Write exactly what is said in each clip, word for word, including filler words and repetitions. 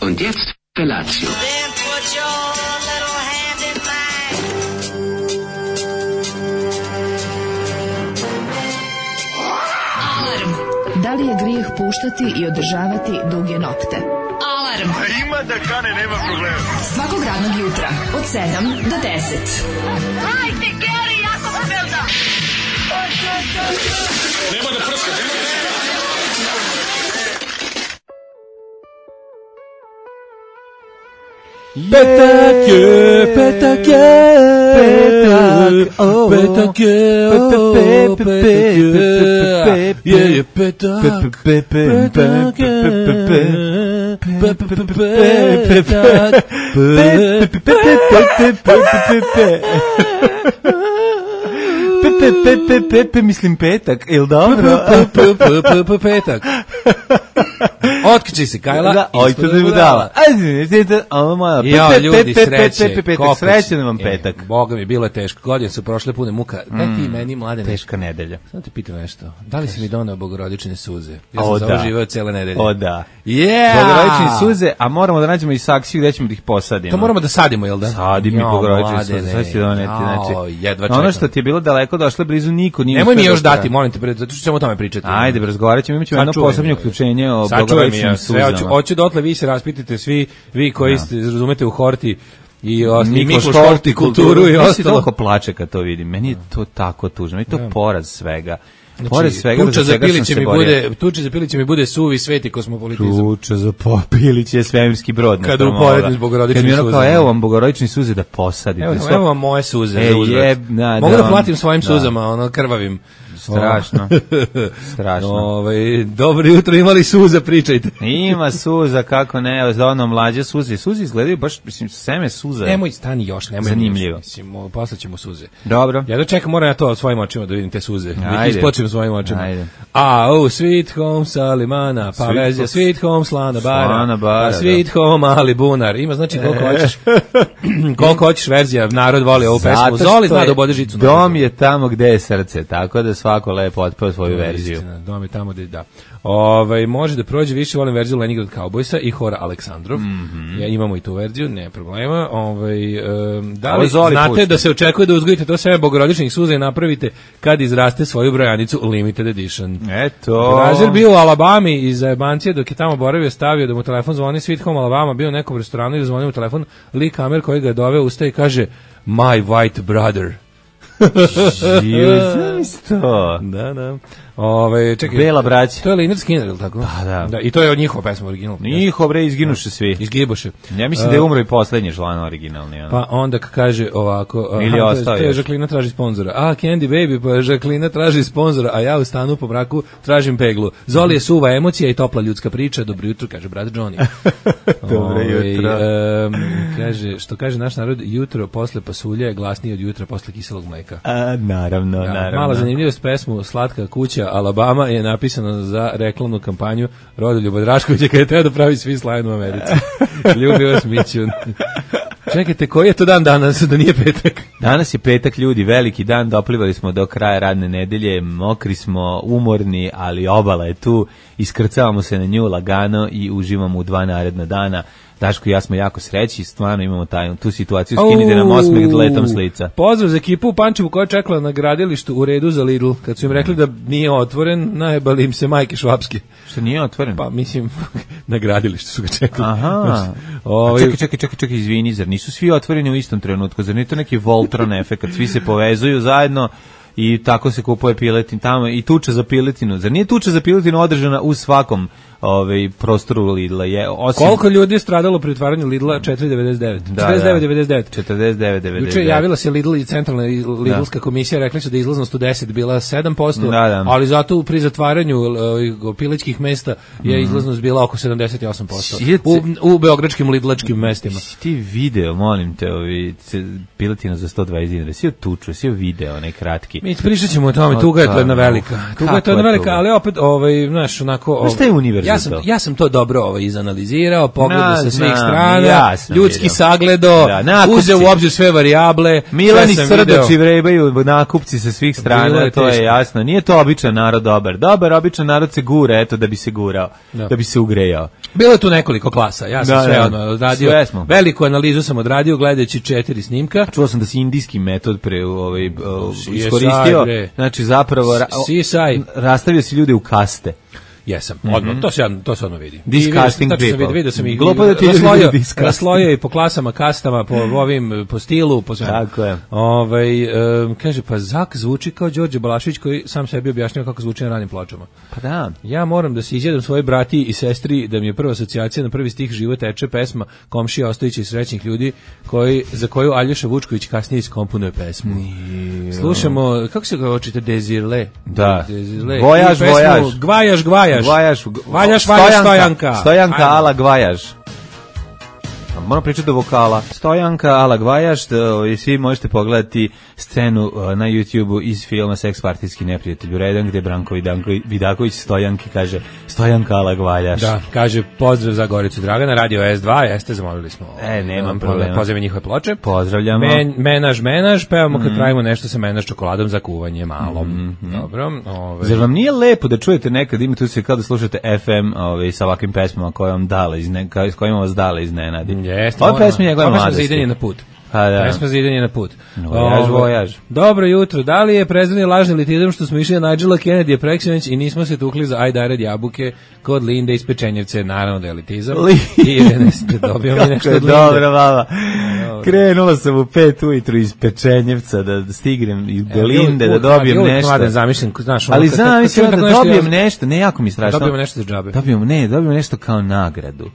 Und jetzt Felatio. Then put your little hand in mine. Alarm. Da li je grijeh puštati i održavati duge nokte? Alarm. A ima da kane, nema problema. Svakog radnog jutra od sedam do deset. Hajde, Geri, jako se velda. Nema da prska, nema da prska. Petak je, petak je, petak, oh, petak je, petak je, je je petak, petak je, Pepe, pepe, pepe, mislim petak, il dobro? Petak. Otkiči se Kajla. Da, oj, to da je budala. Ajde, ovo moja. Ja, ljudi, sreće. Petak, srećan vam petak. E, Boga mi, bilo je teško. Godine su prošle pune muka. Daj ti meni, Mladene. Teška nedelja. Samo te pitam nešto. Da li si mi doneo bogorodične suze? Ja sam o, za da. ovo živeo cijele nedelje. O, da. Yeah! Bogorodične suze, a moramo da nađemo i saksiju gde ćemo da ih posadimo. To moramo da sadimo, jel da? Sadim i bogorodične suze. Sve si doneti, znači. Jedva čekam. Ono što ti je bilo daleko došle blizu niko nije. Nemoj mi još dati, molim te, zato što ćemo o tome pričati. Ajde, razgovarat ćemo, imat ćemo jedno posebno uključenje o bogorodičnim suzama. Hoću dotle, vi se raspitajte svi, vi koji ste, razumete u horti i Mikloš hortikulturu i ostalo. Mislim, toliko plače kad to vidim. Meni je to tako tužno. Meni je to poraz svega. Znači, pored svega tuča za za Piliće mi borio. bude, tuča za Piliće mi bude suvi sveti kosmopolitizam. Tuča za Piliće je svemirski brod. Kada uporedim s bogorodičnim suzama. Kad mi ono kao, evo vam bogorodični suze da posadite. Evo, evo vam moje suze e, za uzvrat. Jeb, na, mogu da, da platim svojim da. suzama, ono, krvavim. Strašno. Strašno. Ove, dobro jutro, imali suza, pričajte. Ima suza, kako ne, za ono mlađe suze. Suze izgledaju baš, mislim, seme suza. Nemoj, stani još, nemoj. Zanimljivo. Još, mislim, poslaćemo suze. Dobro. Ja da čekam, moram ja to svojim očima da vidim te suze. Da ih Ajde. ispočem svojim očima. Ajde. A, oh, sweet home Salimana, pa Sweet verzija, home- sweet home Slana Bara, Slana Bara, pa sweet home Ali Bunar. Ima znači koliko hoćeš, koliko hoćeš verzija, narod voli ovu pesmu. Zoli zna da obode žicu. Dom je tamo gde je srce, tako da svako lepo otpeo svoju verziju. Istina, dom je tamo gde da. Ovaj može da prođe više, volim verziju Leningrad Cowboysa i Hora Aleksandrov. Mm -hmm. Ja imamo i tu verziju, ne problema. Ovaj um, da li znate pušta. Da se očekuje da uzgojite to seme bogorodičnih suza i napravite kad izraste svoju brojanicu limited edition. Eto. Razer bio u Alabami iz Zajebancije dok je tamo boravio, stavio da mu telefon zvoni Sweet Home Alabama, bio u nekom restoranu i da zvoni mu telefon, Lee Kamer koji ga je doveo ustaje i kaže My white brother. Isto. Da, da. Ove, čekaj, Bela braća. To je Lynyrd Skynyrd, ili tako? Da, da. Da, i to je od njihova pesma original. Njihov bre izginuše svi. Izgibuše. Ja mislim da je umro i poslednji član originalni. Ono. Pa onda kaže ovako, ili aha, ostao to je još. Žaklina traži sponzora. A, Candy Baby, pa Žaklina traži sponzora, a ja u stanu po mraku tražim peglu. Zoli je suva emocija i topla ljudska priča. Dobro jutro, kaže brat Johnny. Dobro jutro. Um, kaže, što kaže naš narod, jutro posle pasulja je glasnije od jutra posle kiselog mleka. A, naravno, Ja, naravno. mala zanimljivost, pesmu Slatka kuća Alabama je napisana za reklamnu kampanju Rodoljuba Draškovića kada je teo da pravi svi slajn u Americi. Ljubi vas Mićun. Čekajte, koji je to dan danas, da nije petak? Danas je petak, ljudi, veliki dan, doplivali smo do kraja radne nedelje, mokri smo, umorni, ali obala je tu, iskrcavamo se na nju lagano i uživamo u dva naredna dana. Daško i ja smo jako sreći, stvarno imamo taj, tu situaciju, skinite nam osmeh letom s lica. Pozdrav za ekipu u Pančevu koja je čekala na gradilištu u redu za Lidl. Kad su im rekli da nije otvoren, najebali im se majke švapske. Što nije otvoren? Pa mislim, na gradilištu su ga čekali. Aha. Ovaj, čekaj, čekaj, čekaj, čekaj, izvini, zar nisu svi otvoreni u istom trenutku? Zar nije to neki Voltron efekt, svi se povezuju zajedno i tako se kupuje piletin tamo i tuča za piletinu. Zar nije tuča za piletinu održana u svakom ovaj prostoru Lidla? Je, osim... Koliko ljudi je stradalo pri otvaranju Lidla? četiri devedeset devet. Da, četrdeset devet devedeset devet. četrdeset devet devedeset devet. Juče javila se Lidl i centralna Lidlska komisija, rekli su da je izlaznost u deset bila sedam posto, da, da. ali zato pri zatvaranju uh, pilećkih mesta je izlaznost bila oko sedamdeset osam posto. U, u beogradskim Lidlačkim mestima. Ti video, molim te, ovi piletina za sto dvadeset dinara. Si tuču, si video, onaj kratki. Mi pričat ćemo o tome, tuga je to jedna velika. Tuga je to jedna velika, ali opet, ovaj, znaš, onako... Šta je univerzalno? ja sam, to. Ja sam to dobro ovo izanalizirao, pogledao Na, sa svih znam, strana, ja ljudski vidio. sagledo, Da, uzeo u obzir sve varijable. Milani sve Srdoči vrebaju nakupci sa svih strana, je to je teško. jasno. Nije to običan narod dobar. Dobar, običan narod se gura, eto, da bi se gurao, da, da bi se ugrejao. Bilo je tu nekoliko klasa, ja sam da, sve da. odmah odradio, veliku analizu sam odradio gledajući četiri snimka. Čuo sam da si indijski metod pre ovaj, iskoristio, znači zapravo ra, rastavio si ljude u kaste. Jesam, odmah, mm-hmm. to se to se odmah vidi. Disgusting people. Vidio, vidio sam ih Glupo da ti raslojio, raslojio i po klasama, kastama, po ovim, po stilu, po svemu. Tako je. Ovaj, um, kaže, pa Zak zvuči kao Đorđe Balašević koji sam sebi objašnjava kako zvuči na ranim pločama. Pa da. Ja moram da se izjedam svojoj brati i sestri da mi je prva asocijacija na prvi stih Život teče pesma Komšija Ostojića i srećnih ljudi koji, za koju Aljoša Vučković kasnije iskomponuje pesmu. Nije. Slušamo, kako se ga očite, Dezirle? Da. Dezirle. Vojaž, vojaž. Gvajaž, gvajaž. Gvajaž, Valjaš, valjaš, stojanka. Stojanka ala Gvajaž. Moram pričati do vokala. Stojanka ala Gvajaž, i svi možete pogledati scenu na YouTubeu iz filma Seks partijski neprijatelj u redan, gde Branko Vidaković Stojanki kaže Stojanka ala Gvajaž. Da, kaže pozdrav za Goricu Dragana, radio es dva, jeste, zamolili smo. E, nemam problema. Pozdrav njihove ploče. Pozdravljamo. Men, menaž, menaž, pevamo kad mm. pravimo nešto sa menaž čokoladom za kuvanje malom. Mm -hmm. Dobro. Ove. Zar vam nije lepo da čujete nekad, ima tu se kao da slušate ef em ove, sa ovakvim pesmama koje vam dale, izne, s kojima vas dale iznenadi? Jeste. Ova pesma njegove mladosti. Pesma za idanje na put. Pa da. Pesma za idanje na put. Vojaž, vojaž. Dobro jutro. Da li je prezreni lažni elitizam što smo išli na Nigela Kennedy preksinoć i nismo se tukli za ajdared jabuke kod Linde iz Pečenjevce? Naravno da je elitizam. I ne dobio mi nešto od Linde. Dobro, mama. Krenula sam u pet ujutru iz Pečenjevca da stignem i do Linde, da dobijem nešto. Ali zamislim da dobijem nešto, ne jako mi strašno. Dobijemo nešto za džabe. Dobijemo, ne, dobijemo nešto kao nagradu.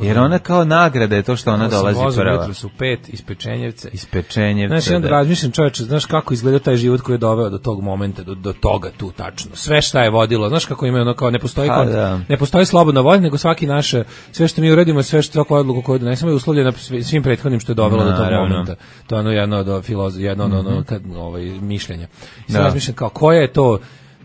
Jer ona kao nagrada je to što ona dolazi prva. Jutro su pet iz Pečenjevce. Iz Pečenjevca. Znaš, onda razmišljam, čoveče, znaš kako izgleda taj život koji je doveo do tog momenta, do, do toga tu tačno. Sve šta je vodilo, znaš kako ima ono kao ne postoji ha, kont, ne postoji slobodna volja, nego svaki naše, sve što mi uradimo, sve što svako odluku koju donesemo je uslovljeno svim prethodnim što je dovelo no, do tog no, momenta. To je ono jedno od filozof, jedno mm-hmm. ono kad ovaj mišljenja. I sad razmišljam kao koje je to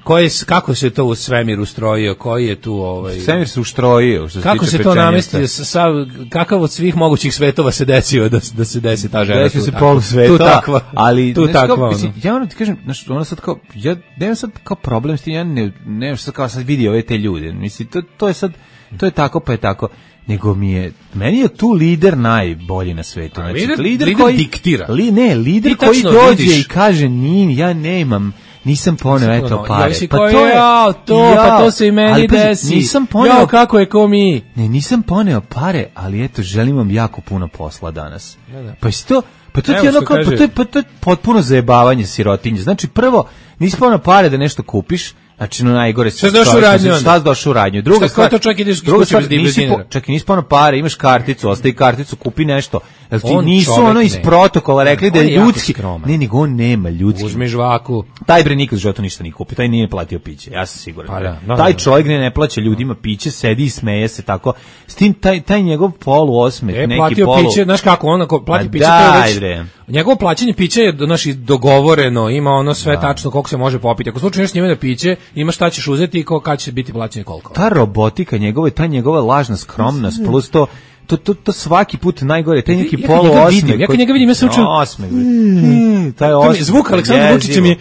Koji, kako se to u svemir ustrojio, koji je tu ovaj svemir se ustrojio, što se kako se to namestio, sa kakav od svih mogućih svetova se desio da da se desi ta žena, desio se polu sveta, tu takva, ali tu takva. Mislim, ja moram ti kažem, znači ona sad kao ja nemam sad kao problem s tim, ja ne ne sad kao sad vidi ove te ljude, mislim to to je sad to je tako pa je tako. Nego mi je, meni je tu lider najbolji na svetu. Znači, lider, lider, lider koji diktira. Li, ne, lider koji dođe vidiš. I kaže, nin, ja nemam, nisam poneo, eto pare. Pa to je, ja, to, ja, pa to se i meni pa, desi. Nisam poneo, ja, kako je ko mi. Ne, nisam poneo pare, ali eto, želim vam jako puno posla danas. Ne, ne. Pa isto to, pa to, je ono kao, pa to, je, pa to je potpuno zajebavanje sirotinje. Znači, prvo, nisi poneo pare da nešto kupiš, znači no najgore šta došao u radnju, šta došao u radnju. Druga stvar, to čak ideš kući bez dinara. Čak i nisi poneo pare, imaš karticu, ostavi karticu, kupi nešto. Jel ti nisu ono iz protokola rekli da je ljudski. Ne, nego on nema ljudski. Uzmi žvaku. Taj bre nikad u životu ništa nije kupio, taj nije platio piće, ja sam siguran. Pa da, no, taj čovjek ne, ne plaća ljudima piće, sedi i smeje se tako. S tim taj taj njegov polu osmeh, e, neki platio polu. Piće, znaš kako on ako plati A piće, daj, to je već. Njegovo plaćanje pića je naši dogovoreno, ima ono sve da. Tačno koliko se može popiti. Ako slučajno nešto njime na piće, ima šta ćeš uzeti i ko kad će biti plaćanje koliko. Ta robotika njegova, ta njegova lažna skromnost plus to To, to, to svaki put najgore, taj neki polu osmeh. Ja kad njega vidim, ja se učim. Osmeh. Taj osmeh. Zvuk Aleksandra Vučića mi je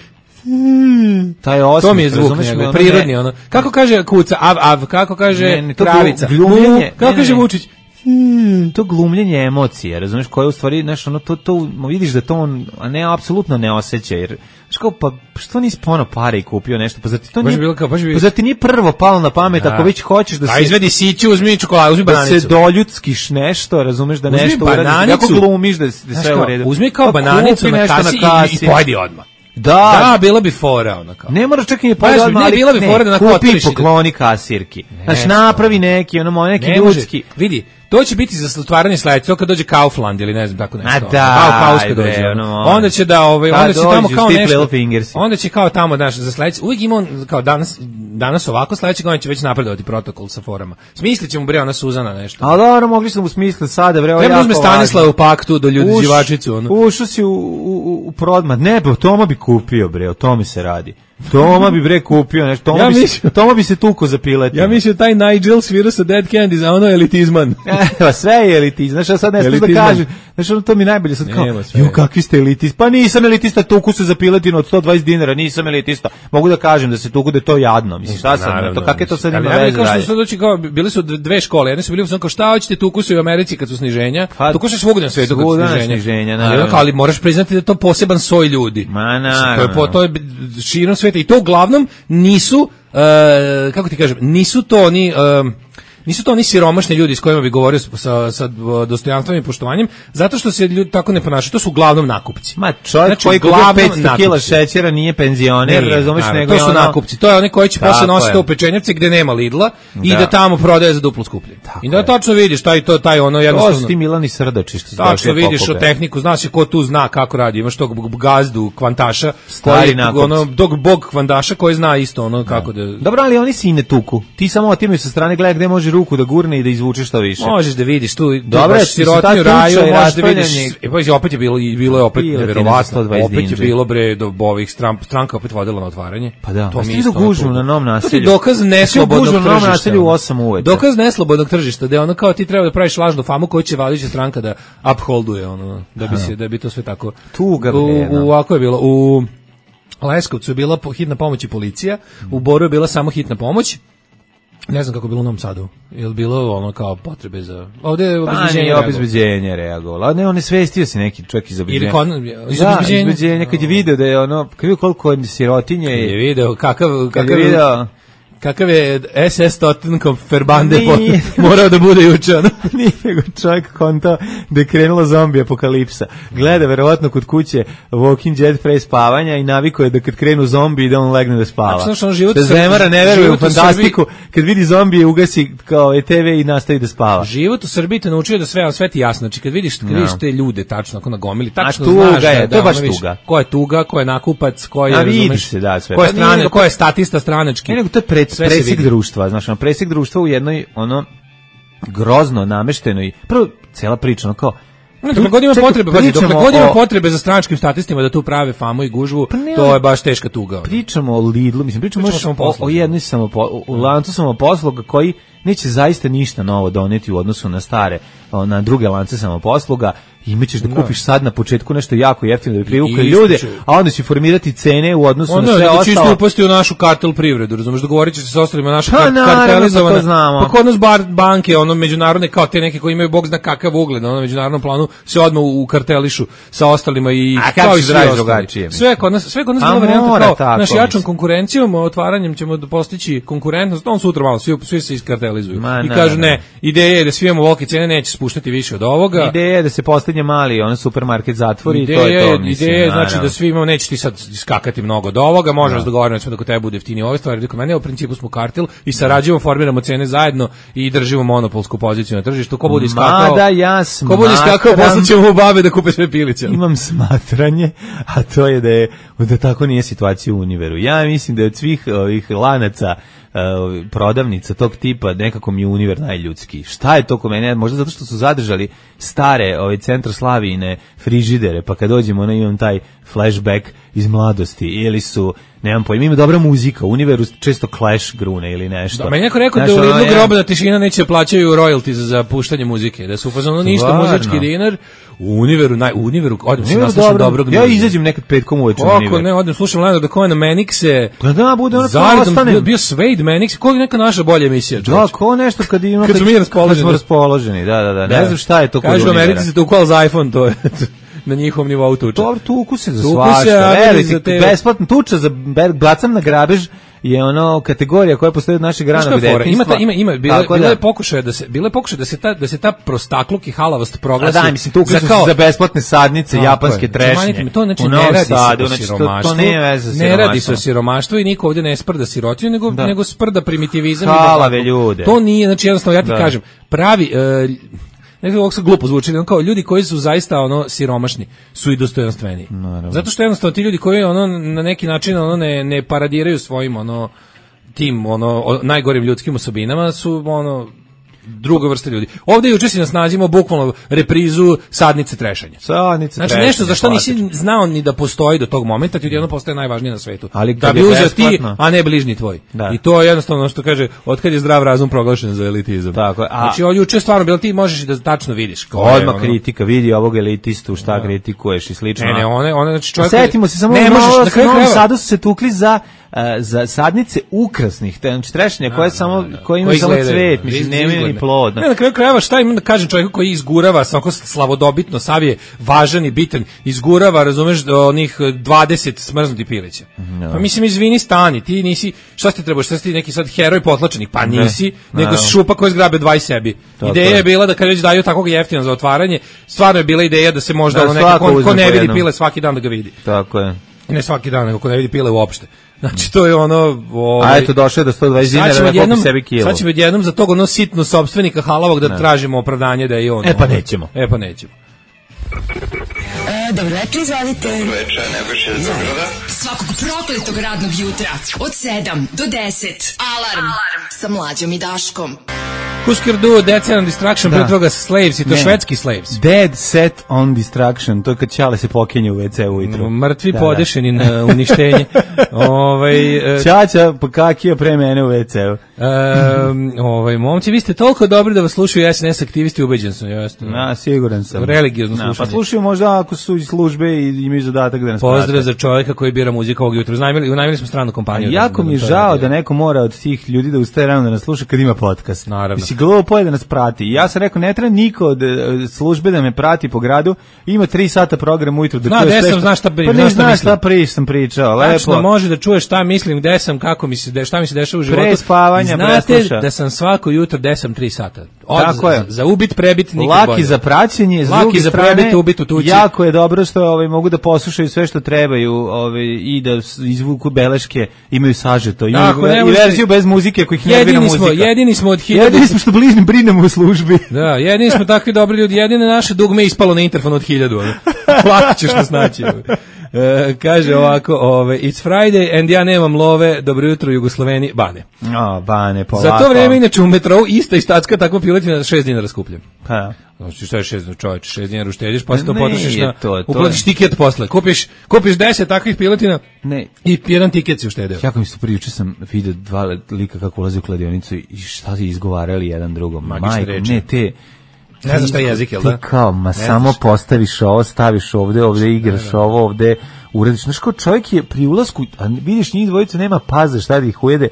taj osmeh. To mi je zvuk njegov, prirodni ono. Kako kaže kuca, av, av, kako kaže kravica. Glumljenje. Kako kaže Vučić? Hmm, to glumljenje emocije, razumeš, koje u stvari, znaš, ono, to, to, vidiš da to on, a ne, apsolutno ne osjeća, jer, znaš kao, pa, što nisi pono pare i kupio nešto, pa zar ti to nije, bilo kao, pa zar ti nije prvo palo na pamet, da. Ako već hoćeš da se... A izvedi siću, uzmi čokoladu, uzmi bananicu. Da se doljudskiš nešto, razumeš, da uzmi nešto uradiš, kako glumiš da, da sve u redu. Uzmi kao pa bananicu na kasi, na kasi i, i pojedi odmah. Da, da, bila bi fora ona kao. Ne moraš čak i pojedi odmah, ali bila bi fora da na kupi pokloni kasirki. Znači, napravi neki, ono, neki ljudski. Vidi, to će biti za stvaranje sledeće, to kad dođe Kaufland ili ne znam tako nešto. A da, Bauhaus kad dođe. Ono, onda će da ovaj, onda će tamo kao nešto. Fingersi. Onda će kao tamo naš za sledeće. Uvijek ima on kao danas danas ovako, sledeće godine će već napredovati protokol sa forama. Smislićemo bre ona Suzana nešto. A dobro, mogli smo mu smisliti sada bre, ovo je. Ne uzme Stanislav u paktu do ljudi živačicu ono. Ušao si u u u prodmat. Ne, pa Toma bi kupio bre, o tome se radi. Toma bi bre kupio nešto. Toma, ja bi, mislim, se, Toma bi se tuko za piletima. Ja mislim taj Nigel svira sa Dead Candies, a ono je elitizman. Evo, sve je elitizam. Znaš, ja sad ne znam da kažem. Znaš, ono to mi najbolje sad kao, ju, kakvi ste elitist? Pa nisam elitista, tuku se za piletinu od sto dvadeset dinara, nisam elitista. Mogu da kažem da se tuku da je to jadno. Mislim, šta sam, naravno, to kakve to sad ima veze dalje? Što doći kao, bili su dve škole, jedne su bili kao šta hoćete tuku se u Americi kad su sniženja, pa, tuku se svugdje na svetu kad su sniženja. sniženja ali, ali moraš priznati da je to poseban soj ljudi. Ma naravno. To je, to je širom sveta i to uglavnom nisu, uh, kako ti kažem, nisu to oni... Uh, Nisu to oni siromašni ljudi s kojima bi govorio sa, sa dostojanstvom i poštovanjem, zato što se ljudi tako ne ponašaju. To su uglavnom nakupci. Ma čovjek znači, koji gubi petsto kila šećera nije penzioner, nije, razumeš, naravno, nego to su ono... nakupci. To je oni koji će posle nositi u pečenjevce gde nema Lidla i da, da tamo prodaje za duplo skuplje. Tako I da tačno vidiš taj to taj ono jednostavno. To su ti Milani Srdači što tačno vidiš o tehniku, znaš ko tu zna kako radi. Imaš tog gazdu kvantaša, koji ono dog bog kvantaša koji zna isto ono kako da. Dobro, ali oni se i ne tuku. Ti samo otimaju sa strane, gledaj gde može ruku da gurne i da izvuče što više. Možeš da vidiš tu, dobro, sirotnju raju, možeš da vidiš. I pa opet je bilo i bilo je opet neverovatno. Opet je bilo bre do ovih stran, stranka opet vodila na otvaranje. Pa da. To mi isto gužu na Novom naselju. To je dokaz neslobodnog tržišta. Na Novom naselju u osam uveče. Dokaz neslobodnog tržišta, da je ono kao ti treba da praviš lažnu famu koju će vladajuća stranka da upholduje ono, da bi se da bi to sve tako. Tuga bre. U ovako je bilo u Leskovcu je bila hitna pomoć i policija, u Boru je bila samo hitna pomoć. Ne znam kako je bilo u Novom Sadu. Je li bilo ono kao potrebe za... Ovdje je obezbeđenje reagovalo. Obezbeđenje reagovalo. Ne, on je svestio se neki čovjek iz obezbeđenja. Ili kon... iz da, obezbeđenja. Kad je video da je ono... Kad je vidio koliko je sirotinje... Kad je video kakav... Kad je video... Kakav je S S Tottenham Ferbande morao da bude juče, ono. Nije nego čovjek konta da je krenula zombi apokalipsa. Gleda verovatno kod kuće Walking Dead pre spavanja i naviko je da kad krenu zombi da on legne da spava. Znači, on život da Zemara ne veruje u fantastiku, kad vidi zombije ugasi kao E T V i nastavi da spava. Život u Srbiji te naučio da sve sve ti jasno. Znači kad vidiš, kad vidiš te ljude tačno ako nagomili, tačno znaš da je, to je baš tuga. Ko je tuga, ko je nakupac, ko je, razumeš, ko je strane, ko je statista stranački. Ne, to je presjek društva, znaš, ono, presjek društva u jednoj, ono, grozno nameštenoj, prvo, cela priča, ono, kao, no, dokle god ima potrebe, pazi, dokle god ima potrebe za stranačkim statistima da tu prave famu i gužvu, pa ne, to je baš teška tuga. Pričamo o Lidlu, mislim, pričamo, pričamo o, o jednoj samopo, u lancu samoposluga koji neće zaista ništa novo doneti u odnosu na stare, na druge lance samoposluga. Imaćeš da kupiš sad na početku nešto jako jeftino da bi privukli ljude, a onda će formirati cene u odnosu onda, na sve ostalo. Onda će isto upasti u našu kartel privredu, razumeš, dogovorit će se sa ostalima naša kar kartelizovana. Pa kod nas bar banke, ono međunarodne kao te neke koji imaju bog zna kakav ugled na onom međunarodnom planu se odmah u kartelišu sa ostalima i a kao i sve drugačije. Sve kod nas, sve kod nas bila varijanta kao naš jačom konkurencijom, otvaranjem ćemo postići konkurentnost, on sutra malo svi svi se iskartelizuju. I kažu ne, ideja je da svi imamo velike cene, neće spuštati više od ovoga. Ideja je da se postigne mali on supermarket zatvori i to je to, mislim. Ideja je znači da svi imamo, neće ti sad skakati mnogo do ovoga, možemo dogovoriti da kod tebe bude jeftinije ove stvari, kod mene u principu smo kartel i sarađujemo, formiramo cene zajedno i držimo monopolsku poziciju na tržištu. Ko bude iskakao? Mada ja smatram, ko bude iskakao, poslaćemo u babe da kupe sve piliće. Imam smatranje, a to je da je da tako nije situacija u Univeru. Ja mislim da je od svih ovih lanaca Uh, prodavnica tog tipa nekako mi je Univer najljudski. Šta je to kod mene? Možda zato što su zadržali stare ovaj centar Slavijine frižidere, pa kad dođemo na imam taj flashback iz mladosti ili su nemam pojma, ima dobra muzika, u Univeru često Clash grune ili nešto. Da, meni neko rekao da u Lidlu grobna tišina neće plaćaju royalties za puštanje muzike, da su u fazonu ništa muzički dinar. U Univeru, naj, u Univeru, odem se naslušam dobrog. Ja izađem nekad petkom uveče u Univer. Kako ne, odem slušam Leonard da Cohena Manixe. Pa da, bude ono kao ostane. Bio, bio Suede Manix, koja je neka naša bolja emisija. Da, ko nešto kad ima kad, kad, mi kad smo raspoloženi, da, da, da, ne znam šta je to kod Univera. Kažu Americi se tukval za iPhone, to je na njihovom nivou tuča. Dobro, tuku se za svašta, veliki, besplatno tuča za bacam na grabež je ono kategorija koja postoji od našeg ranog detinjstva. Ima ima ima bilo bilo je pokušaj da se bilo je pokušaj da se ta da se ta prostakluk i halavost proglasi. A da, mislim tu za, kao, za besplatne sadnice no, japanske trešnje. To znači ne radi Sadu, se o siromaštvu. To, to ne, veze ne radi se o siromaštvu i niko ovdje ne sprda sirotinju, nego da. nego sprda primitivizam. Halave ljude. To nije, znači jednostavno ja ti da. kažem, pravi uh, nekako ovako se glupo zvuči, kao ljudi koji su zaista ono siromašni su i dostojanstveniji. Naravno. Zato što jednostavno ti ljudi koji ono na neki način ono ne ne paradiraju svojim ono tim ono najgorim ljudskim osobinama su ono druga vrsta ljudi. Ovde juče si nas nazivamo bukvalno reprizu sadnice trešanja. Sadnice znači trešanja, nešto za što nisi klasično. znao ni da postoji do tog momenta, ti odjednom postaje najvažnije na svetu. Ali da bi uzeo ti, a ne bližnji tvoj. Da. I to je jednostavno ono što kaže, otkad je zdrav razum proglašen za elitizam. Tako je. A... Znači ovo juče stvarno bilo, ti možeš i da tačno vidiš. Odmah ono... kritika, vidi ovog elitistu, šta da. kritikuješ i slično. Ne, ne, one, one znači čovjek... Setimo se samo, ne, možeš, na kraju krajeva. Sadu su se tukli za Uh, za sadnice ukrasnih, znači trešanja koje samo koje imaju samo cvet, mislim nemaju ni plod. Ne, na kraju krajeva šta imam da kažem čovjeku koji izgurava samo slavodobitno, sav je važan i bitan, izgurava, razumeš, onih dvadeset smrznutih pilića. No. Pa mislim izvini stani, ti nisi, šta ti trebaš, šta si ti neki sad heroj potlačenih, pa nisi, ne. nego no. šupa koji zgrabe dvaj sebi. Tako ideja je bila da kad već daju takvog jeftina za otvaranje, stvarno je bila ideja da se možda ono neko ko, ko ne vidi pile svaki dan da ga vidi. Tako je. I ne svaki dan, nego ko ne vidi pile uopšte. Znači to je ono, ovaj, a eto došao je do sto dvadeset dinara na kopi sebi kilo. Sad ćemo jednom za tog ono sitno sopstvenika halavog da ne. tražimo opravdanje da je on. E pa nećemo. E pa nećemo. E, dobro večer, izvalite. Dobro večer, Nebojša iz Beograda. Svakog prokletog radnog jutra od sedam do deset. Alarm, Alarm. Sa Mlađom i Daškom. Husker Du, Dead Set on Destruction, pre toga Slaves, i to ne. švedski Slaves. Dead Set on Destruction, to je kad Ćale se pokenje u ve ce ujutru. Mrtvi da, podešeni da. na uništenje. ovaj, uh, Ćaća pokakio pre mene u ve ce-u. Um, ovaj, momci, vi ste toliko dobri da vas slušaju es en es aktivisti, ubeđen sam. Jasno. Na, siguran sam. Religiozno na, slušanje. Pa slušaju možda ako su iz službe i imaju zadatak da nas prate. Pozdrav za čovjeka koji bira muziku ovog jutra. Unajmili, unajmili smo stranu kompaniju. A jako da, mi je žao da neko mora od tih ljudi da ustaje rano da nas sluša kad ima podcast. Naravno. Mislim, glupo je da nas prati. Ja sam rekao, ne treba niko od službe da me prati po gradu. Ima tri sata program ujutru. Zna, gde sam, znaš šta, pa ne znaš šta priš, sam pričao. Lepo. Tačno, može da čuješ šta mislim, gde sam, kako mi se, šta mi se dešava u životu. Pre spavanja, znate da sam svako jutro gde sam tri sata. Od, tako je. Za, za ubit, prebit, nikad laki bolje. Za praćenje, s laki za strane, prebit, ubit u tući. Jako je dobro što ovaj, mogu da poslušaju sve što trebaju ovaj, i da izvuku beleške, imaju sažeto. Imaju tako, i verziju bez muzike kojih ne vira muzika. Smo, jedini smo od hiljadu. Jedini smo što bližnim brinemo u službi. Da, jedini smo takvi dobri ljudi. Jedine naše dugme ispalo na interfon od hiljadu. Lako ćeš nas naći. E, kaže ovako, ove, it's Friday and ja nemam love, dobro jutro Jugosloveni, Bane. O, Bane, polako. Za to vreme inače u metrou ista i statska takva piletina šest dinara skupljem. Pa. Znači šta je šest dinara, čovječe, šest dinara uštediš, pa se to potrošiš na, to, to uplatiš tiket posle. Kupiš, kupiš deset takvih piletina ne. I jedan tiket si uštedeo. Jako mi se prijuče sam vidio dva lika kako ulazi u kladionicu i šta si izgovarali jedan drugom. Majko, ne te... Ne znaš šta je jezik, jel da? Ti kao, ma samo postaviš ovo, staviš ovde, ovde igraš da, da. ovo, ovde uradiš. Znaš kao čovjek je pri ulasku, a vidiš njih dvojica nema paze šta da ih ujede,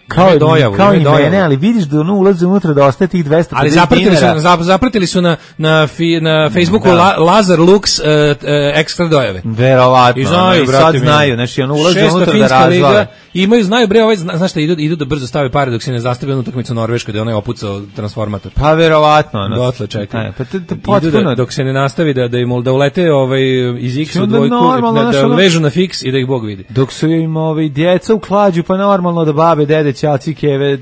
kao, dojavu, kao i dojavu. Mene, ali vidiš da ono ulaze unutra da ostaje tih dvesta pedeset dinara. Ali zapratili su, zapratili su na, na, fi, na Facebooku da. La, Lazar Lux uh, uh, ekstra dojave. Verovatno. I znaju, brate, sad znaju. Znači, ono ulaze unutra da razvale. Imaju, znaju, bre, ovaj, zna, znaš šta, idu, idu da brzo stave pare dok se ne zastave onu utakmicu Norveškoj, da je onaj opucao transformator. Pa verovatno. Ono. Dotle čekaj. Pa te, te potpuno. Da, dok se ne nastavi da, da im da ulete ovaj, iz X u dvojku, normalno, da, da vežu na fiks i da ih Bog vidi. Dok su im ovaj, djeca u klađu, pa normalno da babe, dede, ćaci, keve,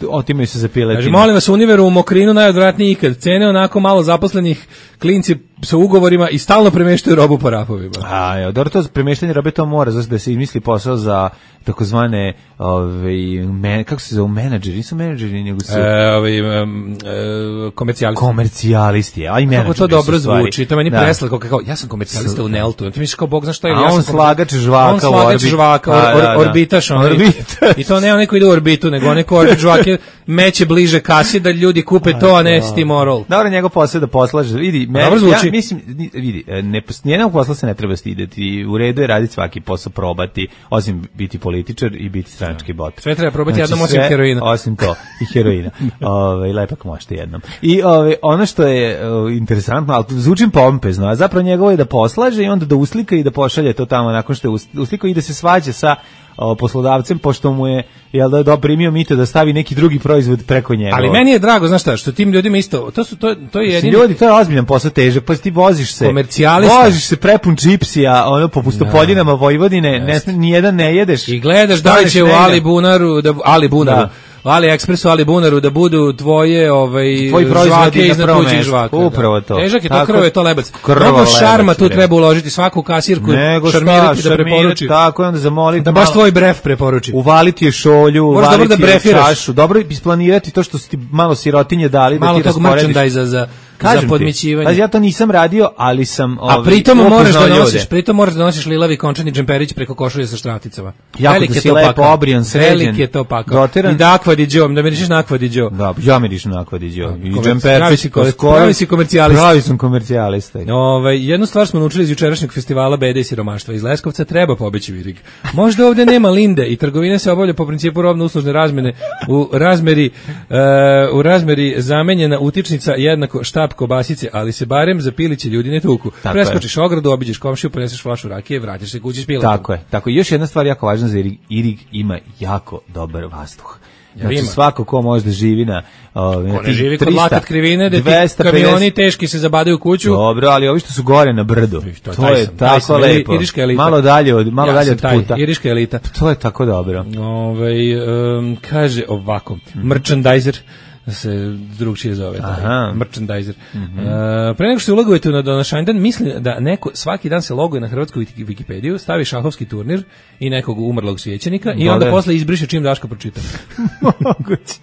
otimaju se za piletinu. Kaže, molim vas, Univeru u Mokrinu najodvratniji ikad. Cene onako malo zaposlenih, klinci sa ugovorima i stalno premeštaju robu po rafovima. A, ja, dobro, to premeštanje robe to mora, zato da se izmisli posao za takozvane, ovaj, men, kako se zove, menadžeri, nisu menadžeri, nego su... E, ovaj, um, e, komercijalisti. Komercijalisti, a i menadžeri. Kako to dobro zvuči, to meni da. Preslako, kao, ja sam komercijalista u Neltu, ti misliš kao Bog, znaš šta je? A ja on slagač žvaka, on slagač žvaka, or, or, da, da. orbitaš, on, orbitaš. I to ne neko ide u orbitu, nego neko orbit žvake meće bliže kasi da ljudi kupe to, a ne Stimorol. Dobro, njegov posao da poslaže, vidi, me, dobro zvuči. Ja mislim, vidi, ne, nijednog posla se ne treba stideti, u redu je raditi svaki posao, probati, osim biti političar i biti stranački bot. Sve treba probati znači, jednom osim sve, heroina. Osim to, i heroina. Ove, lepak možete jednom. I ove, ono što je o, interesantno, ali zvučim pompezno, a zapravo njegovo je da poslaže i onda da uslika i da pošalje to tamo nakon što je uslikao i da se svađa sa o, poslodavcem, pošto mu je jel da je primio mito da stavi neki drugi proizvod preko njega. Ali meni je drago, znaš šta, što tim ljudima isto, to su to to je jedini ljudi, to je ozbiljan posao, težak, pa ti voziš se. Komercijalista. Voziš se prepun čipsija, ono po pustopoljinama Vojvodine, ne, ni jedan ne jedeš. I gledaš da li će u Ali Bunaru, da Ali Bunaru. Da. AliExpressu, Ali Bunaru da budu tvoje ovaj tvoji proizvodi iznad tuđih žvaka. Upravo to. Težak je to, krv je to lebac. Mnogo šarma tu treba uložiti, svaku kasirku šarmirati da preporuči. Tako je, onda zamoliti da baš tvoj bref preporuči. Uvaliti je šolju, uvaliti je čašu. Dobro je isplanirati to što su ti malo sirotinje dali da ti rasporediš. Malo tog merchandise za Kažem za podmićivanje. Pa ja to nisam radio, ali sam ovaj, a pritom možeš da nosiš, pritom možeš da nosiš lilavi končani džemperić preko košulje sa štraticama. Velik je to lepo obrijan, sređen. Velik je to pakao. I da akvadiđo, da mirišiš na akvadiđo. Da, ja mirišem na akvadiđo. I džemperić, pravi si komercijalista. Pravi sam komercijalista. Ovaj jednu stvar smo naučili iz jučerašnjeg festivala Bede i siromaštva. Iz Leskovca treba pobeći Virig. Možda ovde nema linde i trgovina se obavlja po principu robno-uslužne razmene u razmeri uh, u razmeri zamenjena utičnica jednako štap kobasice, ali se barem za piliće ljudi ne tuku. Tako preskočiš je. Ogradu, obiđeš komšiju, poneseš flašu rakije, vratiš se kući s piletom. Tako je. Tako još jedna stvar jako važna za Irig, Irig ima jako dobar vazduh. Znači ima. Svako ko može da živi na ove ko ne živi kod Lakat krivine da ti kamioni teški se zabadaju u kuću. Dobro, ali ovi što su gore na brdu. To, to je sam, tako sam, lepo. Iriška elita. Malo dalje od malo ja dalje od taj, puta. Iriška elita. To je tako dobro. Ovaj um, kaže ovako, mm-hmm. merchandiser se drugčije zove, taj merchandiser. Mm-hmm. Uh, pre nego što se logujete na današnjdan, mislim da neko svaki dan se loguje na hrvatsku Wikipediju, stavi šahovski turnir i nekog umrlog svećenika i onda posle izbriše čim Daško pročita. Moguće.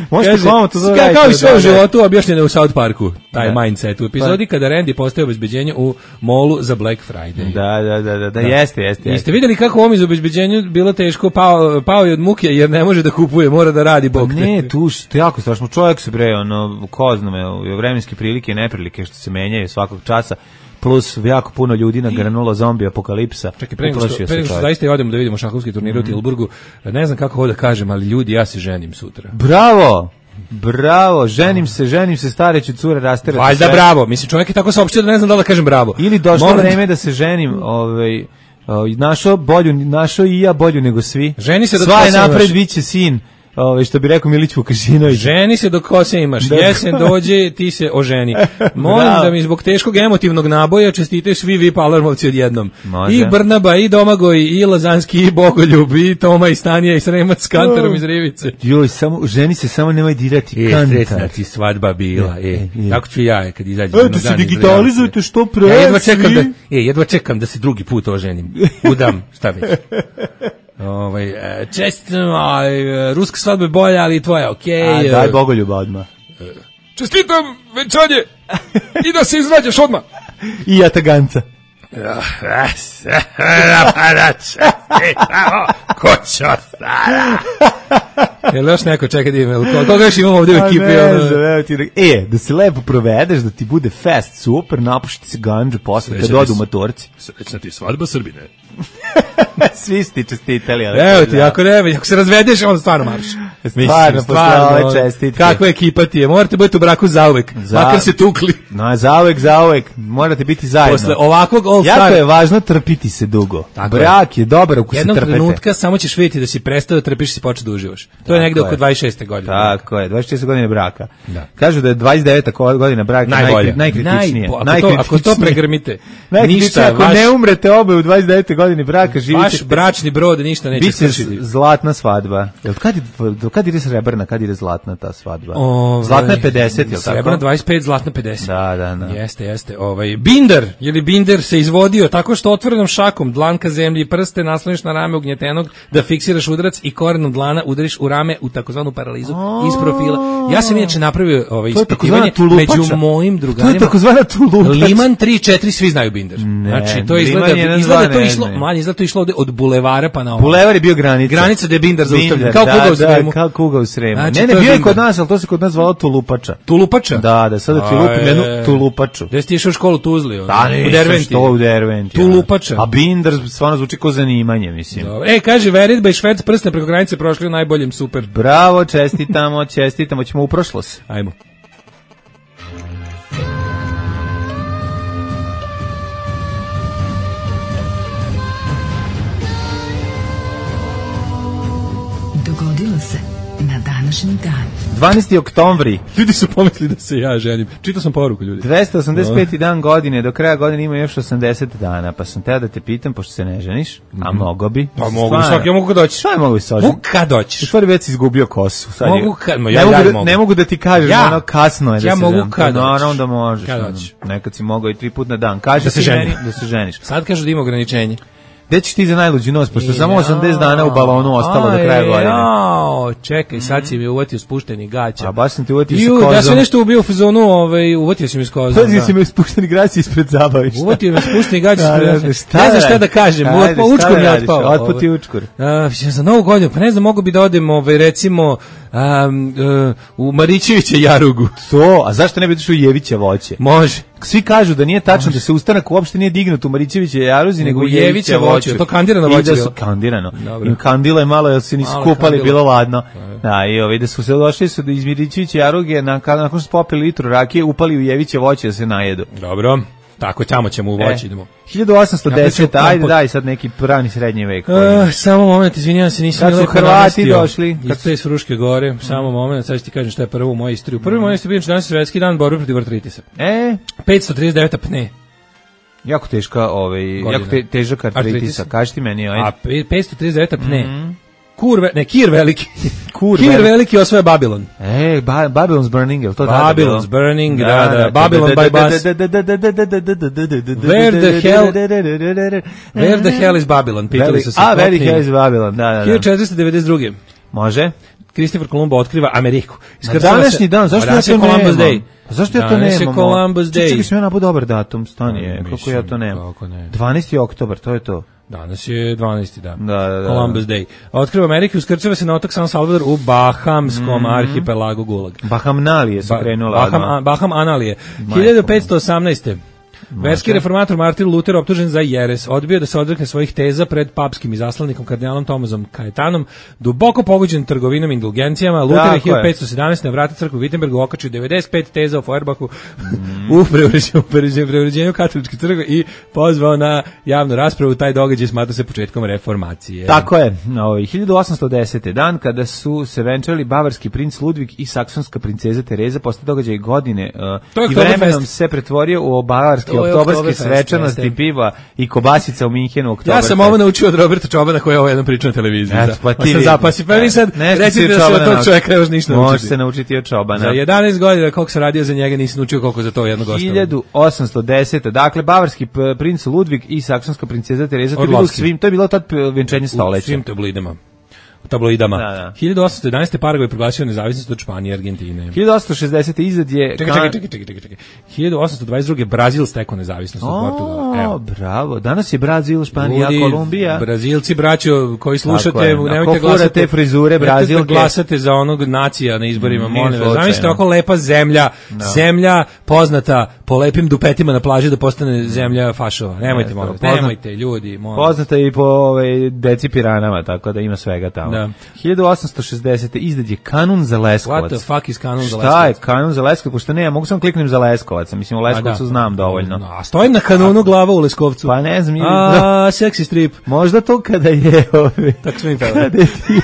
Možete samo to zaraditi. Kao i sve u životu objašnjeno u South Parku, taj da. mindset u epizodi pa. Kada Randy postaje obezbeđenje u molu za Black Friday. Da, da, da, da, da, jeste, jeste. Jeste vidjeli kako ovom iz obezbeđenju bilo teško, pao, pao je od muke jer ne može da kupuje, mora da radi bog. Ne, tu što jako strašno. Čovjek se bre, ono, ko zname, vremenske prilike i neprilike što se menjaju svakog časa, plus jako puno ljudi nagranulo zombi apokalipsa. Čekaj, pre nego što, pre što zaista i odemo da vidimo šahovski turnir u Tilburgu, ne znam kako ovo da kažem, ali ljudi, ja se ženim sutra. Bravo! Bravo, ženim se, ženim se, stareću cure rasterati. Valjda bravo, mislim čovjek je tako saopštio da ne znam da li da kažem bravo. Ili došlo Moram... vreme da se ženim, ovaj, našo bolju, našo i ja bolju nego svi. Ženi se da sva je napred, biće sin. Ove, što bi rekao Milić Vukašinović. Ženi se dok kose imaš, jesen dođe, ti se oženi. Molim da mi zbog teškog emotivnog naboja čestitaju svi vi Palermovci odjednom. Može. I Brnaba, i Domagoj, i Lazanski, i Bogoljub, i Toma, i Stanija, i Sremac s Kantarom iz Rivice. Joj, samo, ženi se samo nemoj dirati e, Kantar. Sretna ti svadba bila, e, e, e. Tako ću ja, kad izađem. E, da se digitalizujete što pre, ja jedva čekam da, e, jedva čekam da se drugi put oženim. Udam, šta već. Ovaj čestitam, ruska svadba je bolja, ali tvoja okej. Okay. Daj Bogoljuba odmah. Čestitam venčanje i da se izrađaš odmah. I ja taganca. Ko će ostara? Jel još neko čeka da ima? Koga još imamo ovdje u ekipi? E, da se lepo provedeš, da ti bude fest super, napušiti se ganđu posle kad odu motorci. Srećna ti svadba Srbine. Svi ste čestitali. Evo ti, ako ne, ako se razvedeš, onda stvarno marš. Stvarno, posle ove čestitke. Kakva ekipa ti je? Morate biti u braku zauvek, za... makar se tukli. No, zauvek, zauvek, morate biti zajedno. Posle ovakvog all star. Jako je važno trpiti se dugo. Tako Brak je, je dobar ako se trpete. Jednog trenutka samo ćeš vidjeti da si prestao da trpiš i si počeo da uživaš. To Tako je negde oko dvadeset šeste godine. Tako je, dvadeset šeste godine braka. Da. Kažu da je dvadeset deveta godina braka najbolja. Najkritičnije. Naj, ako, to, ako to pregrmite, ništa. Ako vaš... ne umrete obe u dvadeset devete godini braka, živite. Vaš bračni brod ništa neće skršiti. Biće zlatna svadba. Jel kad do kad ide srebrna, kad ide zlatna ta svadba? Ove, zlatna je pedeset, jel tako? Srebrna dvadeset pet, zlatna pedeset. Da, da, da. Jeste, jeste. Ovaj binder, je li binder se izvodio tako što otvorenom šakom dlanka zemlji i prste nasloniš na rame ugnjetenog da fiksiraš udarac i korenom dlana udariš u rame u takozvanu paralizu iz profila. Ja sam inače napravio ovaj ispitivanje među mojim drugarima. To je takozvana tulupača. Liman tri četiri svi znaju binder. Ne, znači to izgleda izgleda to išlo, manje izgleda to išlo od bulevara pa na ovo. Bulevar je bio granica. Granica gde je binder zaustavljen. Kao kuga u Sremu. Kao kuga u Sremu. Znači, ne, ne, bio je kod nas, ali to se kod nas zvalo tulupača. Tulupača? Da, da, sada ti lupim jednu tulupaču. Gde si išao u školu Tuzli? Da, ne, u Derventi. Što u Derventi. Tulupača. A binder stvarno zvuči kao zanimanje, mislim. Dobre. E, kaže, veritba i Švec prsne preko granice prošli u najboljem, super. Bravo, čestitamo, čestitamo, ćemo u prošlost. Ajmo. Dogodilo se na današnji dan. dvanaesti oktobri. Ljudi su pomislili da se ja ženim. Čitao sam poruku, ljudi. dvesta osamdeset peti dan godine, do kraja godine ima još osamdeset dana, pa sam teo da te pitam, pošto se ne ženiš, a mogo bi. Pa mogu bi, svaki, ja mogu kad doći. Šta je mogu bi se Mogu kad doćiš. U stvari već si izgubio kosu. Sad mogu kad, ma ja, ja, ne, ja, mogu ja da, mogu. ne mogu da ti kažem, ja. ono kasno je da ja se mogu kad no, doćiš. onda možeš. Kad ono, doćiš. nekad si mogao i tri put na dan. Kaži da se ti ženi. meni da se ženiš. Sad kažu da ima ograničenje. Gde ćeš ti za najluđi nos, pošto samo osamdeset dana u balonu ostalo do kraja godine. Jao, čekaj, sad si mi uvatio spušteni gaća. A baš sam ti uvatio sa Ju, kozom. da sam nešto ubio u fazonu, ovaj, uvatio si mi s kozom. Uvatio si mi spušteni gaća ispred zabavišta. Uvatio mi spušteni gaća Da, ispred da, zabavišta. šta Ne znam da šta da kažem, Ajde, pa šta učkur da mi je radiš? otpao. Otput i učkur. A, za novu godinu, pa ne znam, mogu bi da odem, ovaj, recimo, um, uh, u Marićevića Jarugu. To, a zašto ne bi došao u Jeviće voće? Može. Svi kažu da nije tačno da se ustanak uopšte nije dignut u Marićeviće Jaruzi, nego u Jeviće Jeviće voće. voće. To kandirano I voće da bilo? su kandirano. Dobro. Im kandilo je malo, jer se nisu Malo kupali, kandilo. bilo ladno. Da, i ovi da su se došli su da iz Marićeviće Jaruge, na, nakon što su popili litru rakije, upali u Jeviće voće da se najedu. Dobro. Tako, tamo ćemo u voći, E. idemo. hiljadu osamsto deset, Ja ajde daj sad neki prani srednji vek. Uh, samo moment, izvinjavam se, nisam Kad su lepo Hrvati namestio. došli? Kad ste iz Fruške gore, samo moment, sad ću ti kažem šta je prvo u mojoj istoriji. Prvi moj istoriji je danas je svetski dan borbe protiv artritisa. E, petsto trideset devet apne. jako teška, ovaj, Godina. jako te, težak artritisa. Artritis. Kaži ti meni, ajde. A pe- petsto trideset devet apne. Kur, ve, ne, Kir veliki. Kur Kir veliki. veliki osvaja Babilon. E, ba, Babylon's Burning, je li to tada bilo? Babylon's Burning, da, da, Babylon by bus. Where the hell- Where the hell is Babylon? Pitali su se. A, Where the popni. hell is Babylon, da, da, da. hiljadu četiristo devedeset druge. Može? Kristofer Kolumbo otkriva Ameriku. Na Iskrcava se- današnji dan, zašto ja Danas to je Columbus nemam? Day. Pa zašto ja to Danas je nemam? Columbus Day. Čekaj, sam ja nabu dobar datum, stani je, kako Mislim, ja to nemam? kako ne. dvanaesti oktobar, to je to. Danas je dvanaesti dan. Da, da, da. Columbus Day. Otkriva Ameriku, uskrcava se na otok San Salvador u Bahamskom arhipelagu Gulag. Bahamnalije su Ba- krenula. Baham, odmah. a- Baham Analije. hiljadu petsto osamnaeste. Verski reformator Martin Luther optužen za jeres, odbio da se odrekne svojih teza pred papskim izaslanikom kardinalom Tomazom Kajetanom, duboko pogođen trgovinom i indulgencijama. Luther je Tako je. hiljadu petsto sedamnaeste na vrata crkve u Wittenbergu okačio devedeset pet teza o Feuerbachu u preuređenju, preuređenju, preuređenju katoličke crkve i pozvao na javnu raspravu. Taj događaj smatra se početkom reformacije. Tako je, ovaj, hiljadu osamsto desete. dan kada su se venčali bavarski princ Ludvig i saksonska princeza Tereza, posle događaja godine uh, To je i vremenom Oktoberfest. se pretvorio u bavarske To je oktobarske Oktoberfest, svečanosti, jeste. piva i kobasica u Minhenu. Ja Oktoberfest. sam ovo naučio od Roberta Čobana koji je ovo jednom pričao na televiziji. Eto, Da. pa Pa ti sam vidi. zapasi. Pa vi sad Nešto si recite od da se Čobana od tog naučio. čovjeka još ništa Može naučiti. se naučiti od Čobana. Za jedanaest godina koliko sam radio za njega nisam naučio koliko za to jedno gostovanje. hiljadu osamsto desete. Dakle, bavarski p- princ Ludvig i saksonska princeza Tereza, to je bilo u Orlovski. svim, to je bilo tad p- venčanje U stoleća. svim tabloidama. U tabloidama. Da, da. hiljadu osamsto jedanaeste. Paragvaj proglasio nezavisnost od Španije i Argentine. hiljadu osamsto šezdesete. izad je... Čekaj, kan- čekaj, čekaj, čekaj, čekaj, čekaj. hiljadu osamsto dvadeset druge. Brazil stekao nezavisnost od Portugala. O, Evo. bravo. Danas je Brazil, Španija, Ljudi, Kolumbija. Brazilci, braćo, koji Tako slušate, je. nemojte Ako glasati. furate frizure nemojte Brazilke. glasate za onog nacija na izborima, Mm, molim nije vas. Zamislite slučajno. ovako lepa zemlja, zemlja poznata po lepim dupetima na plaži da postane zemlja fašova. Nemojte, Jeste, molim vas, poznat- nemojte, ljudi, molim vas. Poznata je i po ovaj, deci piranama, tako da ima svega tamo. Da. hiljadu osamsto šezdesete. izad je kanun za Leskovac. What the fuck is kanon za Šta Leskovac? je kanun za Leskovac? Pošto ne, ja mogu samo kliknem za Leskovac. Mislim, u Leskovcu znam dovoljno. A stojim na kanonu glava u Leskovcu. Pa ne znam, ili- A, seksi strip. možda to kada je... Ovaj, Tako smo im pevali. kada je ti-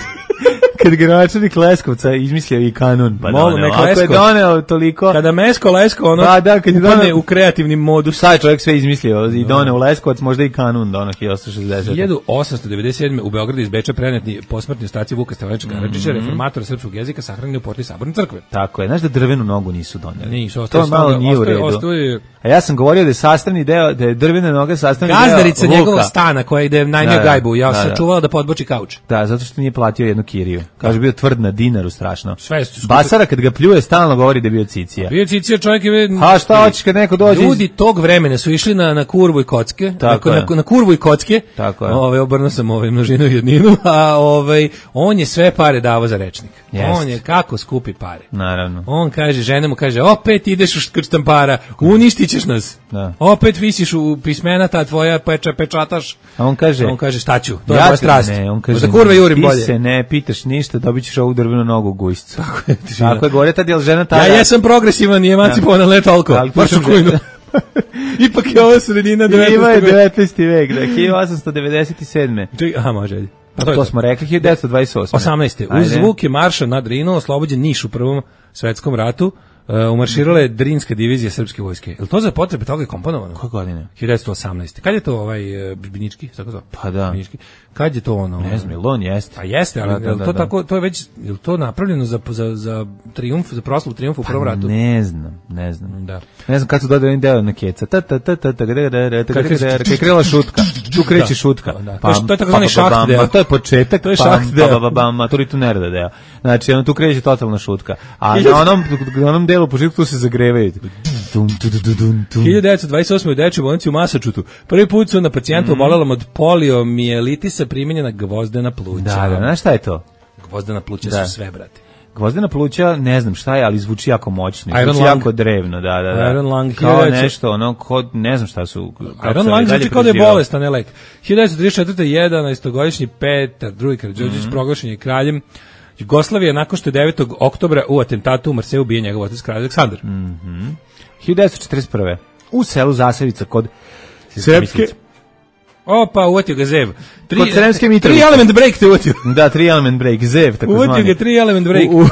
kad gradonačelnik Leskovca izmislio i kanun, pa Molim, doneo. nek Ako je Leskovac. doneo toliko... Kada Mesko Lesko, ono, Pa da, kad je upadne doneo- u kreativni modus. Šta je čovjek sve izmislio i doneo u Leskovac, možda i kanun doneo hiljadu osamsto šezdesete. hiljadu osamsto devedeset sedme. u Beogradu iz Beča preneti posmrtni ostaci Vuka Stefanovića Karadžića, Mhm. reformatora srpskog jezika, sahranjeni u porti Saborne crkve. Tako je, znaš da drvenu nogu nisu doneli. Nisu, to ostaje malo stoga- nije u ostaje- redu. ostaje- A ja sam govorio da je sastavni deo, da je drvena noga sastavni Gazdarica deo njegovog luka. stana koja ide najmio Da, da, gajbu, ja da, sam da. čuvala da podboči kauč. Da, zato što nije platio jednu kiriju. Kaže, bio tvrd na dinaru, strašno. Sve su- Basara kad ga pljuje, stalno govori da je bio cicija. Bio Cicija čovjek je... A šta hoćeš kad neko dođe iz- Ljudi tog vremena su išli na, na kurvu i kocke, Tako na, je. na, na kurvu i kocke, Tako je. ovaj, obrnuo sam ovaj množinu i jedninu, a ovaj, on je sve pare davao za rečnik. Jest. On je kako skupi pare. Naravno. On kaže, žena mu kaže, opet ideš u škrštampara, uništit ćeš nas. Da. Opet visiš u pismena, ta tvoja peča, pečataš. A on kaže... On kaže, šta ću, to je ja moja te- strast. Ne, on kaže, Možda kurve jurim ti bolje. se ne pitaš ništa, dobit ćeš ovu drvenu nogu u gujscu. Tako je, tišina. Tako je, govore tad, jel žena tada... Ja jesam progresivan i emancipovan, ali ne toliko. Ali Baš u slušam, kujnu. Ipak je ovo sredina Ima je devetnaestog. devetnaesti vek, da, hiljadu osamsto devedeset sedme. Čekaj, aha, može, ajde. Pa to, to smo rekli, hiljadu devetsto dvadeset osme. osamnaeste. Uz zvuke marša na Drinu oslobođen Niš u Prvom svetskom ratu. Uh, umarširala je Drinska divizija srpske vojske. Je li to za potrebe toga je komponovano? Koje godine? hiljadu devetsto osamnaeste. Kad je to ovaj uh, Binički, tako zove? Pa da. Binički. Kad je to ono? Ne znam, ili on jeste. Pa jeste, ali da, da, da, to da. Tako, to je već, je li to napravljeno za, za, za trijumf, za proslavu trijumfa u prvom ratu? Ne znam, ne znam. Da. Ne znam kad su dodali deo na keca. Ta ta ta ta ta kad je krela šutka. Tu kreće šutka. To je takozvani šaht deo. To je početak. To je šaht deo. Pa ba ba to tu nereda deo. Znači, ono tu kreće totalna šutka. A na onom na onom delu početku tu se zagrevaju. hiljadu devetsto dvadeset osme u dečjoj bolnici u Masačutu. Prvi put su na pacijentu mm. obolelom od poliomijelitisa primenjena gvozdena pluća. Da, da, znaš šta je to? Gvozdena pluća da. Su sve, brate. Gvozdena pluća, ne znam šta je, ali zvuči jako moćno, zvuči Iron jako Lung. Drevno, da, da, da. Iron Lung, kao nešto, ono, kod, ne znam šta su. Iron Lung zvuči kao da je bolest, a ne lek. hiljadu devetsto trideset četvrte. jedanaestogodišnji Petar drugi Karađorđević mm. proglašen je kraljem Jugoslavije nakon što je devetog oktobra u atentatu u Marseju ubije njegov otac kralj Aleksandar. Mm-hmm. hiljadu devetsto četrdeset prve. u selu Zasavica kod Srpske. Opa, uvatio ga Zev. Tri, kod Sremske Mitrovice. Tri element break te uvatio. Da, tri element break, Zev, tako zvani. Uvatio ga tri element break. U, u,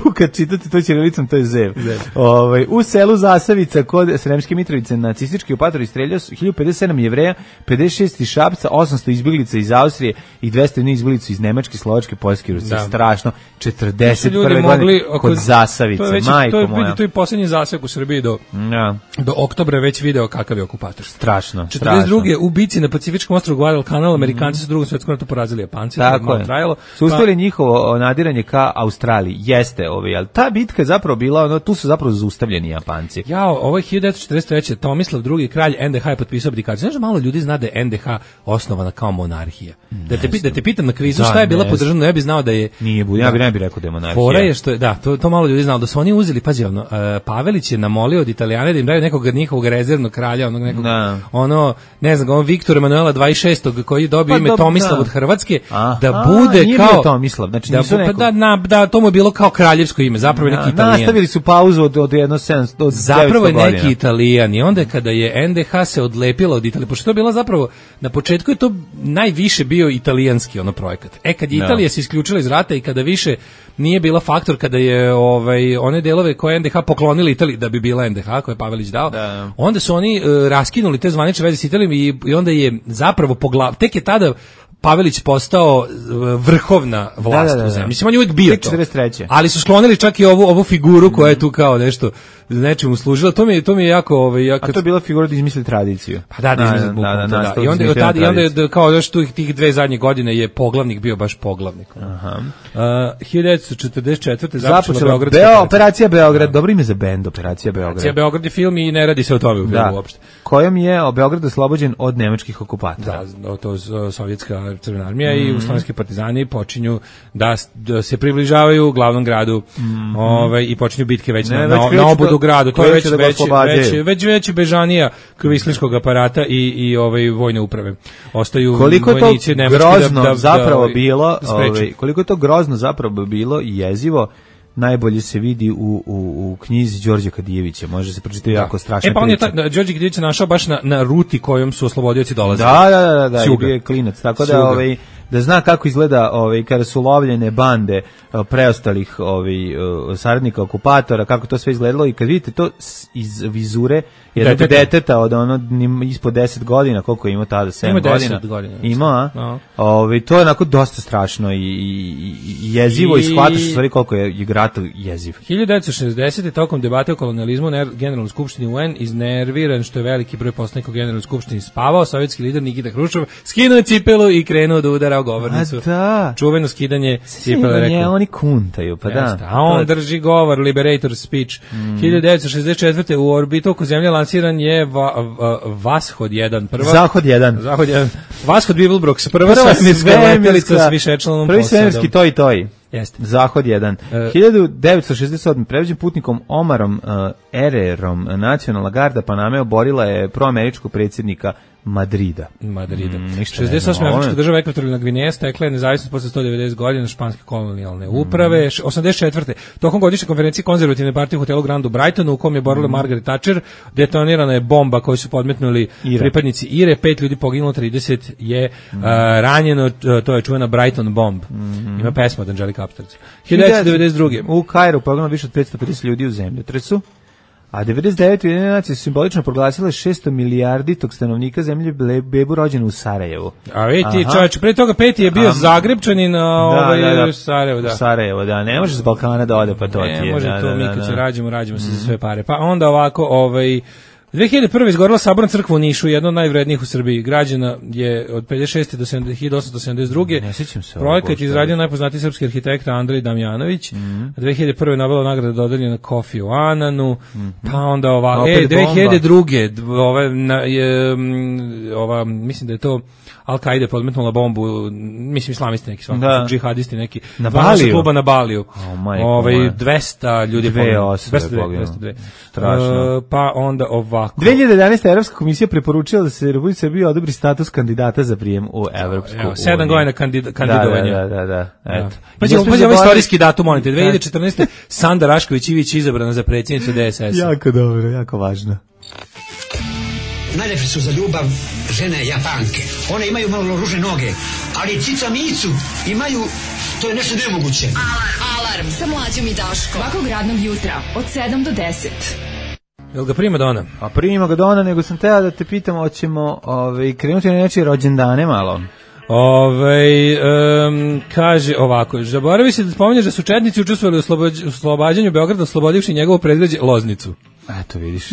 u, kad čitate to ćirilicom, to je Zev. Zev. Ovaj, u selu Zasavica kod Sremske Mitrovice nacistički okupator istreljao hiljadu pedeset sedam Jevreja, pedeset šest iz Šapca, osamsto izbjeglica iz Austrije i dvesta izbjeglica iz Nemačke, Slovačke, Poljske i Rusije. Strašno. četrdeset prve godine kod Zasavice, to već, majko to je, moja. To je posljednji zasek u Srbiji do, ja. do oktobra već video kakav je okupator. Strašno. četrdeset druge u bici na Pacifičkom ostrvu Guadalcanal, Amerikanci su u drugom svjetskom ratu porazili Japanci. Tako je. Trajalo. Su uspjeli pa, njihovo nadiranje ka Australiji. Jeste, ovaj, ali ta bitka je zapravo bila, ono, tu su zapravo zaustavljeni Japanci. Jao, ovo je hiljadu devetsto četrdeset treće. Tomislav drugi kralj en de ha je potpisao abdikaciju. Znaš da malo ljudi zna da je en de ha osnovana kao monarhija. Da te, da te pitam na kvizu šta je bila podržana, ja bih znao da je... Nije, da, ja bih ne bih rekao da je monarhija. Fora je što je, da, to, to malo ljudi znalo, da su oni uzeli, pazi, ono, uh, Pavelić je namolio od Italijane da im daju nekog njihovog rezervnog kralja, onog nekog, da. ono, ne znam, on Viktor Emanuela dvadeset šestog koji dobio pa, ime do, Tomislav da. Od Hrvatske, aha, da bude nije kao... Tomislav, znači da, nisu neko... Da, na, da, to mu je bilo kao kraljevsko ime, zapravo da, neki Italijan. Nastavili su pauzu od, od jedno sedamsto, od zapravo je neki godina. Italijan i onda kada je en de ha se odlepila od Italije, pošto to je bila zapravo, na početku je to najviše bio italijanski ono projekat. E, kad je Italija no. se isključila iz rata i kada više nije bila faktor, kada je ovaj one delove koje en de ha poklonili Italiji da bi bila en de ha koje je Pavelić dao, da. Onda su oni uh, raskinuli te zvanične veze s Italijom i, i onda je zapravo poglav, tek je tada Pavelić postao vrhovna vlast da, da, da, u zemlji. Mislim, on je uvijek bio to. četrdeset treće. Ali su sklonili čak i ovu, ovu figuru koja je tu kao nešto nečemu služila. To mi je, to mi je jako... Ovaj, jako... A to je bila figura da izmisli tradiciju. Pa da, da izmisli bukvalno. Da, da, da, da. I onda, od tada, i onda je kao još tu tih dve zadnje godine je poglavnik bio baš poglavnik. Aha. Uh, hiljadu devetsto četrdeset četvrte započela Beogradska Beo, operacija Beograd. Dobro ime za bend, operacija Beograd. Operacija Beograd je film i ne radi se o tome u filmu uopšte. Kojom je Beograd oslobođen od nemačkih okupatora. Da, to je sovjetska crvena armija mm. i jugoslovenski partizani počinju da, da se približavaju glavnom gradu mm. ovaj, i počinju bitke već ne, na, već na, na obodu gradu. To je već, da već, već, već, već bežanija kvislinskog aparata i, i ovaj, vojne uprave. Ostaju koliko vojnici nemački grozno da, da, zapravo da, bilo, da ovaj, koliko je to grozno zapravo bilo i jezivo, najbolje se vidi u, u, u knjizi Đorđa Kadijevića. Može se pročitati da. Jako strašna priča. E pa on je ta, Đorđe Kadijević našao baš na, na ruti kojom su oslobodioci dolazili. Da, da, da, da, i bio je klinac. Tako da, ovaj, da zna kako izgleda ovaj, kada su lovljene bande preostalih ovaj, saradnika okupatora, kako to sve izgledalo i kad vidite to iz vizure jednog deteta, deteta od ono ispod deset godina, koliko ima tada, sedam godina. godina. Ima, a? No. Ovaj, to je onako dosta strašno i, i, i jezivo i, i shvataš u stvari koliko je, je rat jeziv. hiljadu devetsto šezdesete. tokom debate o kolonijalizmu na Generalnoj skupštini u en iznerviran što je veliki broj poslanika u Generalnoj skupštini spavao, sovjetski lider Nikita Hruščov skinuo cipelu i krenuo da udara o govornicu. Da. Čuveno skidanje cipele, rekao. Oni kuntaju, pa da. A on drži govor, Liberator speech. Mm. hiljadu devetsto šezdeset četvrte. u orbitu oko zemlje lansiran je va, va, Vashod jedan. Prva, Zahod jedan. Zahod jedan. Vashod Bibelbrox, prva, prva svemirska letelica s višečlanom posadom. Prvi svemirski toj toj. Jeste. Zahod jedan. Uh, hiljadu devetsto šezdeset sedme. prevođen putnikom Omarom uh, Ererom, nacionalna garda Paname oborila je proameričkog predsjednika Madrida. Madrida. Mm, šezdeset osme. Afrička država Ekvatorijalna Gvineja stekla je nezavisnost posle sto devedeset godina španske kolonijalne uprave. Mm. osamdeset četvrte. Tokom godišnje konferencije konzervativne partije u hotelu Grand u Brightonu, u kom je borila mm. Margaret Thatcher, detonirana je bomba koju su podmetnuli Ire. pripadnici Ire, pet ljudi poginulo, trideset je mm. uh, ranjeno, to je čuvena Brighton bomb. Mm. Ima pesma od Angelica Upstarts. hiljadu devetsto devedeset druge. U Kairu poginulo više od petsto pedeset ljudi u zemljotresu. A devedeset devete. Ujedinjene nacije su simbolično proglasile šesto milijardi tog stanovnika zemlje bebu rođenu u Sarajevu. A vidi, čovječ, pre toga peti je bio Zagrebčanin, a ovaj da, da, da, Sarajevo, da. Sarajevo, da, ne može s Balkana da ode, pa to ne, ti je. Ne može da, to, da, mi da, kad da. se rađemo, rađemo se mm. za sve pare. Pa onda ovako, ovaj... dve hiljade prve. izgorela Saborna crkva u Nišu, jedna od najvrednijih u Srbiji. Građena je od pedeset šeste do hiljadu osamsto sedamdeset druge. Ne sjećam se. Projekat izradio najpoznatiji srpski arhitekta Andrej Damjanović. Mm. dve hiljade prve. Nobelova nagrada dodeljena Kofi u Ananu. Mm. Pa onda ovako. E, dve hiljade druge. Ova, na, je, ova, mislim da je to Al-Qaida podmetnula bombu, mislim islamisti neki, svakako, džihadisti neki. Na Baliju? Kluba na Baliju. Oh, ovaj, dvesta ljudi dve osobe poginulo. Strašno. Uh, pa onda ovako. dve hiljade jedanaeste. Evropska komisija preporučila da se Republici Srbiji odobri status kandidata za prijem u Evropsku uniju. Sedam godina kandid, kandidovanja. Da, da, da. da. Eto. Pa ćemo ovaj istorijski datum, molim te. dve hiljade četrnaeste. Sanda Rašković-Ivić izabrana za predsjednicu D S S. Jako dobro, jako važno. Najlepše su za ljubav žene Japanke. One imaju malo ružne noge, ali cica micu imaju, to je nešto nemoguće. Alarm, alarm, sa Mlađom i Daškom. Svakog radnog jutra, od sedam do deset. Jel ga prima dona? A prima ga dona, nego sam teo da te pitam, hoćemo ovaj, krenuti na nečije rođendane malo. Ove, um, kaže ovako, zaboravi se da spominješ da su četnici učestvovali u oslobađanju Beograda, oslobodivši njegovo predgrađe Loznicu. Eto, vidiš.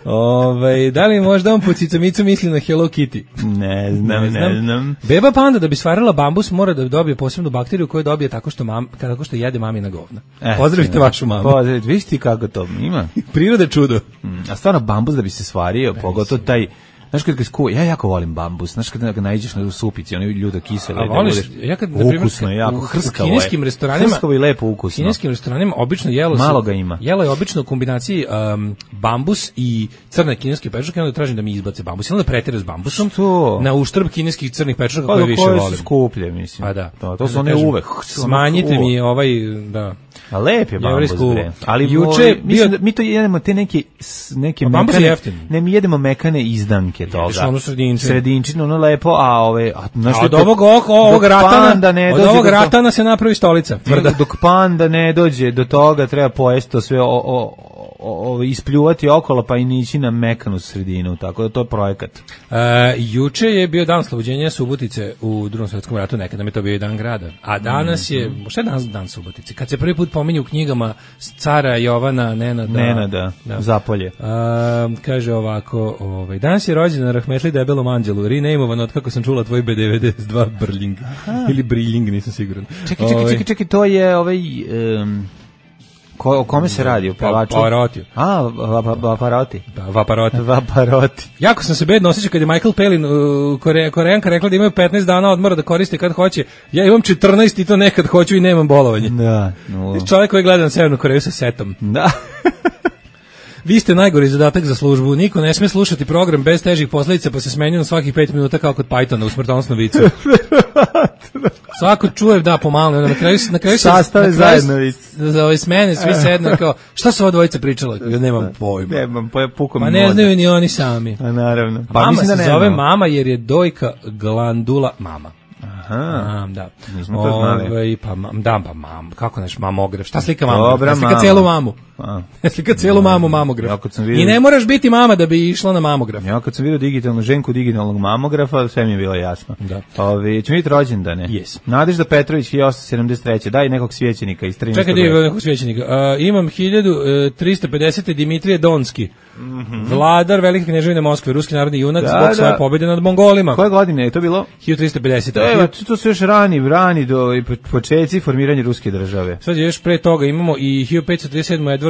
Ove, da li možda on po cicamicu misli na Hello Kitty? Ne znam, ne znam. Ne znam. Beba panda da bi stvarala bambus mora da dobije posebnu bakteriju koju dobije tako što, mam, tako što jede mamina govna. E, Pozdravite ne, vašu mamu. Pozdravite, vidiš ti kako to ima. Priroda čudo. Mm, a stvarno bambus da bi se stvario, pogotovo taj... Znaš kad ga skuo, ja jako volim bambus, znaš kad ga naiđeš na supici, ono ljudo kisele. A voliš, ja kad, na primjer, ukusno je, jako hrskavo je. U kineskim restoranima, hrskavo i lepo ukusno. U kineskim restoranima obično jelo se, malo ga ima. Jelo je obično u kombinaciji um, bambus i crne kineske pečurke, onda tražim da mi izbace bambus. I onda pretire s bambusom, što? Na uštrb kineskih crnih pečurka pa, koje više volim. Koje su skuplje, mislim. Pa da. To, to su one uvek. Smanjite mi ovaj, da... A lep je bambus, bre. Ali juče bio... mislim da mi to jedemo te neke neke mekane, ne mi jedemo mekane izdanke toga. Ono sredinčino. Sredinčino, ono lepo, a ove a a od ovog ovog ratana ne od ovog ratana se napravi stolica. Tvrda. Dok panda ne dođe do toga, treba pojesti to sve o, o, o, o, ispljuvati okolo pa i nići na mekanu sredinu, tako da to je projekat. Uh, juče je bio dan oslobođenja Subotice u Drugom svjetskom ratu, nekada mi to bio dan grada. A danas je, šta je danas dan Subotice? Kad se prvi put pominje u knjigama cara Jovana Nenada, Nenada da. Zapolje. Uh, kaže ovako, ovaj, danas je rođendan Rahmetli debelom anđelu, renameuvan od kako sam čula tvoj B devedeset dva Brljing. Ili Briljing, nisam siguran. Čekaj, čekaj, čekaj, čekaj, to je ovaj... Um, Ko, o kome se radi? O pevaču? Pavarotti. A, Vaparotti. Da, Vaparotti. Vaparotti. Jako sam se bedno osjećao kad je Michael Palin, uh, Kore, Koreanka, rekla da imaju petnaest dana odmora da koriste kad hoće. Ja imam četrnaest i to nekad hoću i nemam bolovanje. Da. No. Čovjek koji gleda na Severnu Koreju sa setom. Da. Vi ste najgori zadatak za službu. Niko ne sme slušati program bez težih posledica pa se smenju na svakih pet minuta kao kod Pythona u smrtonosnom vicu. Svako čuje da pomalo, na kraju na kraju sastave zajedno za ove smene svi sednu kao šta su ova dvojica pričala? Ja nemam pojma. Nemam pojma, pukom. Ma ne znaju ni oni sami. A naravno. Pa mama mislim da se nema. Zove mama jer je dojka glandula mama. Aha, a, da. Nismo to znali. Ove, pa, da, pa mam, kako neš, mamograf. Šta slika mamu? Dobra, slika mama. Celu mamu. A. Slika celu mamu mamograf. Ja, vidio... I ne moraš biti mama da bi išla na mamograf. Ja kad sam vidio digitalnu ženku digitalnog mamografa, sve mi je bilo jasno. Da. Ove, ćemo vidjeti rođendane. Yes. Nadežda Petrović, hiljadu osamsto sedamdeset treće Daj nekog svećenika iz trinaestog Čekaj, da nekog svećenika. Uh, imam hiljadu tristo pedeset Dimitrije Donski. Mm-hmm. Vladar Velike kneževine Moskve, ruski narodni junak, da, zbog da. svoje pobjede nad Mongolima. Koje godine je to bilo? hiljadu tristo pedeset To, to su još rani, rani do početci formiranja ruske države. Sad još pre toga imamo i hiljadu petsto trideset sedam Edward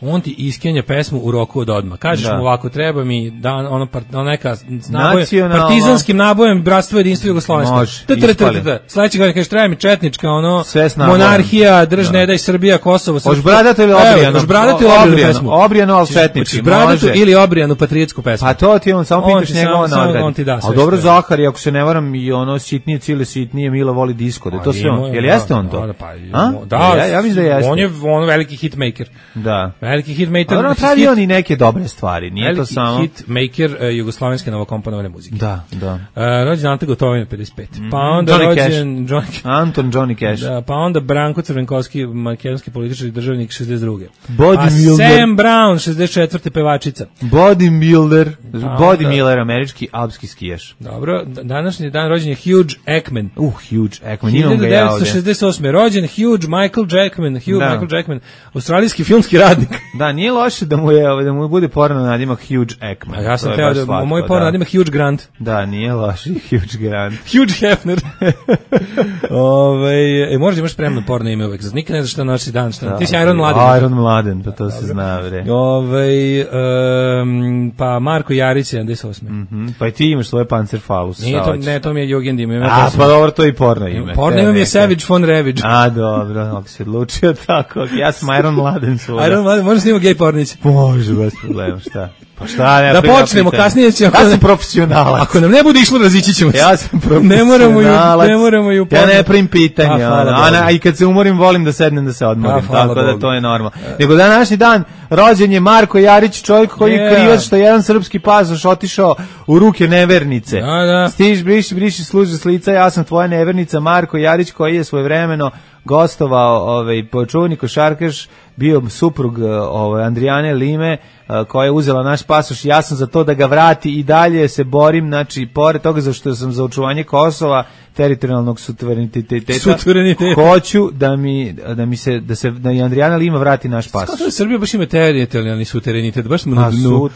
on ti iskenja pesmu u roku od odmah. Kažeš da. mu ovako, treba mi dan, ono, part, ono neka nabojem, Nacionalno. partizanskim nabojem bratstvo jedinstvo Jugoslovensko. Može, Sledeće godine kažeš, treba mi četnička, ono, nabojem. monarhija, drž, da. ne daj, Srbija, Kosovo. Hoš bradatu ili obrijanu? Hoš bradatu ili obrijanu pesmu? Obrijanu, ali četnički, može. Ili obrijanu patriotsku pesmu. Pa to ti on, samo pitaš njegova nagrada. On ti da sve. A dobro, Zahari, ako se ne varam, i ono sitnije, cile sitnije, Mila voli disko, da je to sve on. Jel jeste on to? Da, ja, ja mislim da jeste. On je on veliki hitmaker. Da. Veliki hitmaker. On pravi on i neke dobre stvari, nije to samo. Veliki hitmaker uh, jugoslovenske novokomponovane muzike. Da, da. Uh, rođen Ante Gotovina pedeset pet. Pa onda Johnny rođen John Anton Johnny Cash. Da, pa onda Branko Crvenkovski, makedonski političar i državnik šezdeset druge. Body Sam Brown šezdeset četvrte pevačica. Bodybuilder, Body Miller, američki alpski skijaš. Dobro, današnji dan rođen je Hugh Jackman. Uh, Hugh Jackman. hiljadu devetsto šezdeset osme rođen Hugh Michael Jackman, Hugh da. Michael Jackman, australijski filmski radnik. Da, nije loše da mu je da mu bude porno nadimak Hugh Jackman. A ja sam teo da slatko, moj porno da. nadimak Hugh Grant. Da, nije loše Hugh Grant. Hugh Hefner. Ovaj, e, možda imaš spremno porno ime uvek. Nikad ne znaš šta nosi dan, šta. Da, ti si Iron Mladen. Iron Mladen, pa to Dobre. se zna, bre. Ovaj um, pa Marko Jarić sedamdeset osme. Mhm. Pa i ti imaš svoje Panzerfaust. Nije to, ne, to mi je Jugend ime. A, pa dobro, to i porno ime. Porno ime je Savage von Ravage. A, dobro, ako se odlučio tako. Ja sam Iron Mladen svuda. Iron Mladen, možeš snimati gej pornić? Može, bez problema, šta? Pa šta, ne, da počnemo, kasnije ćemo. Ja sam profesionalac. Ako nam ne bude išlo, razići ćemo se. Ja sam profesionalac. Ne moramo ju, ne moramo ju. Ja ne primim pitanja. A, a, a i kad se umorim, volim da sednem da se odmorim. A, tako da to je normalno. Nego današnji dan rođen je Marko Jarić, čovjek koji je krivac što jedan srpski pasoš otišao u ruke nevernice. Da, da. Stiž, briši, briši, služi s lica, ja sam tvoja nevernica, Marko Jarić, koji je svojevremeno gostovao ovaj počuvni košarkaš, bio suprug ovaj Andrijane Lime, koja je uzela naš pasoš. Ja sam za to da ga vrati i dalje se borim, znači pored toga za što sam za očuvanje Kosova, teritorijalnog suvereniteta, suvereniteta. Hoću da mi da mi se da se da i Andrijana Lima vrati naš pasoš. Kako Srbija baš ima teritorijalni suverenitet, baš smo na dnu.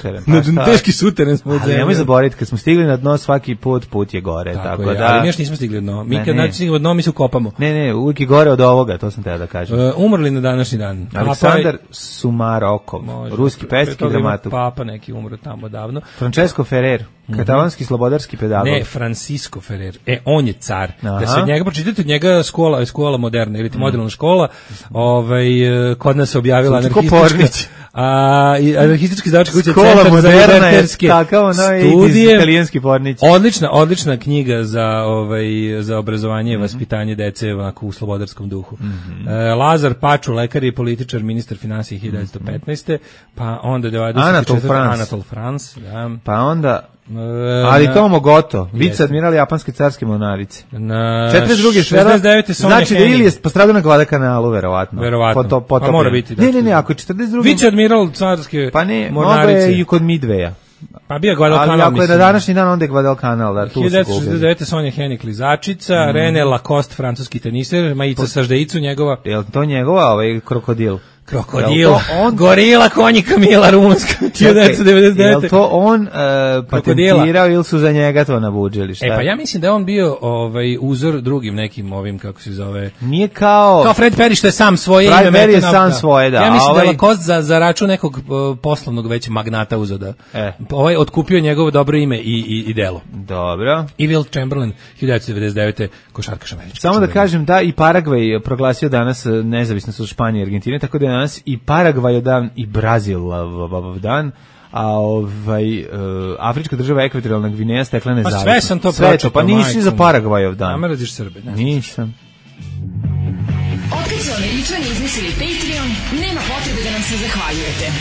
Na teški suteren smo. Ali nemoj zaboraviti, kad smo stigli na dno, svaki put put je gore, tako, tako je, da. Ali mi još nismo stigli na dno. Mi kad naći na dno, mi se ukopamo. Ne, ne, uvijek je gore od ovoga, to sam teo da kažem. Uh, umrli na današnji dan. Aleksandar Sumarokov, ruski pesnik i dramaturg. Papa neki umro tamo davno. Francesco Ferrer, katalonski slobodarski pedagog. Ne, Francisco Ferrer. E, on je car. Aha. Da se od njega pročitate, od njega škola, škola moderna ili ti moderna škola, ovaj kod nas se objavila anarhistička a i anarhistički izdavački kuća Centar za liberterske studije, italijanski pornić. Odlična, odlična knjiga za ovaj za obrazovanje i mm -hmm. vaspitanje dece ovako u slobodarskom duhu. Mm -hmm. e, Lazar Paču, lekar i političar, ministar finansija hiljadu devetsto petnaeste. Pa onda dvadeset četvrte Anatol France, da. Pa onda ali Tomo Goto, viceadmiral japanske carske mornarice. Na četrdeset druge šezdeset devete znači da ili je postradao na Guadalcanalu verovatno. Verovatno. Po to, po pa mora biti. Ne, ne, ne, ako je četrdeset druge viceadmiral carske pa ne, mornarice. Pa ne, i kod Midveja. Pa bio Guadalcanal. Ali ako je na današnji dan, onda je Guadalcanal. Da, tu hiljadu devetsto šezdeset devete Sonja Hennig klizačica, mm. René Lacoste, francuski teniser, Majica Saždeicu njegova. Je li to njegova, ovaj krokodil? Krokodil, on... gorila konjika Mila rumunska, hiljadu devetsto devedeset devete. Je li to on uh, patentirao ili su za njega to nabuđili? Šta? E pa ja mislim da je on bio ovaj, uzor drugim nekim ovim, kako se zove... Nije kao... Kao Fred Perry što je sam svoje Fred ime. Fred Perry je sam svoje, da. Ja mislim ovaj... da je Lacoste za, za račun nekog uh, poslovnog već magnata uzeo da... E. Ovaj otkupio njegovo dobro ime i, i, i delo. Dobro. I Will Chamberlain, hiljadu devetsto devedeset devete košarkaš američki. Samo da kažem da i Paragvaj proglasio danas nezavisnost od Španije i Argentine, tako da je danas i Paragvaj dan i Brazil dan, a ovaj uh, afrička država Ekvatorijalna Gvineja stekla nezavisnost. Pa sve sam to pročitao. Pa nisi za Paragvajov dan. A mraziš Srbe. Nisam. Otkad su Američani izmislili Patreon, nema potrebe da nam se zahvaljujete.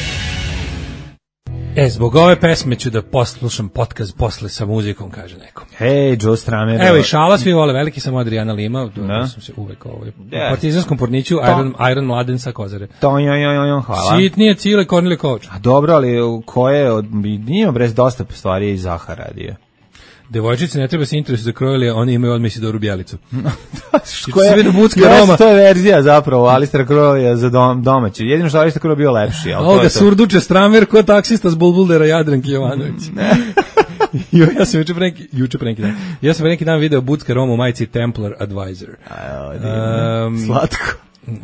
E, zbog ove pesme ću da poslušam podcast posle sa muzikom, kaže neko. Hej, Joe Stramer. Evo i šala, svi vole, veliki sam Adriana Lima, da sam se uvek ovaj, u partizanskom porniću, Iron, Iron Mladen sa Kozare. To, jo, jo, jo, hvala. Sitnije Cile Kornili Kovač. A dobro, ali koje, od, nije brez dosta stvari i Zahar radio. Devojčice ne treba se interesu za krojili, oni imaju odmah Isidoru Bjelicu. Koja je Roma? To je verzija zapravo, Alistair Crowley za dom, domaći. Jedino što Alistair Crowley bio lepši. Ovo ga surduče Stramer ko taksista s Bulbuldera Jadranki Jovanović. Jo, ja sam juče pre neki, juče pre neki dan. Ja sam pre neki dan video Bucka Roma u majici Templar Advisor. Um, Slatko.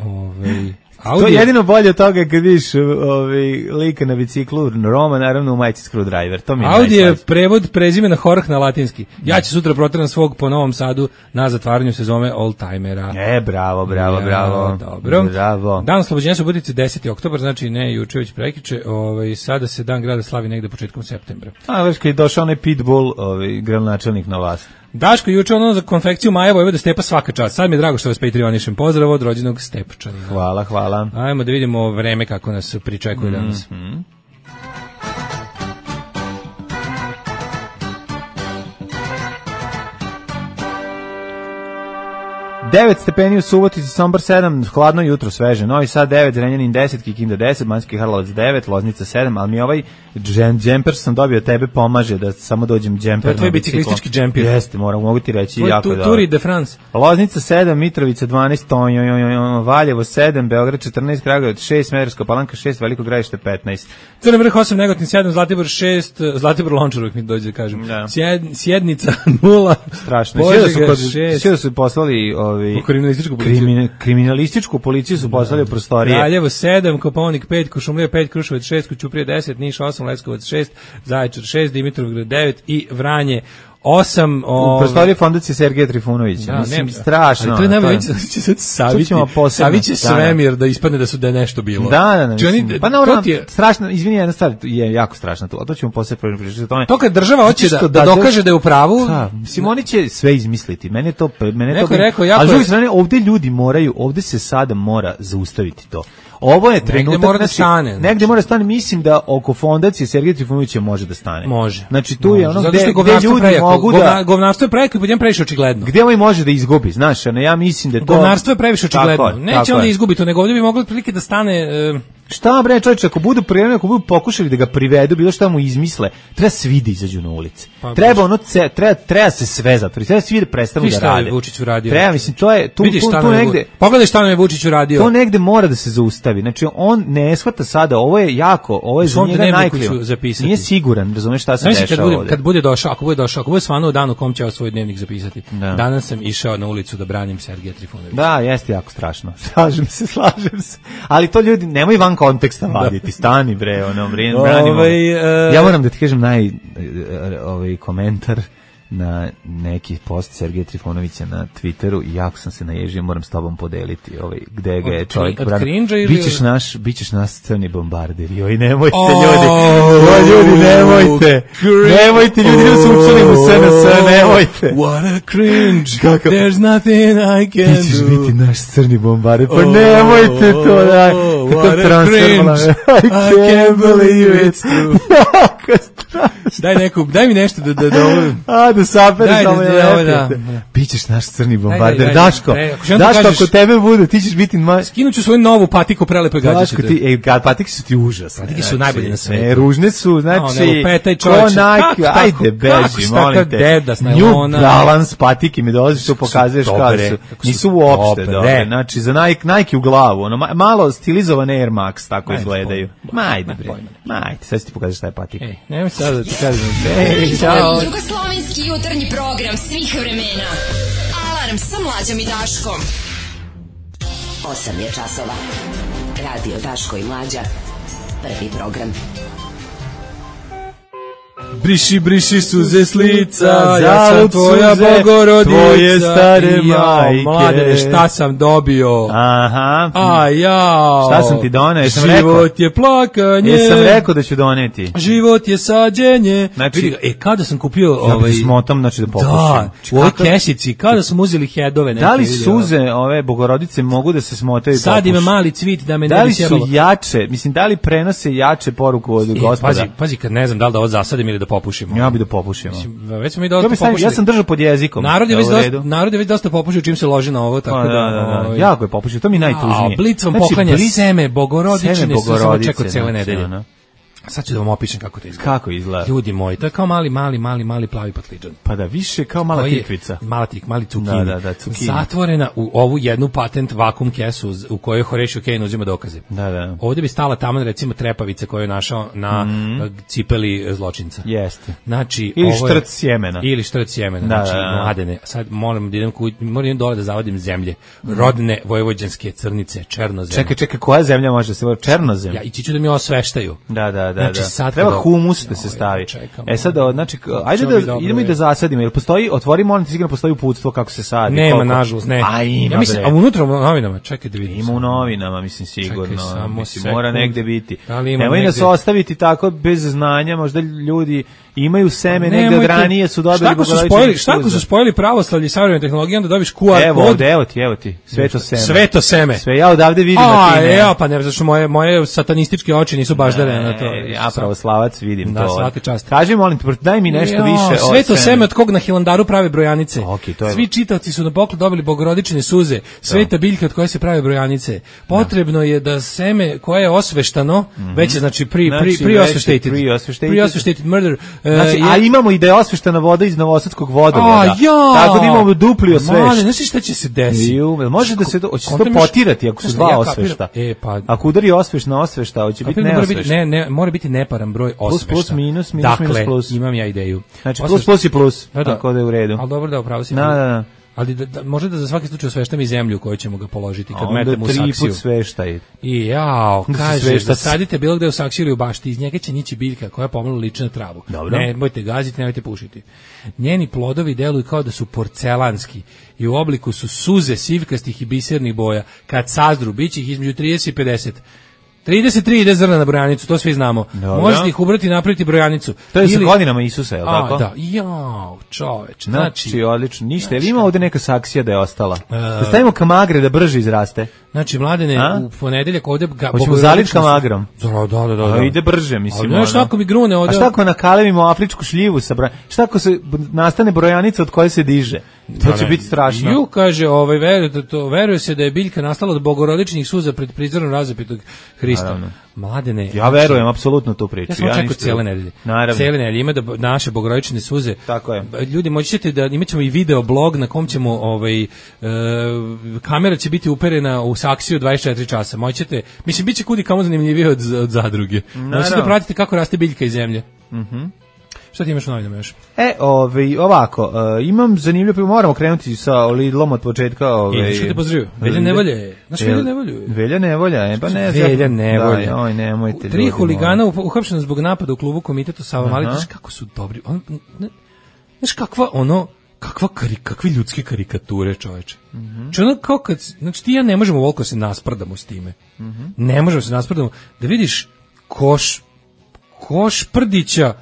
Ovaj Audio... To je jedino bolje od toga kad vidiš ovaj, lika na biciklu, Roma, naravno u majici Screwdriver. To mi je Audi je prevod prezimena Horh na latinski. Ja ću sutra proteram svog po Novom Sadu na zatvaranju sezone Oldtimera. E, bravo, bravo, ja, bravo. Dobro. Bravo. Dan oslobođenja Subotice deseti oktobar, znači ne juče već prekjuče, ovaj, sada se dan grada slavi negde početkom septembra. A, već kad je došao onaj Pitbull, ovaj, gradonačelnik na vlast. Daško, juče ono za konfekciju Maja Vojvoda Stepa svaka čast. Sad mi je drago što vas patrionišem. Pozdrav od rođenog Stepčanina. Hvala, hvala. Ajmo da vidimo vreme kako nas pričekuje mm-hmm. danas. devet stepeni u Subotici, Sombor sedam, hladno jutro, sveže. Novi Sad devet, Zrenjanin deset, Kikinda deset, Banjski Karlovac devet, Loznica sedam, ali mi ovaj džemper sam dobio tebe pomaže da samo dođem džemper. To je tvoj biciklistički džemper. Jeste, moram, mogu ti reći tvoj jako tu, dobro. Turi de France. Loznica sedam, Mitrovica dvanaest, Valjevo sedam, Beograd četrnaest, Kragujevac šest, Smederevska Palanka šest, Veliko Gradište petnaest. Crni vrh osam, Negotin sedam, Zlatibor šest, Zlatibor Lončar uvijek mi dođe da kažem. Da. Sjed, Sjednica nula. Strašno. Požega šest. Sve su poslali ovi kriminalističku policiju. Krimin, kriminalističku policiju su poslali u prostorije. Kraljevo sedam, Kopaonik pet, Košumlija pet, Kruševac šest, Koćuprija deset, Niš osam, Leskovac šest, Zaječar šest, Dimitrovgrad devet i Vranje osam. U prostoriji fondacije Sergeja Trifunovića. Da, mislim, ne, strašno. Ali to je nema, će sad saviti, saviće svemir da ispadne da su da je nešto bilo. Da, da, da. Oni, pa naravno, je... strašno, izvini, jedna stvar je jako strašna tu, a to ćemo posle pričati o tome. To kad država hoće da, da dokaže da je u pravu... Da, mislim, oni će sve izmisliti. Mene to... Mene neko to je rekao, jako... Ali s druge strane, ovde ljudi moraju, ovde se sada mora zaustaviti to. Ovo je trenutak, negde mora da stane. Znači, negde mora da stane, mislim da oko fondacije Sergeja Trifunovića može da stane. Može. Znači tu može. je ono zato gde, gde ljudi prejako. mogu Govna, da... Govnarstvo je prejako i podjem previše očigledno. Gde ovaj može da izgubi, znaš, ne, ja mislim da to... Govnarstvo je previše očigledno. Tako, neće tako on da je. izgubi to, nego ovdje bi moglo otprilike da stane... Uh, Šta bre, čovječe, ako budu prijavljeni, ako budu pokušali da ga privedu, bilo šta mu izmisle, treba svi da izađu na ulici. Pa, treba ono, ce, treba, treba se sve zatvoriti, treba svi da prestanu da rade. Šta je Vučić uradio? Treba, mislim, to je, tu, Vidiš tu, tu negde... Pogledaj šta nam je Vučić uradio. To negde mora da se zaustavi. Znači, on ne shvata sada, ovo je jako, ovo je za njega najkljivo. Nije siguran, razumeš šta se znači, dešava kad bude, ovdje. Kad bude došao, ako bude došao, ako bude stvarno u danu u kom će ja svoj dnevnik zapisati. Da. Danas sam išao na ulicu da branim Sergeja Trifunovića. Da, jeste jako strašno. Slažem se, slažem se. Ali to ljudi, nemoj van konteksta vaditi. Ti stani bre, ono, bre, branimo. Ovaj, uh, ja moram da ti kažem naj ovaj komentar na neki post Sergeja Trifunovića na Twitteru i jako sam se naježio, moram s tobom podeliti ovaj, gde ga je čovjek branio. Bićeš naš, bićeš naš crni bombarder. Joj, nemojte oh, ljudi. Joj, ljudi, nemojte. Nemojte, ljudi, ljudi su učili mu S N S, nemojte. What a cringe. Kako? There's nothing I can do. Bićeš biti naš crni bombarder. Pa nemojte to, daj. What a cringe. I can't believe it's true. Daj neku, daj mi nešto da da da ovo. A da sapere samo je. Da. Bićeš naš crni bombarder, Daško. Daško, ako tebe bude, ti ćeš biti ma... Skinuću svoju novu patiku prelepe gađice. Daško, ti, ej, ga, patike su ti užasne. Patike su najbolje na svetu. Ne, ružne su, znači... Petaj čovječe. Ajde, beži, molim te. New Balance patike mi dolaziš, to pokazuješ kao su. Nisu uopšte dobre. Znači, za Nike u glavu. Malo stilizovane Air Max, tako izgledaju. Ma, ajde, bre. Ma, ajde, sad ti pokažeš šta je patika. Ej, nemoj sad da ti kažem. Ej, čao. Jugoslovenski jutarnji program svih vremena. Alarm sa Mlađom i Daškom. osam je časova. Radio Daško i Mlađa. Prvi program. Briši, briši suze s lica, ja sam tvoja Bogorodica, tvoje stare majke. Mladene, šta sam dobio? Aha. A ja. Šta sam ti doneo? Jesam Život rekao? je plakanje. Jesam rekao da ću doneti. Život je sađenje. Znači, vidi, e, kada sam kupio ja ovaj... smotam, znači da popušim. Da, u ovoj kesici, kada smo uzeli hedove. Da li suze ove Bogorodice mogu da se smotaju i popuši? Sad ima mali cvit da me da ne bi sjebalo. Da li su jače, mislim, da li prenose jače poruku od e, gospoda? Pazi, pazi, kad ne znam da li da ovo zasadim ili da popušimo. Ja bi da popušimo. Mislim, već smo i dosta ja popušili. Ja sam držao pod jezikom. Narod je već dosta, narod je već dosta popušio čim se loži na ovo, tako da, da, da, da, da. Jako je popušio, to mi najtužnije. A Blic vam znači, poklanja blic, seme Bogorodične, su samo čekao cele nedelje. Sad ću da vam opišem kako to izgleda. Kako izgleda? Ljudi moji, to je kao mali, mali, mali, mali plavi patliđan. Pa da, više kao mala tikvica. Mala tik, mali cukini. Da, da, da, cukini. Zatvorena u ovu jednu patent vakum kesu u kojoj Horatio Kane uzima dokaze. Da, da. Ovdje bi stala taman recimo trepavica koju je našao na mm. cipeli zločinca. Jeste. Znači, ili ovo je, štrc sjemena. Ili štrc sjemena. Da, znači, da, da. mladene. Sad moram da idem, ku, moram idem dole da zavadim zemlje. Rodne vojvođanske crnice, černozem. Čekaj, čekaj, koja zemlja može se vodi? Černozem? Ja, ići ću da mi osveštaju. Da, da, da. Znači, da. sad treba da, humus da se stavi. Čekam, e sad, znači, ajde da dobro, idemo i da zasadimo. Jel postoji, otvori, molim ti, sigurno postoji uputstvo kako se sadi. Nema, koliko? nažalost, ne. A ima, ja mislim, a unutra u novinama, čekaj da vidim. Ima u novinama, mislim, sigurno. Čekaj, samo mislim, sekund. mora negde biti. Da li ima Nemoj negde? nas ostaviti tako bez znanja, možda ljudi imaju seme negde od Nemojte. ranije su dobili Šta ako su spojili, šta ako su spojili pravoslavlje i savremene tehnologije, onda dobiš Q R evo, kod. ovde, evo ti, evo ti, sveto seme. Sveto seme. Sve ja odavde vidim a, da ti ne. Ja, pa ne, zato što moje, moje satanističke oči nisu baždare na to. Ja pravoslavac vidim da, to. svaka čast. Kaži, molim te, daj mi nešto jo, više. Sveto seme od kog na Hilandaru prave brojanice. Okay, to je... Svi čitavci su na poklon dobili bogorodične suze. Sveta biljka od koje se prave brojanice. Potrebno da. je da seme koje je osveštano, mm-hmm. već je znači pri pri pri osveštated. Pri osveštated murder. Znači, uh, a imamo i da je osveštana voda iz novosadskog vodovoda. Ja. Tako da imamo dupli osvešt. Znaš šta će se desiti? Može da se to, hoće se to potirati ako su dva ja osvešta. E, pa, ako udari osvešt na osvešta, hoće biti neosvešt. Ne, ne, mora biti neparan broj osvešta. Plus, plus, minus, minus, dakle, minus, plus. Imam ja ideju. Znači, plus, plus i plus. Da, da. Tako da je u redu. Ali dobro da upravo si. Da, da, da. Ali da, da, može da za svaki slučaj osveštam i zemlju koju ćemo ga položiti kad onda metemo u saksiju. Onda tri put sveštaj. I jao, kažeš da sadite bilo gde u saksiju ili u bašti, iz njega će nići biljka koja pomalo liči na travu. Dobro. Ne, bojte gaziti, nemojte pušiti. Njeni plodovi deluju kao da su porcelanski i u obliku su suze sivkastih i bisernih boja. Kad sazru, bit će ih između trideset i pedeset. trideset tri ide zrna na brojanicu, to svi znamo. Dobro. Možete ih ubrati i napraviti brojanicu. To je ili... sa godinama Isusa, je li tako? A, da, jao, čoveč. Znači, znači odlično, ništa. Znači, ima ovde neka saksija da je ostala? Uh, da stavimo kamagre da brže izraste? Znači, mladene, A? u ponedeljak ovde... Ga, hoćemo zaliti kamagrom? Da, da, da. da. A, ide brže, mislim. Ali, šta ako mi grune ovde... A šta ako nakalevimo afričku šljivu sa brojanicom? Šta ako se nastane brojanica od koje se diže? To će biti strašno. Ju kaže, ovaj, veruje, to, veruje se da je biljka nastala od bogorodičnih suza pred prizorom razapitog Hrista. Naravno. Mladene... Ja verujem apsolutno tu priču. Ja sam očekao cijele nedelje. Naravno. Cijele nedelje ima da naše bogorodične suze. Tako je. Ljudi, moći ćete da imat ćemo i video blog na kom ćemo, ovaj, e, kamera će biti uperena u saksiju dvadeset četiri časa. Moći ćete, mislim, bit će kudi kamo zanimljivije od, od zadruge. Moći ćete pratiti kako raste biljka iz zemlje. Mhm. Šta ti imaš u novinama još? E, ovaj, ovako, uh, imam zanimljivo, moramo krenuti sa Lidlom od početka. Ovaj, I što te pozdravio? Velja Nevolje. Znaš Velja Nevolju? Velja Nevolja, e, pa ne. Velja Nevolje. Da, oj, nemojte. Tri huligana uhapšena zbog napada u klubu komitetu Sava Mali, znaš kako su dobri. On, ne, znaš kakva ono, kakva kari, kakve ljudske karikature, čoveče. Mm -hmm. Či ono kao kad, znači ti ja ne možemo voliko se nasprdamo s time. Mm -hmm. Ne možemo se nasprdamo. Da vidiš koš, koš prdića,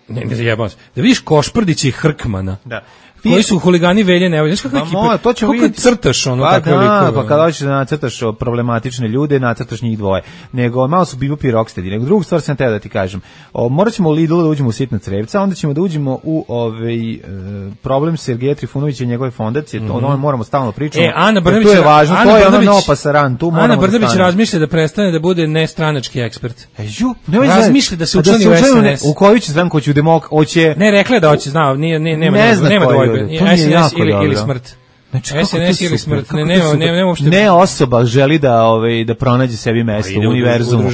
ne, ne zajebam se, da vidiš Košprdića i Hrkmana, da. Koji su huligani Velje Nevolje. Znaš kakve pa ekipe, to ćemo kako vidjeti. Crtaš ono pa takve da, likove. Pa kada hoćeš da nacrtaš problematične ljude, nacrtaš njih dvoje. Nego malo su Bebop i Rocksteady. Nego drugu stvar sam teo da ti kažem. O, morat ćemo u Lidl da uđemo u sitna crevca, onda ćemo da uđemo u ovaj, e, problem Sergeja Trifunovića i njegove fondacije. Mm-hmm. To moramo stalno pričati. E, Ana Brnabić, to je važno, Ana to je Brnabić, ono opasaran, tu moramo Ana Brnabić da razmišlja da prestane da bude nestranački ekspert. E, ju, ne razmišlja da se učlani u S N S. U koju će stranku hoće u demok, hoće. Ne, rekla da hoće, znao, nije ne nema ne nema dvojbe. S N S ili ili smrt. Znači, S N S ili smrt, ne, nema, nema, nema uopšte... Ne osoba želi da, ovaj, da pronađe sebi mesto u univerzumu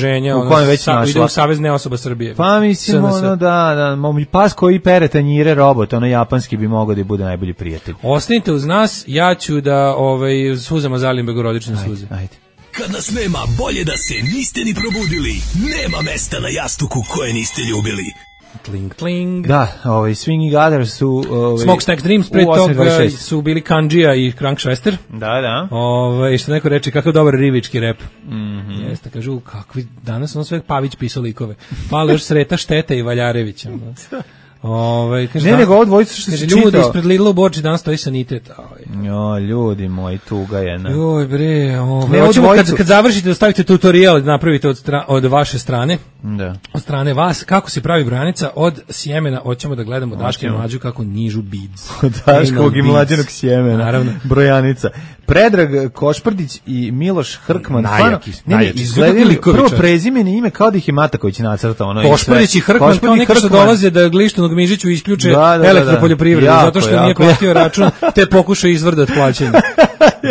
u kojem već našla. Ide u Savez ne osoba Srbije. Pa mislim, ono da, da, pas koji pere tanjire robot, ono japanski bi mogao da bude najbolji prijatelj. Ostanite uz nas, ja ću da ovaj, suzama zalim begorodične suze. Ajde. Kad nas nema, bolje da se niste ni probudili. Nema mesta na jastuku koje niste ljubili. Tling, tling. Da, ovaj, Swinging Others su... Ovaj, Smokestack Dreams, pre toga su bili Kanđija i Krankšvester. Da, da. Ovaj, što neko reče, kakav dobar rivički rep. Mm-hmm. Jeste, kažu, kakvi, danas ono sve Pavić pisao likove. Fala još Sreta Šteta i Valjarevića. Ovaj, kaže, ne, nego ovo dvojica što se čitao. Ljudi ispred Lidla u Borči danas stoji sanitet. Jo, ljudi moji, tuga je. Ne. Joj bre, ovaj. Hoćemo kad kad završite da stavite tutorial, da napravite od stra, od vaše strane. Da. Od strane vas kako se pravi branica od sjemena. Hoćemo da gledamo Daške i Mlađu kako nižu beads. Od Daškog i Mlađanog sjemena. Naravno. Brojanica. Predrag Košprdić i Miloš Hrkman. Najjaki, ne, ne, izgledali prvo prezimeni ime kao da ih je Mataković nacrtao. Ono Košprdić i Hrkman kao neki što dolaze da Glištanog Mižiću isključe da, da, elektropoljoprivredu da, da. zato što jako, nije platio račun, te pokušao izvrdat plaćanje.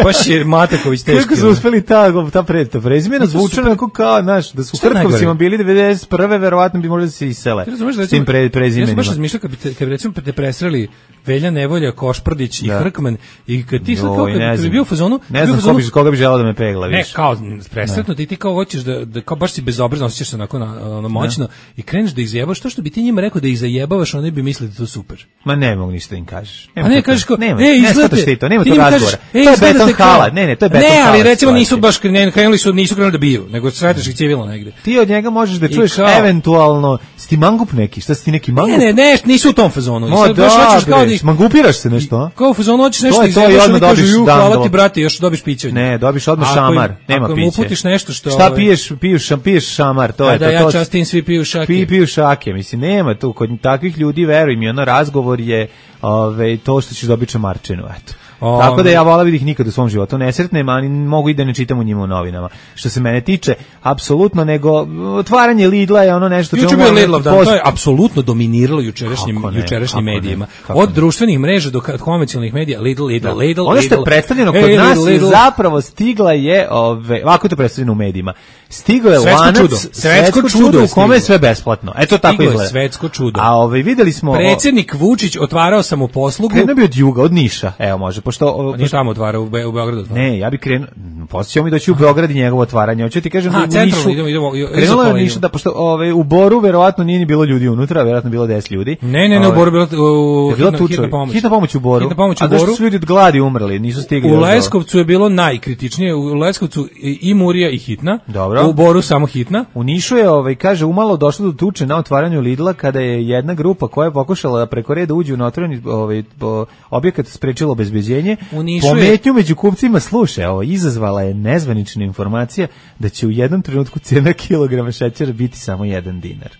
Baš je Mataković teški. Kako su uspeli ta, ta, pre, ta prezimena zvuče onako kao, znaš, da su Hrkovcima bili devedeset prve verovatno bi možda se isele s tim pre, prezimenima. Ja sam baš razmišljao kad bi, te, kad bi recimo te presreli Velja Nevolja, Košprdić i da. Hrkman i kad ti sad kao kad, kad bi bio u fazonu... Ne znam fazonu, ko bi, koga bi želao da me pegla, viš. Ne, kao presretno ti ti kao hoćeš da, da kao baš si bezobrazno osjećaš se onako na, na moćno i kreneš da ih zajebaš, to što bi ti njima rekao da ih zajebavaš, oni bi mislili da to super. Ma ne mogu ništa da im kažeš. A ne, kažeš kao, nema, e, izgledate... Ne, to, nema to razgovora. To je beton hala, ne, ne, to je beton hala. Ne, ali recimo nisu baš krenuli su, nisu krenuli da biju, nego sretneš ih civilno negde. Ti od njega možeš da čuješ eventualno, sti mangup neki, šta si ti neki mangup? Ne, ne, ne, nisu u tom fazonu. No, da, mangupiraš se nešto? Kao u fazonu hoćeš nešto izjebaš, oni kažu, ju, hvala ti brate, još dobiš piće. Ne, dobiš odmah šamar, nema piće. Ako mu uputiš nešto što... Šta piješ, piješ, piješ šamar, to je to. Da, ja častim, svi piju šake. Pi, piju šake, mislim, nema tu, kod takvih ljudi, veruj mi, ono razgovor je ove, to što ćeš dobiti šamarčinu, eto. O, tako da ja vola bih ih nikad u svom životu ne sretnem, ali mogu i da ne čitam u njima u novinama. Što se mene tiče, apsolutno, nego otvaranje Lidla je ono nešto... Juče bio Lidlov dan, post... to je apsolutno dominiralo jučerašnjim, ne, jučerašnjim medijima. Ne, od ne. društvenih mreža do konvencionalnih medija, Lidl, Lidl, da. Lidl, ono što je predstavljeno kod e, nas Lidl, Lidl. zapravo stigla je, ove, ovako je to predstavljeno u medijima, stiglo je svetsko lanac, čudo. svetsko čudo u kome je sve besplatno. Eto tako izgleda. izgleda. Svetsko čudo. A ove, videli smo... Predsjednik Vučić otvarao samoposlugu. Krenuo bi od juga, od Niša, evo može, pošto... Nije tamo otvarao, u, Be, u Beogradu otvarao. Ne, ja bih krenuo, posjećao mi doći u Beograd i njegovo otvaranje. Hoću ti kažem A, da u Nišu... Idemo, idemo, idemo, krenulo je Niša, da, pošto ove, u Boru verovatno nije ni bilo ljudi unutra, verovatno bilo deset ljudi. Ne, ne, ne, ove, u Boru bilo u, je hitna, hitna pomoć. Hitna pomoć u Boru. Hitna pomoć u A Boru. A da su ljudi od gladi umrli, nisu stigli. U Leskovcu je bilo najkritičnije, u Leskovcu i Murija i hitna. Dobro. U Boru samo hitna. U Nišu je, ovaj, kaže, umalo došlo do tuče na otvaranju Lidla kada je jedna grupa koja je pokušala da preko reda uđe u otvoreni ovaj, objekat sprečila obezbeđenje. Pometnju je... među kupcima, slušaj, ovo, izazvala je nezvanična informacija da će u jednom trenutku cena kilograma šećera biti samo jedan dinar.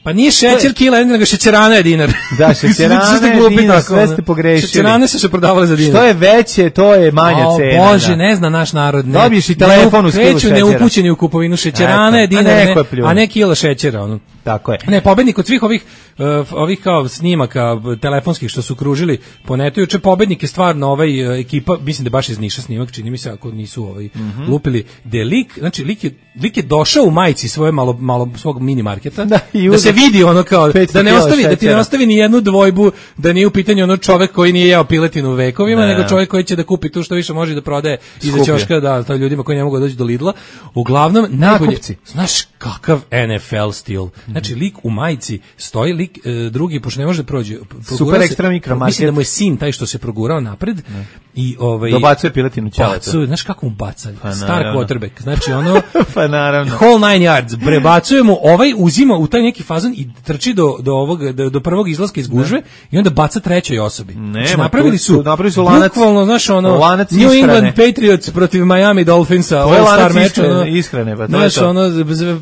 Pa nije šećer kila, nego šećerana je dinar. Da, šećerana je dinar, sve ste pogrešili. Šećerane su se prodavale za dinar. Što je veće, to je manja o, cena. O Bože, da. Ne zna naš narod. Ne. Dobiješ i telefon u stilu šećera. Neupućeni u kupovinu šećerana je dinar, ne, a ne kila šećera. Ono. Tako je. Ne, pobednik od svih ovih uh, ovih kao snimaka telefonskih što su kružili po netu, juče pobednik je stvarno ovaj uh, ekipa, mislim da baš iz Niša snimak, čini mi se ako nisu ovaj mm -hmm. lupili, de lik, znači lik je, lik je došao u majici svoje malo malo svog mini marketa, da, da se vidi ono kao da ne ostavi da ti ne ostavi ni jednu dvojbu, da nije u pitanju ono čovjek koji nije jeo piletinu vekovima, ne. nego čovjek koji će da kupi to što više može da prodaje iza ćoška, da, to ljudima koji ne mogu doći do Lidla. Uglavnom najbolje, znaš kakav N F L stil. Znači lik u majici stoji, lik e, drugi pošto ne može da prođe. Super ekstra mikromarket. Mislim da mu je sin taj što se progurao napred ne. i ovaj dobacuje piletinu ćaletu. Znaš kako mu baca? Pa, star quarterback. Znači ono pa naravno. Whole nine yards. Prebacuje mu, ovaj uzima u taj neki fazon i trči do do ovog do, do prvog izlaska iz gužve i onda baca trećoj osobi. Ne, znači, napravili su, napravili su lanac. Bukvalno, znaš ono lanac New England Patriots protiv Miami Dolphinsa, All Star meč, ono, ishrane, pa to znaš, ono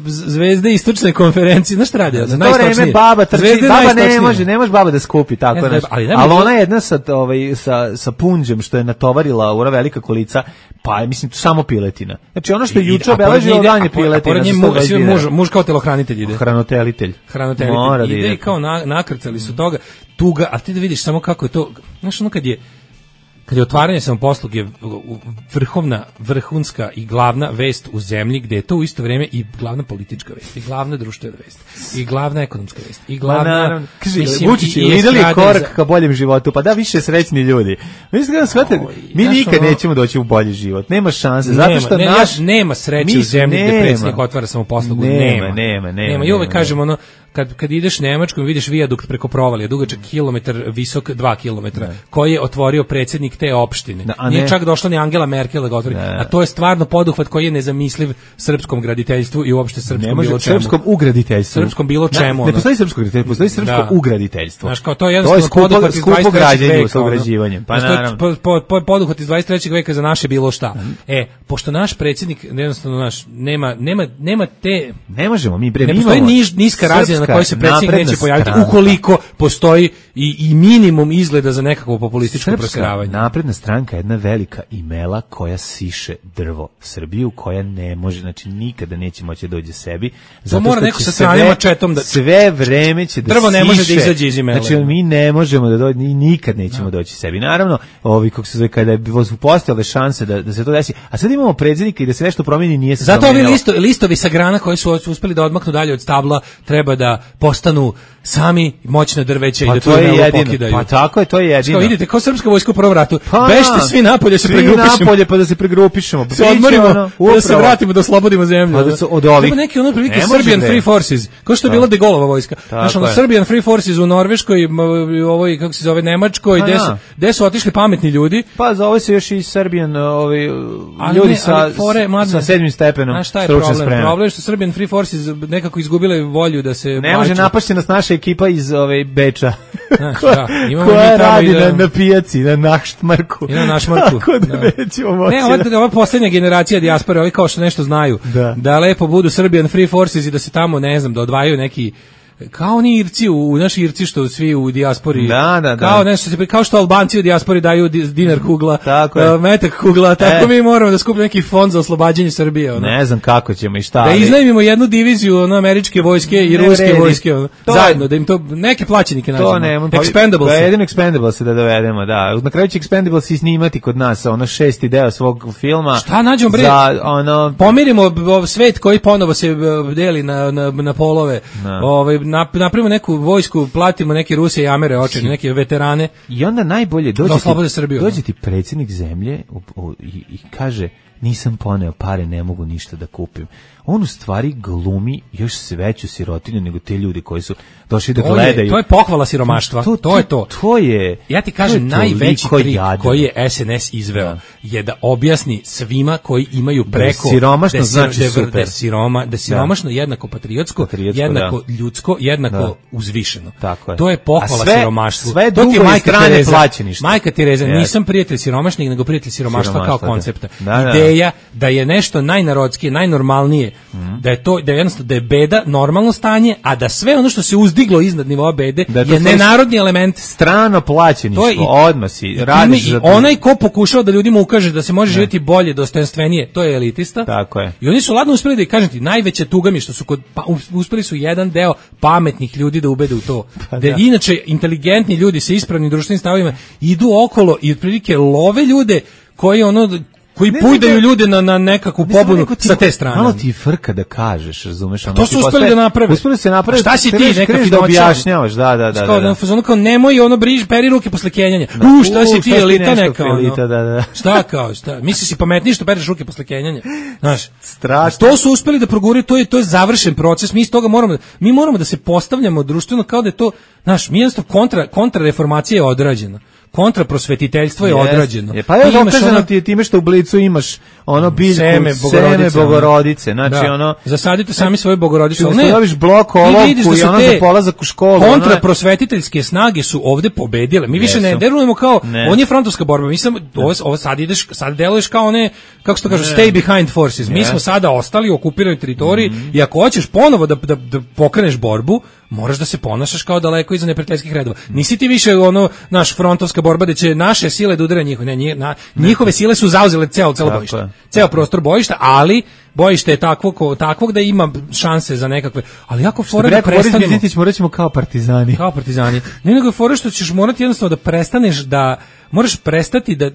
zvezde istočne konferencije, znaš šta radi? Za to vreme baba trči, baba ne može, ne može baba da skupi tako nešto. Ali, ali ona jedna sa ovaj sa sa punđem što je natovarila ura velika kolica, pa je mislim samo piletina. Znači ono što je juče obeležilo dan je piletina. Muž, muž kao telohranitelj ide. Hranitelj. Hranitelj. Ide i kao na, nakrcali su toga tuga, a ti da vidiš samo kako je to, znaš ono kad je kad je otvaranje samoposluge vrhovna, vrhunska i glavna vest u zemlji, gde je to u isto vrijeme i glavna politička vest, i glavna društvena vest, i glavna ekonomska vest, i glavna... Kaže, Vučić, lidali korak ka boljem životu, pa da više srećni ljudi. Mislim da shvatite, mi nikad ono, nećemo doći u bolji život, nema šanse, nema, zato što ne, naš... Nema sreće u zemlji gde predsjednik otvara samoposlugu, nema. Nema, nema, nema. nema. I uvek kažemo ono, kad, kad ideš Nemačkom vidiš vijadukt preko provalija, dugačak kilometar, visok dva kilometra, koji je otvorio predsjednik te opštine. Da, nije čak došla ni Angela Merkel da ga otvori. A to je stvarno poduhvat koji je nezamisliv srpskom graditeljstvu i uopšte srpskom bilo čemu. Srpskom ugraditeljstvu. Srpskom bilo čemu. Ne, ne postoji srpsko graditeljstvo, postoji srpsko da. ugraditeljstvo. Znaš, kao to je jednostavno poduhvat iz dvadeset trećeg veka. Pa naravno. Po, po, po, poduhvat iz dvadeset trećeg veka za naše bilo šta. E, pošto naš predsjednik jednostavno naš nema nema nema te ne možemo mi bre ne postoji niž, niska razina na kojoj se predsjednik neće pojaviti ukoliko postoji i, i minimum izgleda za nekakvo populističko prosveravanje. Napredna stranka je jedna velika imela koja siše drvo Srbiju, koja ne može, znači nikada neće moći da dođe sebi. Zato mora neko sa stranim mačetom da sve vreme će da drvo siše. Ne može da izađe iz imela. Znači mi ne možemo da dođe, nikad nećemo no. doći sebi. Naravno, ovi kako se zove kada je postojale šanse da da se to desi. A sad imamo predsjednika i da se nešto promijeni nije se zato ovi listo, listovi sa grana koji su uspeli da odmaknu dalje od stabla treba da postanu sami moćne drveće pa i da to to je pokidaju. Pa tako je, to je jedino. Kao vidite, kao srpska vojska u prvom ratu. Pa, bežite svi napolje se pregrupišemo. Svi napolje pa da se pregrupišemo. Se odmorimo, ono, da se vratimo, da oslobodimo zemlju. Pa da se od ovih. Treba neki ono prilike Serbian Free Forces, kao što je bila de Gaulleova vojska. Znaš, ono Serbian Free Forces u Norveškoj, ovoj, kako se zove, Nemačkoj, gde su, gde su otišli pametni ljudi. Pa zove se još i Serbian, ovi ljudi sa, sa sedmim stepenom stručne spreme. Problem je što Serbian Free Forces nekako izgubile volju da se ne može napasti nas naša ekipa iz ove Beča. Znaš, da, koja radi da, na, na pijaci, na Naštmarku. I na Naštmarku. Tako da, da. nećemo moći. Ne, ova, ova posljednja generacija dijaspore, ovi kao što nešto znaju, da. da lepo budu Serbian Free Forces i da se tamo, ne znam, da odvajaju neki kao oni Irci u, u naši Irci što svi u dijaspori da, da, da. kao nešto se kao što Albanci u dijaspori daju dinar kugla, tako je. Uh, metak kugla, tako e. mi moramo da skupimo neki fond za oslobađanje Srbije, ono. Ne znam kako ćemo i šta. Da iznajmimo jednu diviziju ono američke vojske i ne ruske vredi. vojske, ono. Zajedno da im to neke plaćenike nađemo. To ne, Expendables. Da jedino Expendables da dovedemo, da. Na kraju će Expendables i snimati kod nas ono šesti deo svog filma. Šta nađemo bre? Za ono pomirimo svet koji ponovo se deli na na na polove. Ovaj napravimo neku vojsku, platimo neke Ruse i Amere očene, neke veterane. I onda najbolje dođe ti, dođe ti predsjednik zemlje u, u, i, i kaže nisam poneo pare, ne mogu ništa da kupim. On u stvari glumi još veću sirotinju nego te ljudi koji su došli da gledaju. To je pohvala siromaštva, to, to, to je to. To je. Ja ti kažem, najveći trik koji je S N S izveo da. je da objasni svima koji imaju preko... Da siromašno da znači da, super. Da, siroma, da siromašno da. jednako patriotsko, patriotsko jednako da. ljudsko, jednako da. uzvišeno. Tako je. To je pohvala sve, siromaštvu. Sve to ti je majka strane plaćeništa. Majka Tereza, yes. nisam prijatelj siromašnih, nego prijatelj siromaštva, siromaštva kao koncepta. Da, da. Ideja da je nešto najnarodskije, najnormalnije, mm. da je to da je jednostavno da je beda normalno stanje, a da sve ono što se uzdiglo iznad nivoa bede da je nenarodni element, strano plaćeništvo, odmah si radiš za to. Onaj ko pokušao da ljudima ukaže da se može ne. živjeti bolje, dostojanstvenije, to je elitista. Tako je. I oni su ladno uspeli da ih kažem ti, najveća tuga mi što su kod pa, uspeli su jedan deo pametnih ljudi da ubede u to. Pa da, da inače inteligentni ljudi sa ispravnim društvenim stavovima idu okolo i otprilike love ljude koji ono koji ne, pujdaju ne, ljude na, na nekakvu pobunu sa te strane. Malo ti frka da kažeš, razumeš? To su uspeli da naprave. Uspeli se napraviti. Šta si ti, neka da objašnjavaš, da, da, da. Kao, da, da. Kao, nemoj ono briž, peri ruke posle kenjanja. Da. U, šta si ti, elita neka, elita, ono. Da, da. Šta kao, šta? Misliš si pametniji što pereš ruke posle kenjanja? Znaš, strašno. To su uspeli da proguraju, to je, to je završen proces, mi iz toga moramo, mi moramo da se postavljamo društveno kao da je to, znaš, mi jednostavno kontra, kontrareformacija je odrađena. Kontraprosvetiteljstvo je yes. odrađeno. Je, pa je dokazano ono, ti je time što u Blicu imaš ono biljku seme bogorodice, seme bogorodice. Znači da. ono zasadite sami svoje bogorodice. Ne staviš blok olovku i ono za polazak u školu. Kontraprosvetiteljske snage su ovde pobedile. Mi više ne delujemo kao ne. on je frontovska borba. Mi sam ovo, ovo sad ideš, sad deluješ kao one kako se to kaže stay behind forces. Mi yes. smo sada ostali u okupiranoj teritoriji mm-hmm. i ako hoćeš ponovo da, da, da pokreneš borbu, moraš da se ponašaš kao daleko iza neprijateljskih redova. Nisi ti više ono naš frontovska borba da će naše sile da udare njihove, ne, njih, na, njihove sile su zauzele celo celo bojište. Ceo prostor bojišta, ali bojište je takvog takvog da ima šanse za nekakve, ali jako fora da prestanemo. Boris morat ćemo kao partizani. Kao partizani. Ne nego fora što ćeš morati jednostavno da prestaneš da moraš prestati da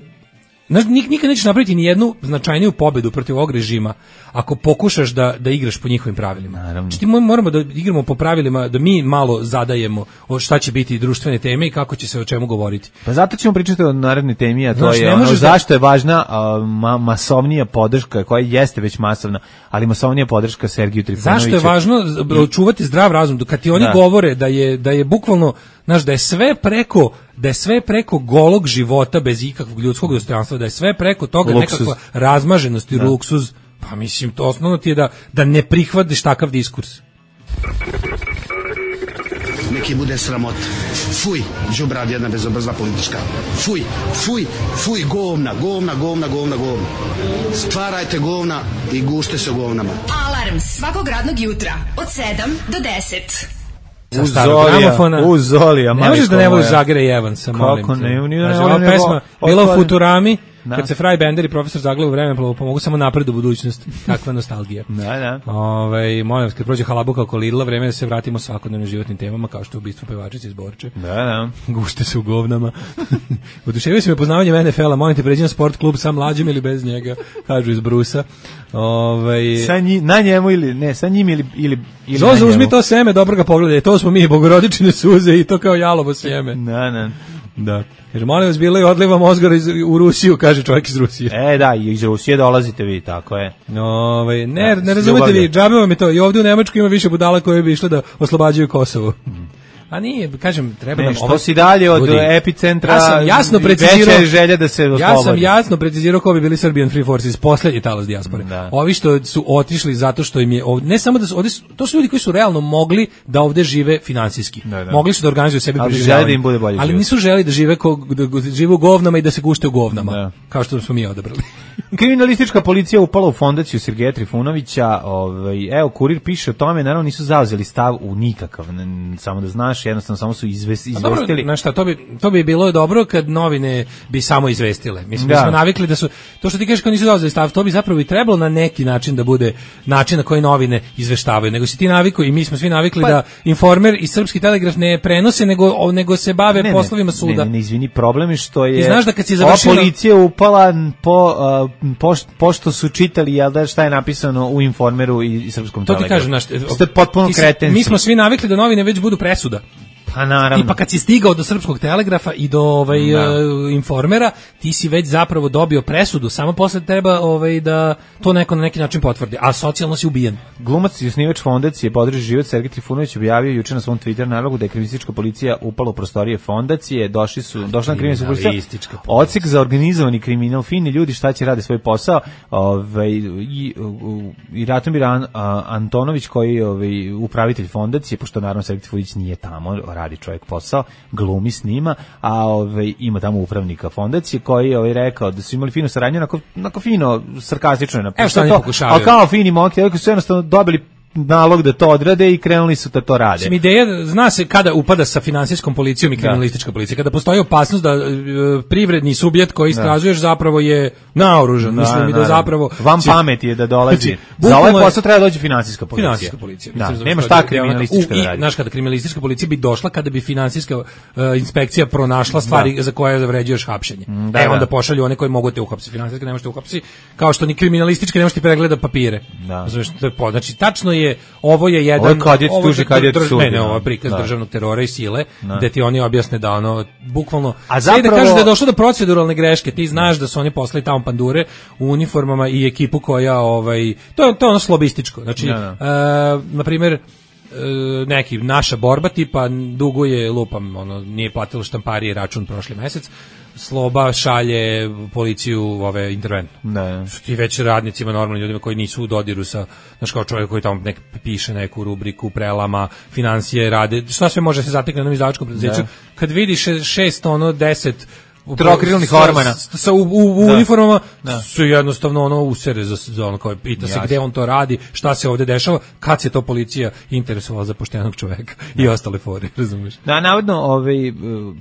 Znaš, nikad nećeš napraviti ni jednu značajniju pobedu protiv ovog režima ako pokušaš da, da igraš po njihovim pravilima. Naravno. Znači, ti moramo da igramo po pravilima, da mi malo zadajemo šta će biti društvene teme i kako će se o čemu govoriti. Pa zato ćemo pričati o narednoj temi, a to Znaš, je ono, da... zašto je važna a, ma, masovnija podrška, koja jeste već masovna, ali masovnija podrška Sergiju Trifunoviću. Zašto je važno čuvati zdrav razum? Kad ti oni da. govore da je, da je bukvalno, znaš, da je sve preko da je sve preko golog života bez ikakvog ljudskog dostojanstva, da je sve preko toga luksuz. Nekakva razmaženost i da. luksuz, pa mislim, to osnovno ti je da, da ne prihvatiš takav diskurs. Neki bude sramot. Fuj, đubrad jedna bezobrazna politička. Fuj, fuj, fuj, govna, govna, govna, govna, govna. Stvarajte govna i gušte se u govnama. Alarm svakog radnog jutra od sedam do deset. Sa starog gramofona. Uz Zolija, ne možeš da ne voliš Žagera i Evansa, molim te. Kako ne? ne, ne ova pesma bila u Futurami, da. Kad se Fraj Bender i profesor Zaglav u vremenu pomogu samo napred u budućnost. Kakva nostalgija. Da, da. Ove, molim vas, kad prođe halabuka oko Lidla, vreme da se vratimo svakodnevno životnim temama, kao što je ubistvo pevačice iz Borče. Da, da. Gušte se u govnama. Oduševio se me poznavanjem N F L-a, molim te, pređi na sport klub sa mlađim ili bez njega, kažu iz Brusa. Ove, sa nji, na njemu ili, ne, sa njim ili, ili, ili Zozo, uzmi to seme, dobro ga pogledaj, to smo mi, bogorodične suze i to kao jalovo sjeme. Da, da. Da. Jer molim vas, bilo je odliva mozgara iz, u Rusiju, kaže čovjek iz Rusije. E, da, iz Rusije dolazite vi, tako je. Ove, ne, ne razumete vi, džabe vam je to. I ovdje u Nemačku ima više budala koje bi išle da oslobađaju Kosovo. A nije, kažem, treba ne, nam... Što ovo, si dalje od ljudi, epicentra, ja sam jasno precizirao, veća je želja da se oslobodi. Ja sam jasno precizirao ko bi bili Serbian Free Forces, posljednji talas dijaspore. Da. Ovi što su otišli zato što im je... Ovdje, ne samo da su, ovdje, to su ljudi koji su realno mogli da ovdje žive finansijski. Da, da. Mogli su da organizuju sebi preživljavanje. Da im bude bolje ali život. Nisu želi da žive, ko, da žive u govnama i da se gušte u govnama. Da. Kao što smo mi odabrali. Kriminalistička policija upala u fondaciju Sergeja Trifunovića. Ovaj, evo, Kurir piše o tome, naravno nisu zauzeli stav u nikakav. Samo da znaš, jednostavno samo su izvestili. Dobro, znaš šta, to bi, to bi bilo dobro kad novine bi samo izvestile. Mislim, da. Mi smo navikli da su, to što ti kažeš kao nisu zauzeli stav, to bi zapravo i trebalo na neki način da bude način na koji novine izveštavaju. Nego si ti navikao i mi smo svi navikli pa, da Informer i Srpski telegraf ne prenose, nego, nego se bave ne, poslovima suda. Ne, ne, ne, izvini, problem je što je... Ti znaš da kad si završila... Ova policija upala po, uh, po, pošto su čitali, jel da, šta je napisano u Informeru i, i Srpskom to telegrafu. To ti kažem, znaš... Ste potpuno kretenci. Mi smo svi navikli da novine već budu presuda. Pa naravno. I pa kad si stigao do Srpskog telegrafa i do ovaj uh, Informera, ti si već zapravo dobio presudu, samo posle treba ovaj da to neko na neki način potvrdi, a socijalno si ubijen. Glumac i osnivač fondacije Podrži život Sergej Trifunović objavio juče na svom Twitter nalogu da je kriminalistička policija upala u prostorije fondacije, došli su došla na kriminalistička policija. Odsek za organizovani kriminal, fini ljudi šta će rade svoj posao, ovaj i i Ratomir An, Antonović koji ovaj upravitelj fondacije, pošto naravno Sergej Trifunović nije tamo, radi čovjek posao, glumi s njima, a ovaj ima tamo upravnika fondacije koji je ovaj rekao da su imali finu saradnju, onako, onako fino, sarkastično je napisano. Evo što oni pokušavaju. A kao fini momci, koji su jednostavno dobili nalog da to odrade i krenuli su da to rade. Mislim, ideja, zna se kada upada sa finansijskom policijom i kriminalistička policija, kada postoji opasnost da e, privredni subjekt koji istražuješ da. zapravo je naoružan, da, mislim i da zapravo... Vam pamet je da dolazi. Znači, za ovaj posao treba doći finansijska policija. Finansijska policija. Da, mislim, nema šta kriminalistička da radi. Znaš, kada kriminalistička policija bi došla, kada bi finansijska uh, inspekcija pronašla stvari da. za koje zavređuješ hapšenje. Da, e, onda da. pošalju one koji mogu te uhapsiti. Finansijska ne možete uhapsiti, kao što ni kriminalistička ne možete pregleda papire. Da. Znači, tačno je ovo je jedan ovo kad je tuži kad je sud. Ne, ne, ovo je prikaz da. državnog terora i sile, da. gde ti oni objasne da ono bukvalno a zapravo da kažeš da je došlo do proceduralne greške, ti znaš da su oni poslali tamo pandure u uniformama i ekipu koja ovaj to je to ono slobističko. Znači, da, da. Uh, na primjer neki naša borba tipa duguje lupam ono nije platilo štamparije račun prošli mesec, Sloba šalje policiju ove interventno. Ne. Ti već radnicima, normalnim ljudima koji nisu u dodiru sa, znaš, kao čovjek koji tamo nek piše neku rubriku, prelama, financije, rade, šta sve može se zatekne na jednom izdavačkom preduzeću, kad vidiš šest, ono, deset trokrilnih hormona sa u, u, u uniformama da. su jednostavno ono usere za, za ono kao pita se gde on to radi, šta se ovde dešava, kad se to policija interesovala za poštenog čoveka da. i ostale fore, razumiješ? Da, navodno ovaj,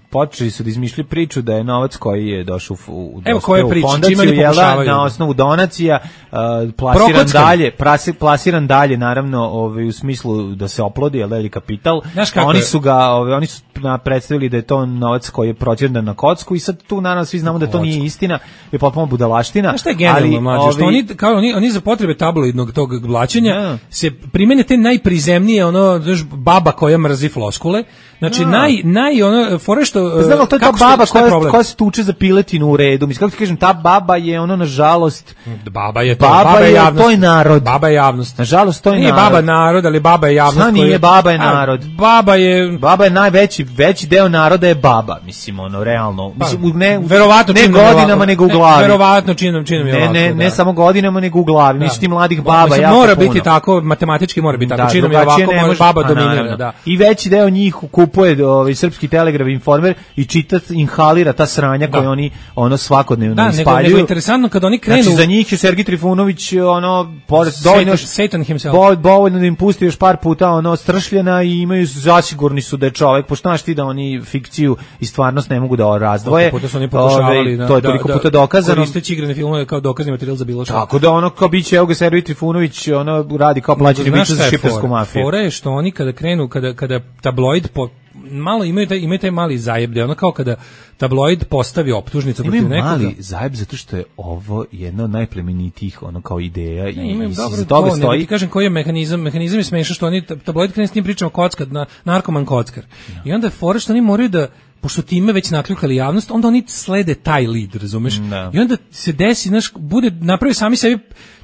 počeli su da izmišljaju priču da je novac koji je došao u, u, Evo koje u priče, fondaciju jela, na osnovu donacija uh, plasiran Prokockan. dalje, prasi, plasiran dalje naravno ovaj, u smislu da se oplodi, jel, ili kapital. Oni su ga, ovaj, oni su predstavili da je to novac koji je proćendan na kocku i sad sad tu naravno svi znamo da to nije istina, je potpuno budalaština. Znaš šta je generalno mlađe, ovi... što oni, kao oni, oni za potrebe tabloidnog tog blaćenja ja. se primene te najprizemnije, ono, znaš, baba koja mrzi floskule, znači ja. naj, naj, ono, fore što... Znamo, to je ta baba što, koja, koja se tuče za piletinu u redu, mislim, kako ti kažem, ta baba je ono, nažalost... Baba je to, baba, baba je javnost. To je narod. Baba je javnost. Nažalost, to je nije narod. Nije baba narod, ali baba je javnost. Šta nije, baba je narod. A, baba je... Baba je najveći, veći deo naroda je baba, mislim, ono, realno. Mislim, ne, verovatno ne godinama, nego u glavi. Verovatno činom, činom je ne, ovako, ne, da. ne samo godinama, nego u glavi. Mislim, ti mladih baba mislim, jako mora puno. biti tako, matematički mora biti tako. Da, činom je ovako, može, baba dominira, da. I veći deo njih kupuje ovaj srpski Telegraf i Informer i čita, inhalira ta sranja koje da. oni ono svakodnevno da, ispaljuju. Da, nego, nego interesantno kad oni krenu... Znači, za njih je Sergij Trifunović, ono, pored, dovoljno, Satan himself. dovoljno da im pusti još par puta, ono, stršljena i imaju, zasigurni su da je čovek, pošto znaš ti da oni fikciju i stvarnost ne mogu da razdvoje. Puta su oni pokušavali, Ove, to je toliko da, puta dokazano. Koristeći igrane filmove kao dokazni materijal za bilo što. Tako da ono, kao biće, evo ga Sergij Trifunović, ono, radi kao plaćeni biće za šiptarsku mafiju. Fora je što oni kada krenu, kada, kada tabloid po, malo imaju taj, imaju taj mali zajeb, da ono kao kada tabloid postavi optužnicu protiv nekoga. Imaju mali zajeb zato što je ovo jedna od najplemenitijih ono kao ideja ne, i imaju iz toga stoji. Ne, ti kažem koji je mehanizam, mehanizam je smešan što oni tabloid krene s tim pričama kockar, na, narkoman kockar. No. I onda je fora što oni moraju da pošto time već nakljukali javnost, onda oni slede taj lead, razumeš? No. I onda se desi, znaš, bude napravi sami sebi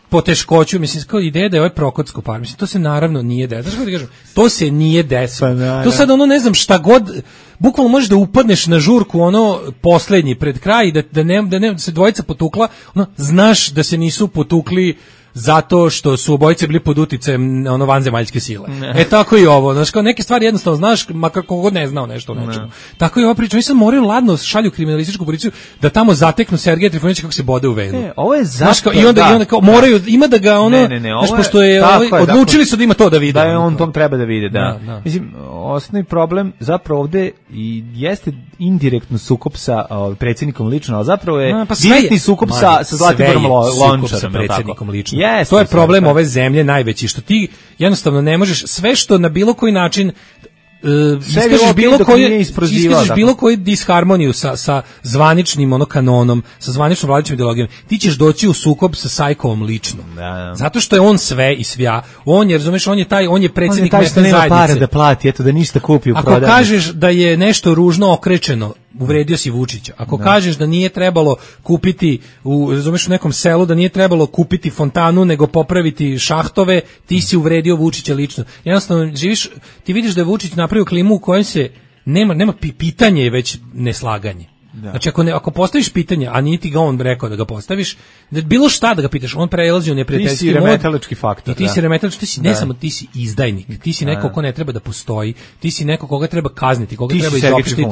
poteškoću, mislim, kao ideja da je ovaj Prokocko par, mislim, to se naravno nije desilo. Znaš kako ti kažem? To se nije desilo. Pa, to sad ono, ne znam, šta god, bukvalno možeš da upadneš na žurku, ono, poslednji, pred kraj, da, da, ne, da, ne, da se dvojica potukla, ono, znaš da se nisu potukli zato što su obojice bili pod uticajem ono vanzemaljske sile. Ne. E tako i ovo, znaš, kao neke stvari jednostavno znaš, makar kogod ne znao nešto o nečemu. Ne. Tako i ova priča, oni sad moraju ladno šalju kriminalističku policiju da tamo zateknu Sergeja Trifunovića kako se bode u venu. E, ovo je zato, znaš, kao, i onda, da, i onda kao, moraju, ima da ga ono, ne, ne, ne, znaš, pošto je, ovaj, je odlučili dakle, su da ima to da vide. Da je on tom treba da vide, da. da, da. Mislim, osnovni problem zapravo ovde i jeste indirektno sukob sa uh, predsjednikom lično, ali zapravo je A, pa direktni sukob man, sa, sa Zlatiborom Lončarom. Sa predsjednikom lično. Yes, to je problem sve, ove zemlje najveći, što ti jednostavno ne možeš, sve što na bilo koji način Uh, iskažeš bilo koju iskažeš bilo koju disharmoniju sa sa zvaničnim ono kanonom, sa zvaničnom vladajućom ideologijom, ti ćeš doći u sukob sa Sajkovom lično. Da, da. Zato što je on sve i svja. On je, razumeš, on je taj, on je predsjednik mesne zajednice. On je taj što nema pare da plati, eto da ništa kupi u prodaju. Ako kažeš da je nešto ružno okrečeno, uvredio si Vučića. Ako da. kažeš da nije trebalo kupiti u, razumeš, u nekom selu da nije trebalo kupiti fontanu nego popraviti šahtove, ti si uvredio Vučića lično. Jednostavno živiš, ti vidiš da je Vučić napravio klimu u kojoj se nema nema pitanje je već neslaganje. Da. Znači ako ne, ako postaviš pitanje, a nije ti ga on rekao da ga postaviš, da bilo šta da ga pitaš, on prelazi u neprijateljski mod. Ti si remetalački faktor. I ti da. si remetalački, ti si ne da. samo ti si izdajnik, ti si neko ko ne treba da postoji, ti si neko koga treba kazniti, koga ti treba izopštiti.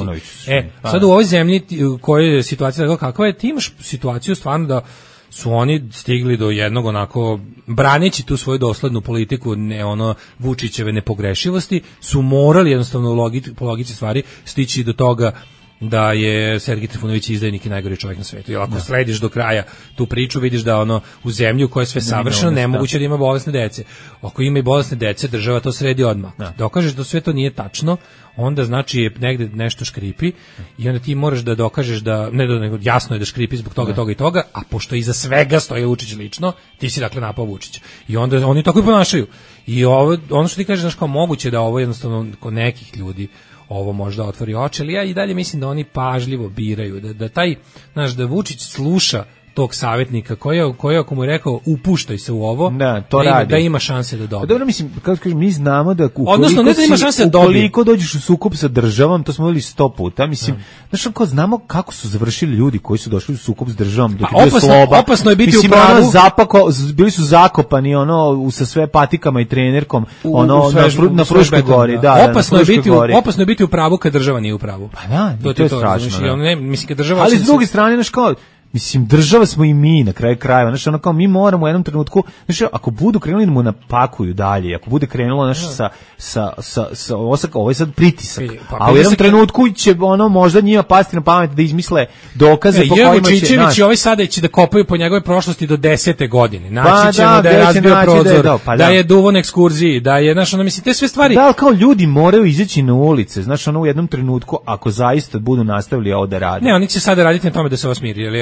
E, pa, sad u ovoj zemlji u kojoj je situacija tako kakva je, ti imaš situaciju stvarno da su oni stigli do jednog onako, braneći tu svoju doslednu politiku, ne ono Vučićeve nepogrešivosti, su morali jednostavno u logici, po logici stvari stići do toga da je Sergij Trifunović izdajnik i najgori čovjek na svetu. Jer ako da. slediš do kraja tu priču, vidiš da ono u zemlju koja je sve savršeno, nemoguće da ima bolesne dece. Ako ima i bolesne dece, država to sredi odmah. Da. Dokažeš da sve to nije tačno, onda znači je negde nešto škripi i onda ti moraš da dokažeš da, ne da nego jasno je da škripi zbog toga, da. toga i toga, a pošto iza svega stoji Vučić lično, ti si dakle napao Vučića. I onda oni tako i ponašaju. I ovo, ono što ti kažeš, znaš, kao moguće da ovo jednostavno kod nekih ljudi ovo možda otvori oči, ali ja i dalje mislim da oni pažljivo biraju, da, da taj, znaš, da Vučić sluša tog savjetnika koji koji ako mu je rekao upuštaj se u ovo, da, to da, radi. da ima šanse da dobije. Dobro, mislim, kako kažem, mi znamo da ukoliko, odnosno, ne da ima šanse da dobije. Ukoliko dođeš u sukob sa državom, to smo videli sto puta, mislim, da. znaš, kao znamo kako su završili ljudi koji su došli u sukob s državom, dok je bio sloba. Opasno je biti mislim, u pravu. Ono, zapako, bili su zakopani ono sa sve patikama i trenerkom, u, ono u svež, na, na Fruškoj gori, da. da opasno je biti gori. opasno je biti u pravu kad država nije u pravu. Pa da, to, to je strašno. Znači, ne, mislim kad država ali s druge strane, znaš, kao Mislim, država smo i mi na kraju krajeva, znači ono kao mi moramo u jednom trenutku, znači ako budu krenuli da mu napakuju dalje, ako bude krenulo znači sa sa sa sa osaka, ovo je sad pritisak. Pa, a u jednom trenutku će ono možda njima pasti na pamet da izmisle dokaze e, po kojima će Čičević i ovaj sada će da kopaju po njegove prošlosti do desete godine. Naći pa, ćemo da, da je razbio prozor, da je, pa, da. da je duvo na ekskurziji, da je znaš ono mislim te sve stvari. Da, kao ljudi moraju izaći na ulice, znači ono u jednom trenutku ako zaista budu nastavili ovo da rade. Ne, oni će sada raditi na tome da se ovo smiri, jer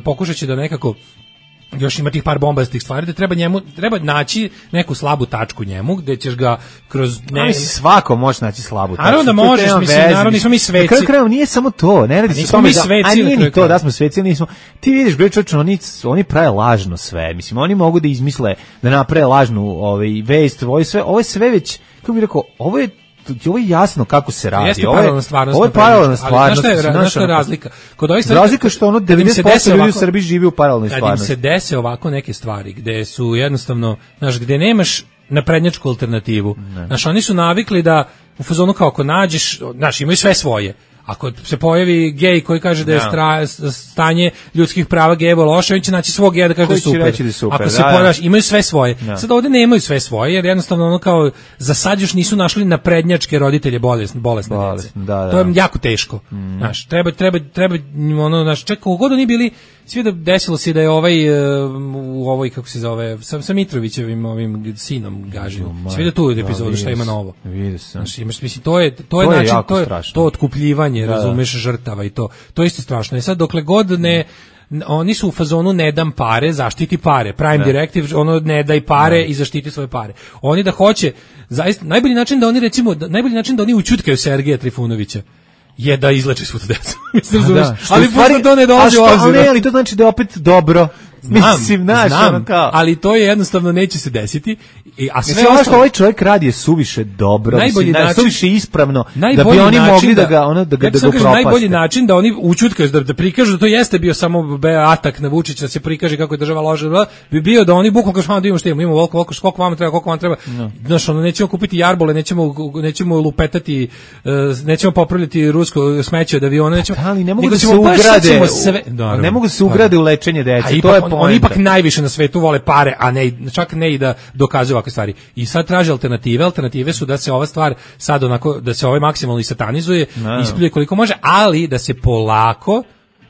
pokušat će da nekako još ima tih par bombastih stvari da treba njemu treba naći neku slabu tačku njemu gde ćeš ga kroz ne A mislim svako može naći slabu tačku. Naravno da možeš, mislim, naravno nismo mi sveci. Kraj krajeva nije samo to, ne radi se samo mi sveci, a nije ni to da smo sveci, nismo. Ti vidiš bre čoveče, oni oni prave lažno sve. Mislim oni mogu da izmisle da naprave lažnu ovaj vest, ovo sve, ovo je sve već kako bih rekao, ovo je ovo je jasno kako se radi. Jeste ovo je stvarnost. Ovo je paralelna stvarnost. Ali znaš šta je razlika? Kod ovih stvari razlika što ono devedeset posto ljudi u Srbiji živi u paralelnoj stvarnosti. Kad im se dese ovako neke stvari gde su jednostavno, znaš, gde nemaš naprednjačku alternativu. Znaš, oni su navikli da u fazonu kao ako nađeš, znaš, imaju sve svoje. Ako se pojavi gej koji kaže da je stra, stanje ljudskih prava gejeva loše, on će naći svog geja da kaže da je super. Da je super. Ako se da, pojaviš, imaju sve svoje. Da. Sad ovde nemaju sve svoje, jer jednostavno ono kao za sad još nisu našli naprednjačke roditelje bolesne, bolesne dece. Da, da. To je jako teško. Mm. Znaš, treba, treba, treba, ono, znaš, čak kako god oni bili, svi da desilo se da je ovaj, u ovoj, kako se zove, sa, sa Mitrovićevim ovim sinom Gažinom. Svi da tu epizodu da, šta ima novo. Vidio sam. Znaš, imaš, mislim, to je, to, to je, je način, to je, to otkupljivanje, da, razumeš, žrtava i to. To je isto strašno. I sad, dokle god ne, oni su u fazonu ne dam pare, zaštiti pare. Prime ne. Directive, ono ne daj pare ne. I zaštiti svoje pare. Oni da hoće, zaista, najbolji način da oni, recimo, najbolji način da oni učutkaju Sergeja Trifunovića je da izleči svu tu decu. Mislim, da, ali stvari, to ne dolazi u obzir. Ali to znači da je opet dobro. Znam, Mislim, naš, znam, kao. Ali to je jednostavno neće se desiti. I, a sve Mislim, ono što ovaj čovjek radi je suviše dobro, najbolji mislim, način, suviše ispravno, da bi oni mogli da, da ga, ono, da, ja da ga upropaste. Najbolji način da oni ućutkaju, da, da prikažu da to jeste bio samo atak na Vučića, da se prikaže kako je država loša, bi bio da oni bukvalno kažu, da imamo što imamo, imamo volko, volko, koliko vam treba, koliko vam treba. No. Znaš, ono, nećemo kupiti jarbole, nećemo, nećemo lupetati, nećemo popravljati rusko smeće od aviona, nećemo, pa, ali ne mogu da se ugrade, sve, ne mogu da se ugrade u lečenje dece, to je poenta. Oni ipak najviše na svetu vole pare, a ne čak ne i da dokazuju ovakve stvari. I sad traže alternative, alternative su da se ova stvar sad onako, da se ovaj maksimalno i satanizuje, no. Ispljuje koliko može, ali da se polako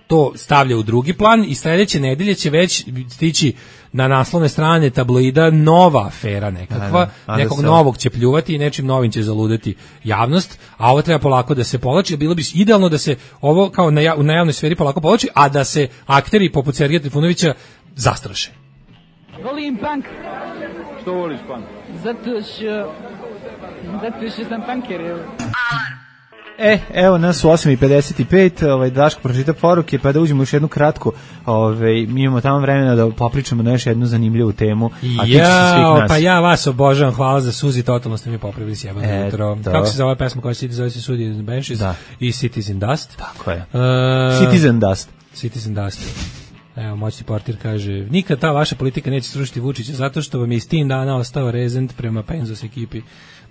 to stavlja u drugi plan i sledeće nedelje će već stići na naslovne strane tabloida nova afera nekakva, a, nekog se... novog će pljuvati i nečim novim će zaludeti javnost, a ovo treba polako da se povlači, bilo bi idealno da se ovo kao na, na javnoj sferi polako povlači, a da se akteri poput Sergeja Trifunovića zastraše. Volim punk. Što voliš punk? Zato što... Zato što sam punker. E, evo nas u osam i pedeset pet, ovaj, Daško pročita poruke, pa da uđemo još jednu kratku, ovaj, mi imamo tamo vremena da popričamo na još jednu zanimljivu temu, a tiče se svih nas. Pa ja vas obožavam, hvala za Suzi, totalno ste mi popravili sjebano e, jutro. Kako se zove pesma koja se zove se Suzi Benches da. I Citizen Dust? Tako je. Uh, Citizen Dust. Citizen Dust. Evo, moćni portir kaže, nikad ta vaša politika neće srušiti Vučića zato što vam je iz tim dana ostao rezent prema Penzos ekipi.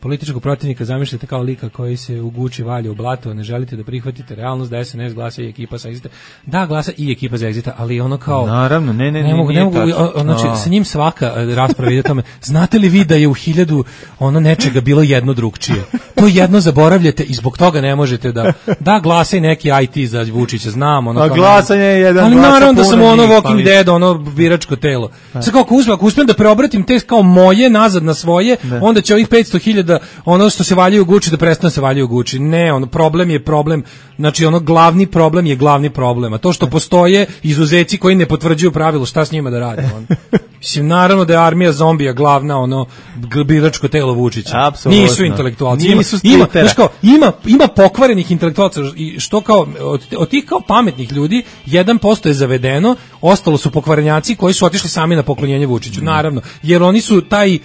Političkog protivnika zamišljate kao lika koji se u Guči valja u blato, a ne želite da prihvatite realnost da S N S glasa i ekipa sa Exita. Da, glasa i ekipa za Exita, ali ono kao... Naravno, ne, ne, ne mogu, ne mogu, znači, sa njim svaka rasprava ide tome. Znate li vi da je u hiljadu ono nečega bilo jedno drugčije? To jedno zaboravljate i zbog toga ne možete da... Da, glasa i neki I T za Vučića, znam. Ono, a glasanje je jedan ali naravno da sam ono Walking Dead, ono biračko telo. Sad kao ako uspem, ako uspem da preobratim te kao moje nazad na svoje, ne. Onda će ovih petsto hiljada ono što se valjaju u Guči da prestane se valjaju u Guči. Ne, ono problem je problem, znači ono glavni problem je glavni problem. A to što postoje izuzeci koji ne potvrđuju pravilo, šta s njima da radi on? Mislim, naravno da je armija zombija glavna, ono, biračko telo Vučića. Apsolutno. Nisu intelektualci. Nisu ima, ima, kao, ima, ima pokvarenih intelektualca i što kao, od, od tih kao pametnih ljudi, jedan posto je zavedeno, ostalo su pokvarenjaci koji su otišli sami na poklonjenje Vučiću, mm. naravno, jer oni su taj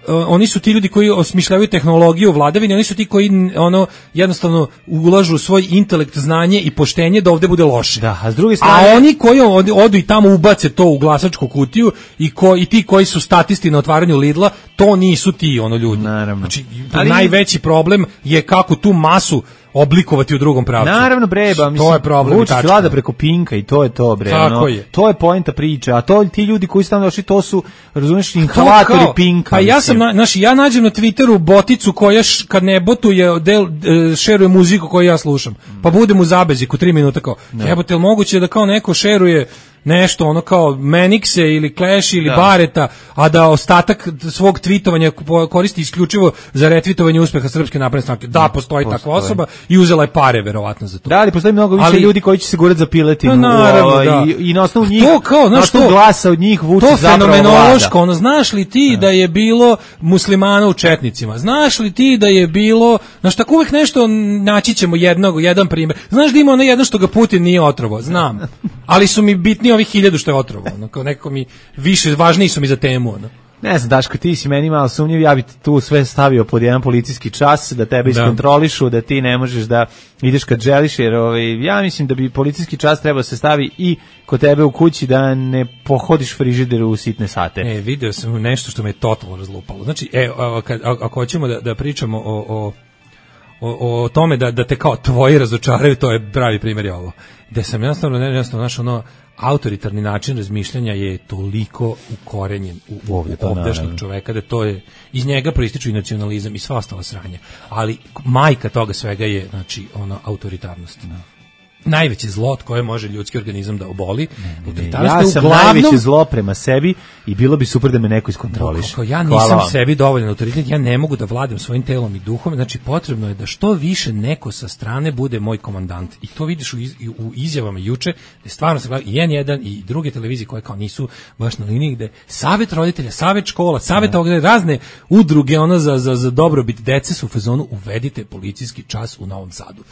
oni su ti ljudi koji osmišljavaju tehnologiju vladavine, oni su ti koji ono jednostavno ulažu svoj intelekt, znanje i poštenje da ovde bude loše. Da, a s druge strane, a oni koji odu, odu i tamo ubace to u glasačku kutiju i ko i ti koji su statisti na otvaranju Lidla, to nisu ti ono ljudi. Naravno. Znači, ali najveći problem je kako tu masu oblikovati u drugom pravcu. Naravno bre, ba, mislim, to je problem. Vučić vlada preko Pinka i to je to bre. Tako no, je. To je poenta priče, a to ti ljudi koji su tamo došli, to su, razumiješ, inhalatori Pinka. Pa ja sam, znaš, ja nađem na Twitteru boticu koja š, kad ne botuje, del, e, šeruje muziku koju ja slušam, pa budem u zabeziku tri minuta kao, jebote, jel moguće da kao neko šeruje nešto ono kao Manixe ili Clash ili da. Bareta, a da ostatak svog tvitovanja koristi isključivo za retvitovanje uspeha Srpske napredne stranke. Da, postoji, postoji takva osoba i uzela je pare verovatno za to. Da, ali postoji mnogo više ali, ljudi koji će se gurati za piletinu. No, naravno, o, da. I, i na osnovu njih, to kao, na osnovu glasa od njih Vučić zapravo vlada. To fenomenološko, ono, znaš li ti da. da je bilo muslimana u četnicima? Znaš li ti da je bilo, znaš, tako uvijek nešto naći ćemo jednog, jedan primjer. Znaš da ima ono jedno što ga Putin nije otrovo? Znam. Ali su mi bitni ovih hiljadu što je otrovo, ono, kao nekako mi više, važniji su mi za temu, ono. Ne znam, Daško, ti si meni malo sumnjiv, ja bi tu sve stavio pod jedan policijski čas, da tebe iskontrolišu, da ti ne možeš da ideš kad želiš, jer ovaj, ja mislim da bi policijski čas trebao se stavi i kod tebe u kući da ne pohodiš frižider u sitne sate. E, video sam nešto što me je totalno razlupalo. Znači, e, kad, ako hoćemo da, da pričamo o, o, o, o tome da, da te kao tvoji razočaraju, to je pravi primjer je ovo. Da sam jednostavno, ne, jednostavno, znaš, ono, autoritarni način razmišljanja je toliko ukorenjen u, u ovdašnjeg čoveka da to je, iz njega proističu i nacionalizam i sva ostala sranja. Ali majka toga svega je, znači, ono, autoritarnost. No. Najveće zlo koje može ljudski organizam da oboli. Ne, ne, ne. Ja sam uglavnom najveće zlo prema sebi i bilo bi super da me neko iskontroliše. Kako ja nisam sebi dovoljan autoritet, ja ne mogu da vladam svojim telom i duhom, znači potrebno je da što više neko sa strane bude moj komandant. I to vidiš u, iz, u izjavama juče, da stvarno se gleda i en jedan i druge televizije koje kao nisu baš na liniji, gde savet roditelja, savet škola, savet ovdje, razne udruge ono za, za, za dobrobit dece su u fazonu uvedite policijski čas u Novom Sadu.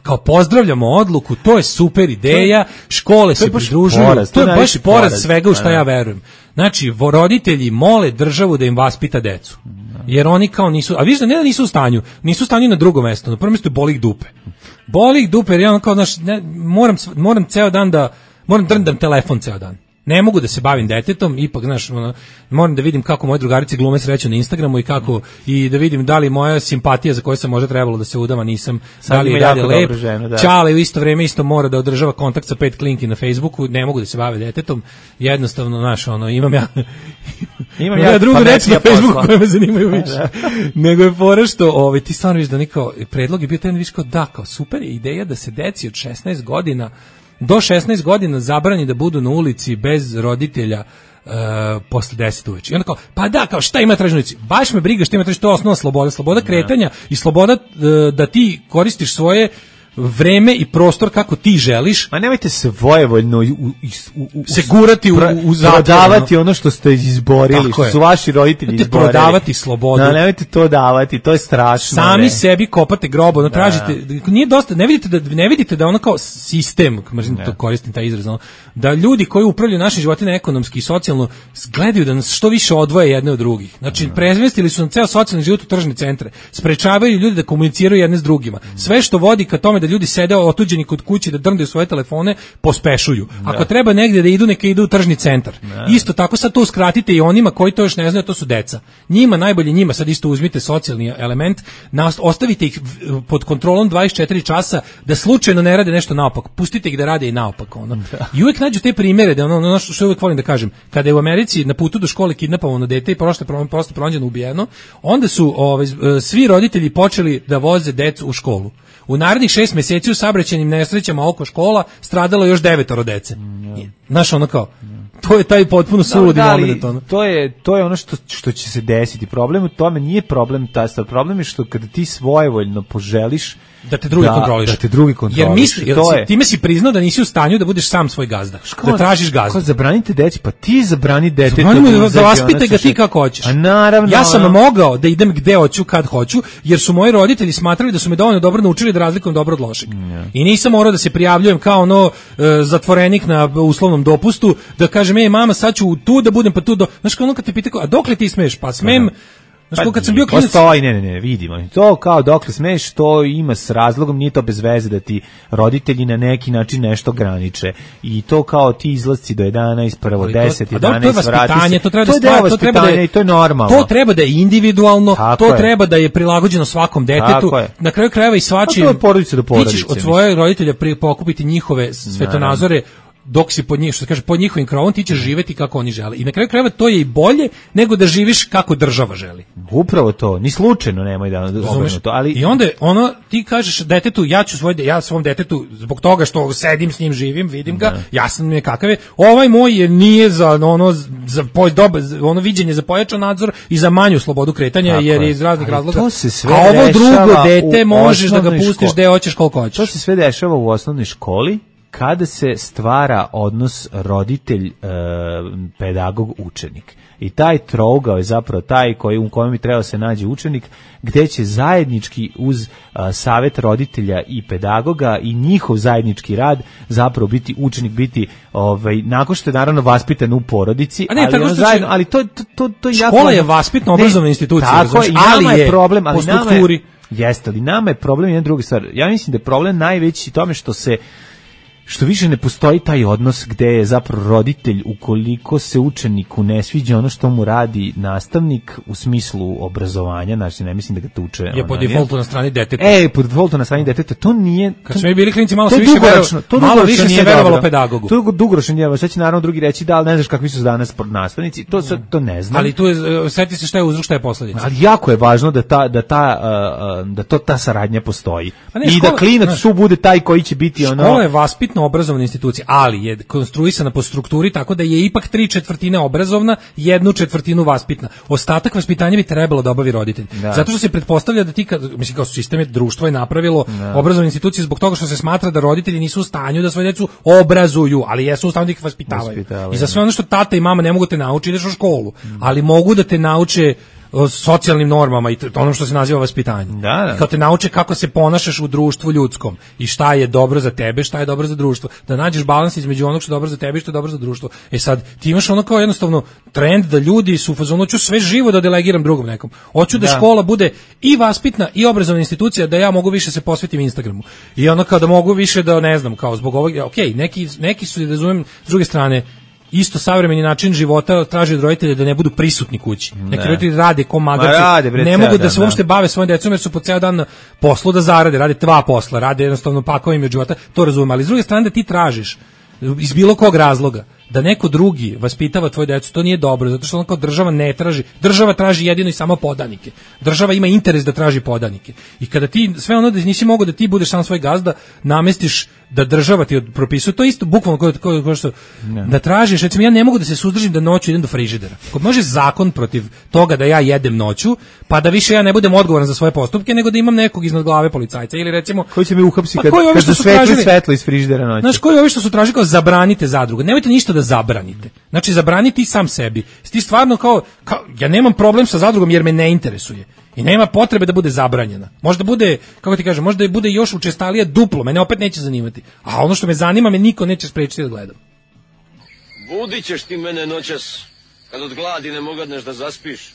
Kao pozdravljamo odluku, to je super ideja, škole se pridružuju, poraz, to je baš poraz svega u šta ja verujem. Znači, roditelji mole državu da im vaspita decu, jer oni kao nisu, a vidiš da ne da nisu u stanju, nisu u stanju na drugo mesto, na prvo mesto je boli ih dupe. Boli ih dupe, jer ja ono kao, znaš, ne, moram, moram ceo dan da, moram drndam telefon ceo dan. Ne mogu da se bavim detetom, ipak, znaš, ono, moram da vidim kako moje drugarice glume sreću na Instagramu i kako, i da vidim da li moja simpatija za koju sam možda trebalo da se udama, nisam, sad da li je dalje lep. Ženu, da. Čale u isto vrijeme isto mora da održava kontakt sa pet klinki na Facebooku, ne mogu da se bave detetom, jednostavno, znaš, ono, imam ja, imam ja, ja drugu reći na Facebooku koje me zanimaju više. Nego je fora što, ovaj, ti stvarno viš da niko, predlog je bio taj, viš kao da, kao super je ideja da se deci od šesnaest godina do šesnaest godina zabrani da budu na ulici bez roditelja uh, posle deset uveče. I onda kao, pa da, kao šta ima traži na ulici? Baš me briga šta ima traži, to je osnovna sloboda. Sloboda kretanja i sloboda uh, da ti koristiš svoje vreme i prostor kako ti želiš. Ma nemojte se vojevoljno u, u, u, se gurati u, u zatvor, prodavati ono što ste izborili, što su vaši roditelji izborili. Prodavati slobodu. No, nemojte to davati, to je strašno. Sami ne. Sebi kopate grob, ono tražite, nije dosta, ne vidite da ne vidite da ono kao sistem, mrzim to koristim taj izraz, ono, da ljudi koji upravljaju našim životima ekonomski i socijalno gledaju da nas što više odvoje jedne od drugih. Znači ne. Prezmestili su nam ceo socijalni život u tržne centre. Sprečavaju ljudi da komuniciraju jedne s drugima. Sve što vodi ka tome da ljudi sede otuđeni kod kuće da drndaju svoje telefone, pospešuju. Da. Ako treba negdje da idu, neka idu u tržni centar. Da. Isto tako sad to uskratite i onima koji to još ne znaju, to su deca. Njima, najbolje njima, sad isto uzmite socijalni element, ostavite ih pod kontrolom dvadeset četiri časa da slučajno ne rade nešto naopako. Pustite ih da rade i naopako. Ono. Da. I uvijek nađu te primjere, da ono, ono što uvijek volim da kažem, kada je u Americi na putu do škole kidnapovano dete i prošle prosto pronađeno ubijeno, onda su ovaj, svi roditelji počeli da voze decu u školu. U narednih šest mjeseci u saobraćajnim nesrećama oko škola stradalo još devetoro dece. Znaš, ono kao, to je taj potpuno suludi moment. Ono. To je, to je ono što, što će se desiti. Problem u tome nije problem taj stav. Problem je što kada ti svojevoljno poželiš da te drugi da, kontroliš. Da te drugi kontroliš. Jer misli, jer to si, je. Time si priznao da nisi u stanju da budeš sam svoj gazda. Ško, da tražiš gazdu. Ko zabranite deci, pa ti zabrani dete. Zabranimo da, da vaspite ga ti kako hoćeš. A naravno. Ja sam ono... mogao da idem gde hoću, kad hoću, jer su moji roditelji smatrali da su me dovoljno dobro naučili da razlikujem dobro od lošeg. Yeah. I nisam morao da se prijavljujem kao ono e, zatvorenik na uslovnom dopustu, da kažem, ej mama, sad ću tu da budem, pa tu do... Znaš kao ono kad te pita, a dokle ti smeš? Pa smem Znaš, pa kad sam bio klinac... Postoji, ne, ne, ne, vidimo. To kao dokle smeš, to ima s razlogom, nije to bez veze da ti roditelji na neki način nešto graniče. I to kao ti izlasci do jedanaest, prvo deset, jedanaest, vrati se. To, to, to je deo vaspitanja i to je normalno. To treba da je individualno, tako to je. Treba da je prilagođeno svakom detetu. Na kraju krajeva i svačijim... Pa to je porodice do porodice. Ti ćeš od svojeg roditelja pokupiti njihove svetonazore, dok si pod njih, što se kaže, pod njihovim krovom, ti ćeš živeti kako oni žele. I na kraju krajeva to je i bolje nego da živiš kako država želi. Upravo to, ni slučajno nemoj da obrnu to, ali i onda ono ti kažeš detetu, ja ću svoj ja svom detetu zbog toga što sedim s njim, živim, vidim ga, ne. Jasno mi je kakav je. Ovaj moj je nije za ono za poj doba, ono viđenje za pojačan nadzor i za manju slobodu kretanja. Tako jer je iz raznih ali razloga. A ovo drugo dete možeš da ga pustiš gde hoćeš koliko hoćeš. To se sve dešava u osnovnoj školi, kada se stvara odnos roditelj, e, pedagog, učenik. I taj trougao je zapravo taj koji, u kojem bi trebao se nađe učenik, gde će zajednički uz a, savjet roditelja i pedagoga i njihov zajednički rad zapravo biti učenik, biti ovaj, nakon što je naravno vaspitan u porodici, ne, ali, ono zajedno, ali to, to, to, to škola jako, je vaspitno obrazovna institucija, tako, i nama ali je problem, ali po strukturi. Nama je, jeste, ali nama je problem jedna druga stvar. Ja mislim da je problem najveći tome što se što više ne postoji taj odnos gde je zapravo roditelj, ukoliko se učeniku ne sviđa ono što mu radi nastavnik u smislu obrazovanja, znači ne mislim da ga tuče. Je po defaultu na strani deteta. E, po defaultu na strani deteta, to nije... Kad smo bili klinici, malo se više verovalo, malo više se verovalo pedagogu. To je dugoročno nije, sad će naravno drugi reći da, ali ne znaš kakvi su danas nastavnici, to, sad, to ne znam. Ali tu je, seti se šta je uzrok, šta je posledica. Ali jako je važno da, ta, da, ta, uh, da to ta saradnja postoji. Ne, i škola, da klinac znaš, tu bude taj koji će biti ono... Škola je vaspitno obrazovna institucija, ali je konstruisana po strukturi tako da je ipak tri četvrtine obrazovna, jednu četvrtinu vaspitna. Ostatak vaspitanja bi trebalo da obavi roditelj. Da. Zato što se pretpostavlja da ti, mislim kao sistem je, društvo je napravilo da. Obrazovne institucije zbog toga što se smatra da roditelji nisu u stanju da svoje decu obrazuju, ali jesu u stanju da ih vaspitavaju. Vaspitavaju. I za sve ono što tata i mama ne mogu te naučiti, ideš u školu, mm. ali mogu da te nauče o socijalnim normama i onom što se naziva vaspitanje. Da, da. Kao te nauče kako se ponašaš u društvu ljudskom i šta je dobro za tebe, šta je dobro za društvo. Da nađeš balans između onog što je dobro za tebe i što je dobro za društvo. E sad, ti imaš ono kao jednostavno trend da ljudi su u fazonu, hoću sve živo da delegiram drugom nekom. Hoću da, da škola bude i vaspitna i obrazovna institucija, da ja mogu više se posvetim Instagramu. I ono kao da mogu više da, ne znam, kao zbog ovog, ok, neki, neki su, razumem, s druge strane, isto savremeni način života traži od roditelja da ne budu prisutni kući. Ne. Neki roditelji rade ko magarci, ne mogu da se uopšte bave svojim decom jer su po ceo dan na poslu da zarade, rade dva posla, rade jednostavno pakovima od života, to razumem, ali s druge strane da ti tražiš iz bilo kog razloga da neko drugi vaspitava tvoju decu, to nije dobro, zato što ono kao država ne traži, država traži jedino i samo podanike. Država ima interes da traži podanike. I kada ti sve ono da nisi mogao da ti budeš sam svoj gazda, namestiš da država ti propisuje, to isto bukvalno kao, kao, kao što ne. Da tražiš, recimo ja ne mogu da se suzdržim da noću idem do frižidera. Ako može zakon protiv toga da ja jedem noću, pa da više ja ne budem odgovoran za svoje postupke, nego da imam nekog iznad glave policajca ili recimo koji će me uhapsiti kad, kad se svetli svetlo iz frižidera noću. Znaš, koji ovi što su tražili kao zabranite zadrugu, nemojte ništa da zabranite. Znači zabraniti sam sebi. Ti stvarno kao, kao ja nemam problem sa zadrugom jer me ne interesuje. I nema potrebe da bude zabranjena. Možda bude, kako ti kažem, možda bude još učestalija duplo, mene opet neće zanimati. A ono što me zanima me niko neće sprečiti da gledam. Budit ćeš ti mene noćas, kad od gladi ne mogadneš da zaspiš.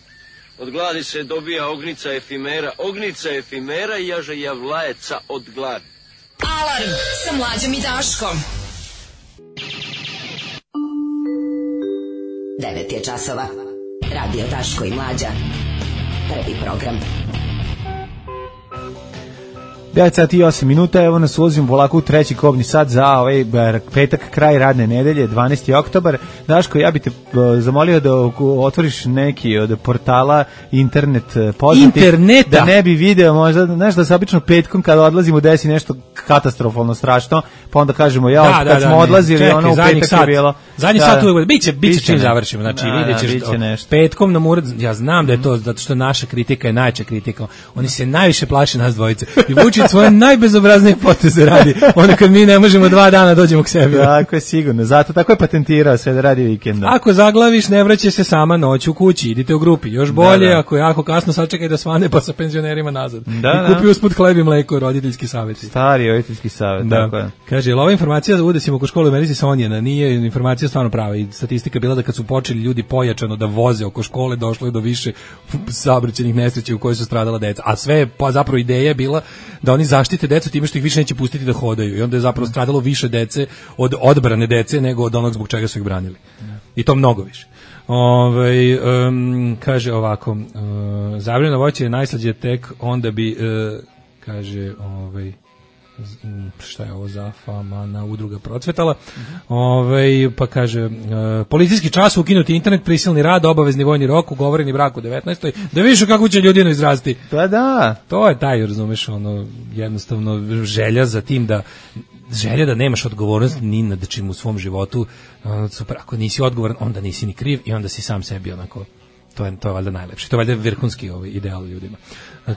Od gladi se dobija ognica efimera, ognica efimera i jaže javlajeca od gladi. Alarm sa Mlađom i Daškom. devet je časova. Radio Daško i Mlađa. Prvi program. devet sati i osam minuta, evo nas ulazimo polako u treći kobni sat za ovaj petak, kraj radne nedelje, dvanaesti oktobar. Daško, ja bih te zamolio da otvoriš neki od portala internet poznatih. Interneta? Da ne bi video, možda, znaš da se obično petkom kada odlazimo desi nešto katastrofalno strašno, pa onda kažemo, ja, da, kad da, smo da, odlazili, čekaj, ono u petak sat, je bilo. Zadnji da, sat uvijek, biće, biće čim završimo, znači da, vidjet ćeš, da, petkom nam ured, ja znam da je to, zato što naša kritika je najča kritika, oni se najviše plaše nas dvojice. I Vučić svoje najbezobraznije poteze radi. Onda kad mi ne možemo dva dana dođemo k sebi. Tako je sigurno. Zato tako je patentirao sve da radi vikendom. Ako zaglaviš, ne vraća se sama noć u kući. Idite u grupi. Još bolje, da, da. Ako je jako kasno, sačekaj da svane pa sa penzionerima nazad. Da, I kupi usput hleb i mleko, roditeljski savjeti. Stari roditeljski savjet, da. Tako je. Kaže, jel ova informacija da udesimo oko škole u Americi sa Onjena? Nije informacija stvarno prava. I statistika bila da kad su počeli ljudi pojačano da voze oko škole, došlo je do više saobraćajnih nesreća u kojoj su stradala deca. A sve pa zapravo ideja je bila da oni zaštite decu time što ih više neće pustiti da hodaju. I onda je zapravo stradalo više dece od odbrane dece nego od onog zbog čega su ih branili. I to mnogo više. Ove, um, kaže ovako, uh, zabranjeno voće je najslađe tek onda bi, uh, kaže, ovaj, šta je ovo za famana udruga procvetala, uh-huh. Ove, pa kaže, uh, policijski čas, ukinuti internet, prisilni rad, obavezni vojni rok, ugovoreni brak u devetnaestoj da vidiš kako će ljudino izrasti. Pa da. To je taj, razumeš, ono, jednostavno želja za tim da želja da nemaš odgovornost ni nad čim u svom životu, super, ako nisi odgovoran, onda nisi ni kriv i onda si sam sebi onako, to je, to je valjda najlepše, to je valjda vrhunski ovaj ideal ljudima.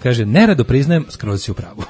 Kaže, nerado priznajem, skroz si u pravu.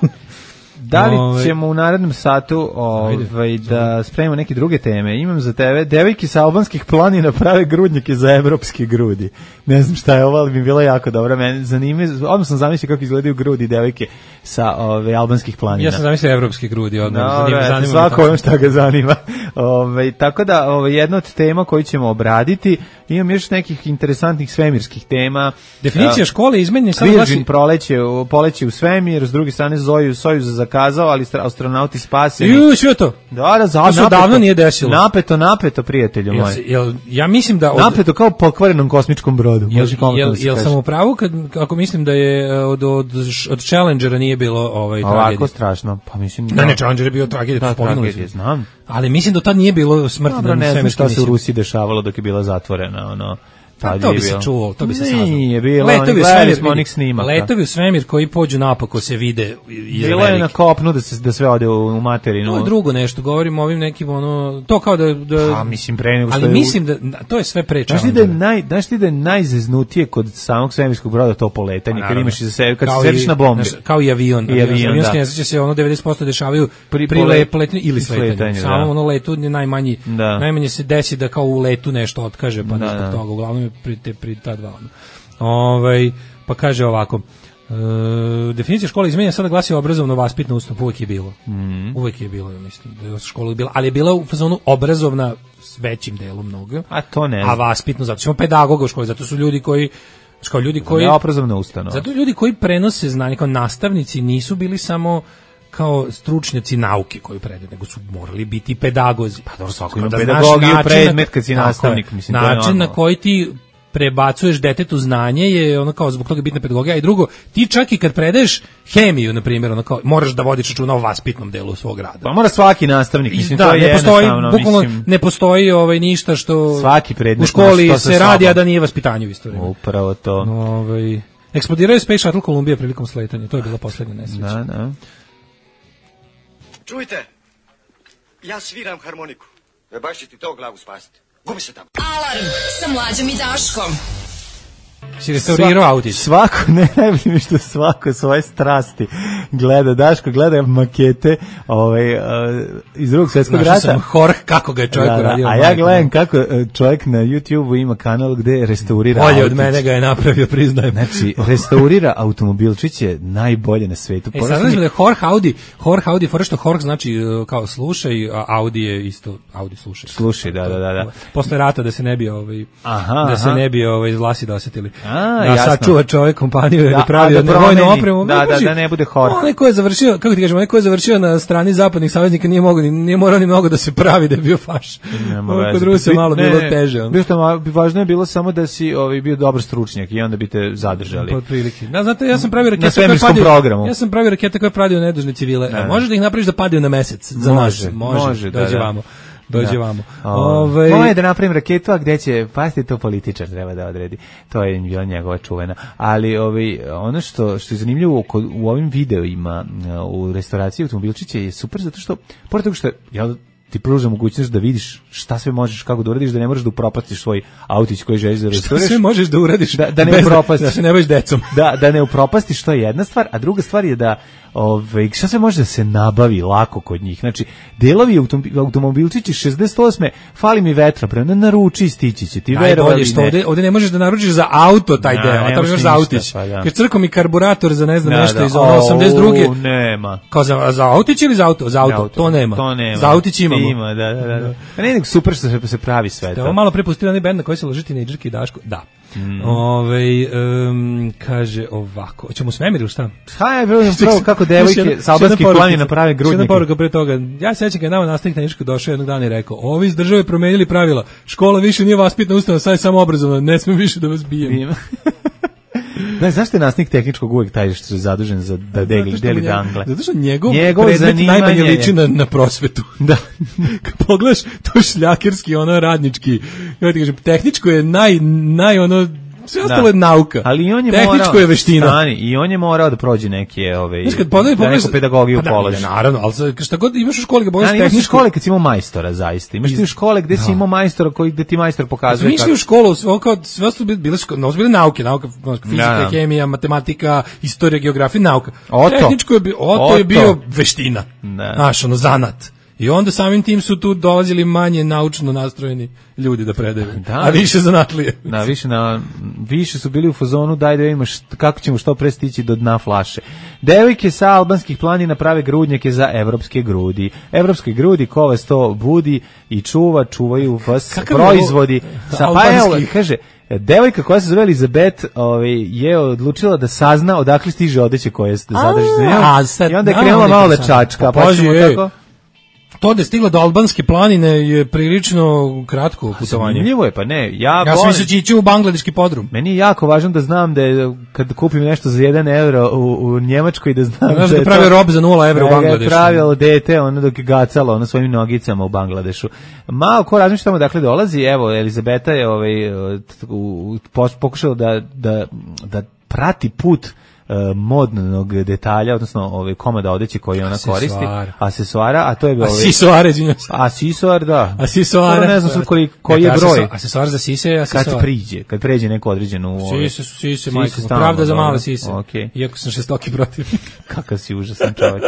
Da li ćemo u narednom satu ovaj, da spremimo neke druge teme? Imam za tebe, devojke sa albanskih planina prave grudnjake za evropske grudi. Ne znam šta je ovo, ali mi je bilo jako dobro. Mene zanima, odmah sam zamislio kako izgledaju grudi devojke sa ove, albanskih planina. Ja sam zamislio evropske grudi, odmah. No, zanima, zanima svako ono šta ga zanima. Ove, tako da, ove, jedna od tema koju ćemo obraditi, imam još nekih interesantnih svemirskih tema. Definicija uh, škole izmenjena sad glasi proleće, poleće u svemir, s druge strane Zoju Sojuz zakazao, ali astronauti spaseni. Ju, sve to. Da, da, zato napeto, davno nije desilo. Napeto, napeto, prijatelju moj. Jel, ja mislim da od, napeto kao pokvarenom kosmičkom brodu. Jel, jel, jel sam u pravu kad ako mislim da je od od od Challengera nije bilo ovaj tragedije. Ovako strašno. Pa mislim da ne, Challenger je bio tragedija, da, tragedija, znam. Ali mislim da tad nije bilo smrti na ne znam šta se u Rusiji dešavalo dok je bila zatvorena, ono. Pa to bi se čulo, to bi se saznalo. Nije bilo, letovi u svemir, onih snimaka. Letovi u svemir koji pođu napako se vide iz bilo je na kopnu da se da sve ode u, u materinu. To je drugo nešto, govorimo o ovim nekim ono to kao da da a mislim pre nego što ali je, mislim da to je sve prečano. Znaš ti da je naj znaš ti da je najzeznutije kod samog svemirskog broda to poletanje, kad imaš iza sebe kad se sediš na bombi. Znaš, kao i avion, I avion, avionske nesreće se ono devedeset posto dešavaju pri, pri letenju ili sletanju. Samo da. Ono letu je najmanji da. Najmanje se desi da kao u letu nešto otkaže, pa da, zbog toga uglavnom je pri te pri ta dva. Ovaj pa kaže ovako. E, definicija škole izmenjena sada glasi obrazovno vaspitna ustanova, uvek je bilo. Mm. Uvek je bilo, ja mislim, da je škola bila, ali je bila u fazonu obrazovna s većim delom mnogo. A to ne. A vaspitno zato što pedagoga u školi, zato su ljudi koji kao ljudi koji ne obrazovna ustanova. Zato ljudi koji prenose znanje kao nastavnici nisu bili samo kao stručnjaci nauke koju predaju, nego su morali biti pedagozi. Pa dobro, svako ima pedagogiju predmet kad si nastavnik, mislim, to je način na koji ti prebacuješ detetu znanje je ono kao zbog toga bitna pedagogija, i drugo, ti čak i kad predaješ hemiju, na primjer, ono kao moraš da vodiš računa o vaspitnom delu svog rada. Pa mora svaki nastavnik, mislim, da, to je ne postoji, bukvalno mislim, ne postoji ovaj ništa što svaki predmet u školi se, se radi, a da nije vaspitanje u isto vrijeme. Upravo to. Ovaj eksplodirao je Space Shuttle Columbia prilikom sletanja, to je bila poslednja nesreća. Da, da. Čujte, ja sviram harmoniku. E baš će ti to glavu spasiti. Gubi se tamo. Alarm sa Mlađom i Daškom. Si restaurirao autić. Svako, ne najbolje mi što svako svoje strasti gleda. Daško gleda makete ovaj, uh, iz drugog svjetskog rata. Našao sam horh kako ga je čovjek da, uradio. A ja gledam kako čovjek na YouTube-u ima kanal gde restaurira bolje autić. Od mene ga je napravio, priznajem. Znači, restaurira automobilčić je najbolje na svetu. E, sad znači da je horh Audi, horh Audi, fora što horh znači kao slušaj, a Audi je isto, Audi slušaj. Slušaj, da, da, da. da. Posle rata da se ne bi, ovaj, aha, da se aha. ne bi ovaj, vlasi dosetili. A, da sad čuva čovjek kompaniju ili pravio da vojnu opremu. Da, da, da ne bude horh. Onaj ko je završio, kako ti kažemo, onaj ko je završio na strani zapadnih saveznika nije mogao, nije morao ni mnogo da se pravi da je bio faš. Kod Rusa malo ne, bilo teže. On. Bilo važno je bilo samo da si ovaj bio dobar stručnjak i onda bi te zadržali. Pod prilike. Da, znate, ja sam pravio rakete na svemirskom koje programu. Ja sam pravio rakete koje padaju na nedužne civile. Ne. Možeš da ih napraviš da padaju na mesec za može, nas? Može, može dođe da, vamo. Dođe da. Vamo. Ove... Moje da napravim raketu, a gde će, pasti to političar treba da odredi. To je bila njegova čuvena. Ali ovaj, ono što, što je zanimljivo kod, u ovim videoima u restauraciji automobilčića je super zato što, pored toga što ja ti pruža mogućnost da vidiš šta sve možeš, kako da uradiš, da ne moraš da upropastiš svoj autić koji želiš da restauriraš. Šta sve možeš da uradiš da, da ne upropastiš. Da se ne baviš decom. Da, da ne upropastiš, to je jedna stvar, a druga stvar je da Ove, šta sve može da se nabavi lako kod njih? Znači, delovi automobilčići šezdeset osme fali mi vetra, prema naruči stići će ti verovali. Najbolje što ovde, ovde ne možeš da naručiš za auto taj deo, a tamo imaš za autić. Pa, ja. Kad crko mi karburator za ne znam da, nešto da, iz osamdeset druge. Nema. Kao za, za autić ili za auto? Za auto, auto. To, nema. to nema. Za autić imamo. Ima, da, da, da. da. Ne, nego super što se, se pravi sve to. Ovo malo prepustili onaj bend na koji se loži tinejdžerki Daško. Da. Mm. Ove, um, kaže ovako, hoćemo u svemir ili šta? Hajde, prvo kako devojke s albanskih planina prave grudnike. Jedna poruka pre toga, ja se sećam kad nama nastavnik na Nišku došao jednog dana i rekao, ovi iz države promenili pravila, škola više nije vaspitna ustanova, sad je samo obrazovna, ne smijem više da vas bijem. Da, zašto je nastavnik tehničkog uvijek taj što je zadužen za da deli, deli dangle? Zato što njegov, njegov predmet najmanje liči na, na prosvetu. Da. Kad pogledaš, to šljakerski, ono radnički, ja ti kažem, tehničko je naj, naj ono, sve ostalo da. je nauka. Ali on je tehničko morao, je veština. Stani, i on je morao da prođe neke, ove, znaš, kad pogledaj, da neku pedagogiju pa položi. Da, naravno, ali šta god imaš u školi, kad pogledaš tehničko... Imaš u škole kad si imao majstora, zaista. Imaš ti u škole gde da. si imao majstora koji, gde ti majstor pokazuje... Znači, kako... u školu, sve, kao, sve su bile, no, bile nauke, nauka, fizika, da. hemija, matematika, istorija, geografija, nauka. Oto. Tehničko je, oto, oto je bio veština. Da. Znaš, ono, zanat. I onda samim tim su tu dolazili manje naučno nastrojeni ljudi da predaju, da, a više zanatlije. Da, više, na, više su bili u fazonu daj da vidimo kako ćemo što pre stići do dna flaše. Devojke sa albanskih planina prave grudnjake za evropske grudi. Evropske grudi, ko vas to budi i čuva, čuvaju vas kakav proizvodi. Sa, pa evo, kaže, devojka koja se zove Elizabeth ovaj, je odlučila da sazna odakle stiže odeće koje se zadrži za njom. I onda je krenula malo da čačka. Pa ćemo tako... To da je stiglo do albanske planine je prilično kratko putovanje. Zanimljivo je, pa ne. Ja, ja sam mislio da će ići u bangladeški podrum. Meni je jako važno da znam da je, kad kupim nešto za jedan euro u, u Njemačkoj, da znam znaš da, da je pravi rob za nula evra u Bangladešu. Da je pravilo dete, ono dok je gacalo ono svojim nogicama u Bangladešu. Malo ko razmišlja tamo dakle dolazi, evo, Elizabeta je ovaj, u, pokušala da, da, da prati put modnog detalja, odnosno ove komada odeće koje ona koristi, asesoara, a to je ovaj asesoare, izvinjavam se. Asesoar, da. Asesoare. Ne znam sad koji koji je broj. Asesoar za sise, asesoar. Kad priđe, kad pređe neko određenu sise, su sise, majko, pravda za male sise. Okay. Iako sam šestoki protiv. Kakav si užasan čovjek.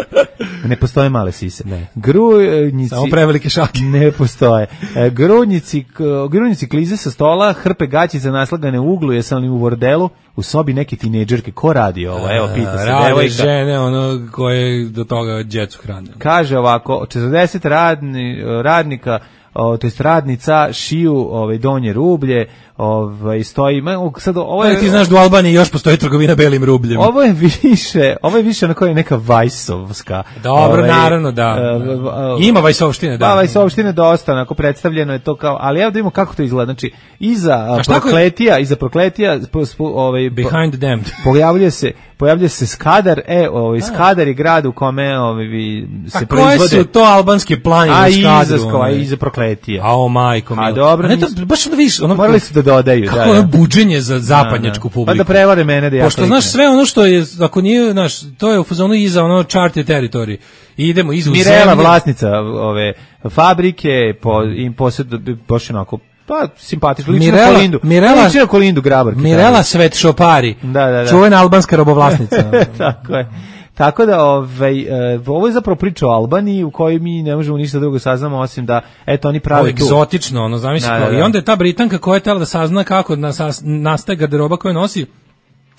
Ne postoje male sise. Ne. Grudnici. Samo prevelike šake. Ne postoje. Grudnici, grudnici klize sa stola, hrpe gaćice naslagane u uglu, jesam li u bordelu, u sobi neke tinejdžerke. Ko radi ovo? Evo, pita se rade devojka. Žene, ono koje do toga djecu hrane. Kaže ovako, četrdeset radni, radnika, o, to jest radnica šiju ovaj donje rublje, ovaj stoji sad ovo je, ti znaš da u Albaniji još postoji trgovina belim rubljem. Ovo je više, ovo je više na kojoj neka vajsovska. Dobro, ovaj, naravno da. Uh, ima vajsovštine, da. Da, vajsovštine dosta, onako predstavljeno je to kao, ali evo da vidimo kako to izgleda. Znači, iza prokletija, iza prokletija ovaj behind the damned. Pojavljuje se pojavljuje se Skadar, e, ovaj Skadar je grad u kome ovaj se pa proizvode. Koje su to albanske planine u Skadru? A iza prokletija. A o majko mi. A dobro, a ne to baš da vidiš, ono morali su da dodaju, kako da. Kako ono buđenje za zapadnjačku publiku. Pa da prevare mene da ja. Pošto znaš sve ono što je, ako nije, znaš, to je u fazonu iza ono charted territory. I idemo iz Mirela, vlasnica ove fabrike, po im posjed baš onako pa simpatično, liči na Kolindu. Mirela, liči na Kolindu Grabarki. Mirela Svetšopari, da, da, da. čuvena albanska robovlasnica. Tako je. Tako da ovaj, uh, ovo je zapravo priča o Albaniji u kojoj mi ne možemo ništa drugo saznamo osim da eto oni prave tu. Egzotično, ono, zamisli da, da, da. I onda je ta Britanka koja je tela da sazna kako nas, nastaje garderoba koju nosi,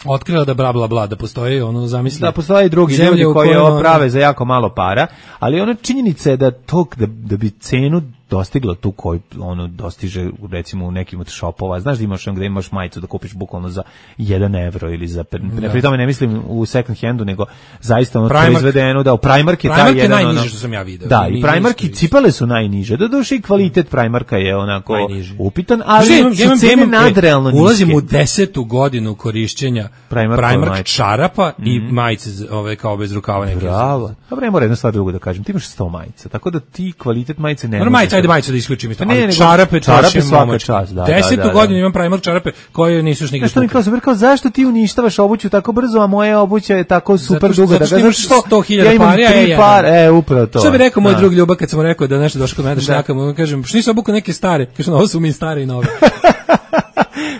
otkrila da bla bla bla, da postoji ono, zamisli. Da postoje i drugi ljudi koji ovo prave za jako malo para, ali ona činjenica je da to, da, da bi cenu dostigla tu koju ono dostiže recimo u nekim od shopova, znaš da imaš gde imaš majicu da kupiš bukvalno za jedan evro ili za, ne, pri tome ne mislim u second handu, nego zaista ono Primark, proizvedeno da u Primark je taj jedan Primark je najniže ono, što sam ja video. Da, i Primark i cipele su najniže, da duše i kvalitet Primarka je onako najniži. Upitan, ali ja, su cene nadrealno niske. Ulazim u desetu godinu korišćenja Primark, Primark čarapa mm. i majice ove kao bez rukava neke. Bravo. Dobro, ne mora jedna stvar drugo da kažem, ti imaš sto majica, tako da ti kvalitet majice ne ajde majicu da isključim isto. Ne, ne, čarape, čarape svaka čast, da. Desetu da, da, godinu imam Primark čarape koje nisu još nigde. Što mi kao super, kao zašto ti uništavaš obuću tako brzo, a moja obuća je tako super zato, duga zato da ga što sto hiljada ja imam pari, tri par, e upravo to. Što bi rekao moj drug Ljuba kad sam rekao da nešto došao kod mene da šljakam, on kažem, što nisi obukao neke stare, kaže, ovo su mi stare i nove.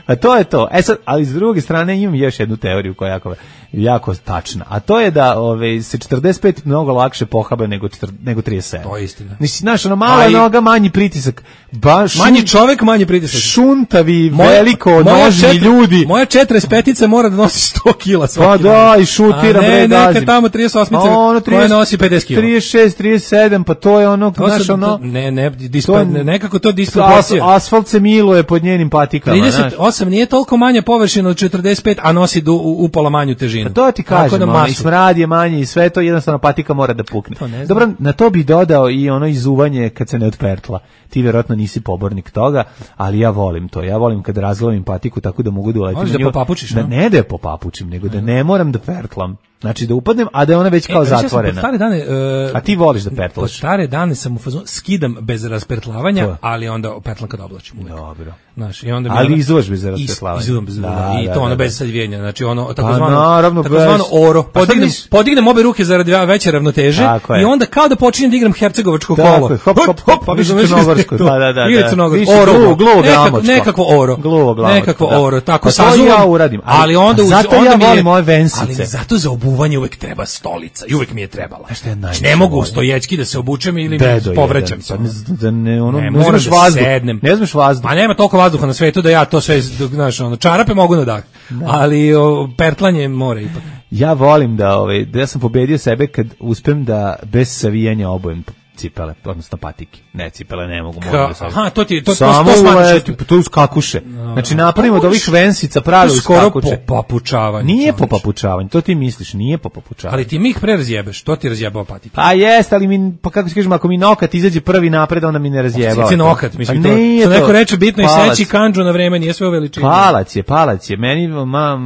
A to je to. E sad, ali s druge strane imam još jednu teoriju koja je jako, jako tačna. A to je da ove, se četrdeset pet mnogo lakše pohaba nego, nego trideset sedam. To je istina. Nisi, znaš, ono mala i, noga, manji pritisak. Ba, šun, manji čovek, manji pritisak. Šuntavi, moja, veliko, moja nožni četiri, ljudi. Moja četrdeset petica mora da nosi sto kila svaki. Pa da, i šutira, bre, gazim. A ne, neka tamo trideset osmica ono, koja nosi pedeset kila. trideset šest, trideset sedam, pa to je ono, to znaš, sam, ono... Ne, ne, dispa, ne, nekako to disproporcija. As, asfalt se miluje pod njenim patikama, trideset osam nije toliko manja površina od četrdeset pet, a nosi du, upola manju težinu. Pa to ti kažem, ono, i smrad je manji i sve to, jednostavno patika mora da pukne. Dobro, na to bi dodao i ono izuvanje kad se ne odpertla. Ti vjerojatno nisi pobornik toga, ali ja volim to. Ja volim kad razglavim patiku tako da mogu da uletim. Možeš da popapučiš, da, ne da je popapučim, nego da ne moram da pertlam. Znači da upadnem, a da je ona već kao e, zatvorena. Stare dane, uh, a ti voliš da pertlaš? Po stare dane sam u fazonu, skidam bez raspertlavanja, to. Ali onda pertlam kad oblačim uvek. Dobro. Znaš, i onda ali ona, izuvaš bez raspertlavanja. Izuvam bez raspertlavanja. I to da, ono da, bez sadvijenja. Znači ono, pa, takozvano, naravno, takozvano oro. Podignem, mis... podignem obe ruke zarad veće ravnoteže i onda kao da počinjem da igram hercegovačko kolo. Hop, hop, hop, hop, pa više crnogorsko. Da, da, da. Ili crnogorsko. Oro, gluvo, nekakvo oro. Gluvo, glavo. Nekakvo oro. Tako sazuvam. Ja uradim. Ali onda zato ja volim moje vensice. Ali zato za obuvanje uvek treba stolica. I uvek mi je trebala. Znači, ne mogu stoječki da se obučem ili mi povraćam se. Da ne, ono, ne, ne znaš da vazduh. Sednem. Ne znaš vazduh. A nema toliko vazduha na svetu da ja to sve, znaš, ono, čarape mogu na dah. Da. Ali o, pertlanje mora ipak. Ja volim da, ovaj, da ja sam pobedio sebe kad uspem da bez savijanja obujem cipele, odnosno patike. Ne, cipele ne mogu. Ka, da aha, to ti to, samo to, to smatraš. To uz kakuše. No, znači napravimo od ovih vensica pravi uz kakuše. Po papučavanju. Nije po papučavanju, to ti misliš, nije po papučavanju. Ali ti mi ih pre razjebeš, to ti razjebao patike. A jest, ali mi, pa kako ti kažem, ako mi nokat izađe prvi napred, onda mi ne razjebao. Sici nokat, mislim, to, to neko reče bitno i seći kandžu na vreme, nije sve u veličini. Palac je, palac je, meni ma,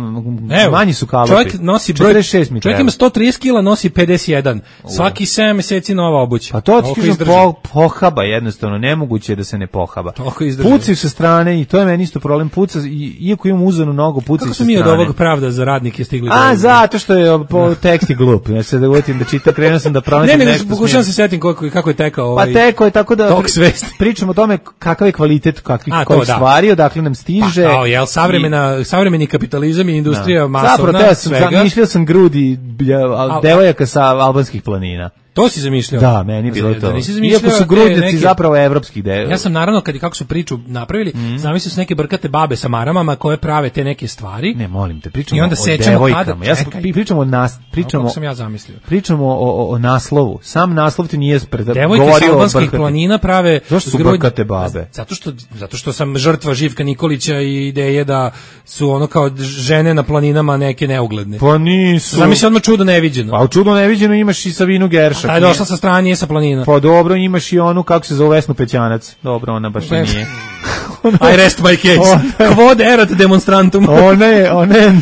manji su kalopi. Čovjek nosi broj, čovjek ima sto trideset kila, nosi pedeset jedan. Svaki sedam meseci nova obuća. Pa to ti kažem, po, pohaba jednostavno, nemoguće je da se ne pohaba. Pucaju sa strane i to je meni isto problem, puca, i, iako imam uzanu nogu, pucaju sa strane. Kako su mi od ovog pravda za radnike stigli? A, do zato što je po tekst je glup. Ja se da uvotim da čitam, krenuo sam da pronađem nešto. Ne, nešto. Ne, pokušavam se setim kako, kako je tekao ovaj. Pa tekao je tako da pričamo o tome kakav je kvalitet kakvih kojih da. stvari, odakle nam stiže. Pa, kao, jel, savremena, i, savremeni kapitalizam i industrija da. masovna, zapravo, svega. Zapravo, mišljao sam grudi ja, devojaka sa albanskih planina. To si zamišljao? Da, meni bilo to. Da iako su grudnjaci neke, zapravo evropskih deo. Ja sam naravno, kad kako su priču napravili, mm. zamislio su neke brkate babe sa maramama koje prave te neke stvari. Ne, molim te, pričamo o devojkama. Kada, ja sam, pričamo o nas, pričamo, sam ja zamislio. Pričamo o, o, o naslovu. Sam naslov ti nije pred, devojke sa albanskih planina prave zašto su brkate babe? Zato što, zato što sam žrtva Živka Nikolića i ideje da su ono kao žene na planinama neke neugledne. Pa nisu. Zamisli odmah čudo neviđeno. Pa u čudo neviđeno imaš i Savinu Geršak. Taj došla sa strane, nije sa planina. Pa dobro, imaš i onu, kako se zove, Vesnu Pećanac. Dobro, ona baš nije. I rest my case. Quod erat demonstrantum. Ona je, ona je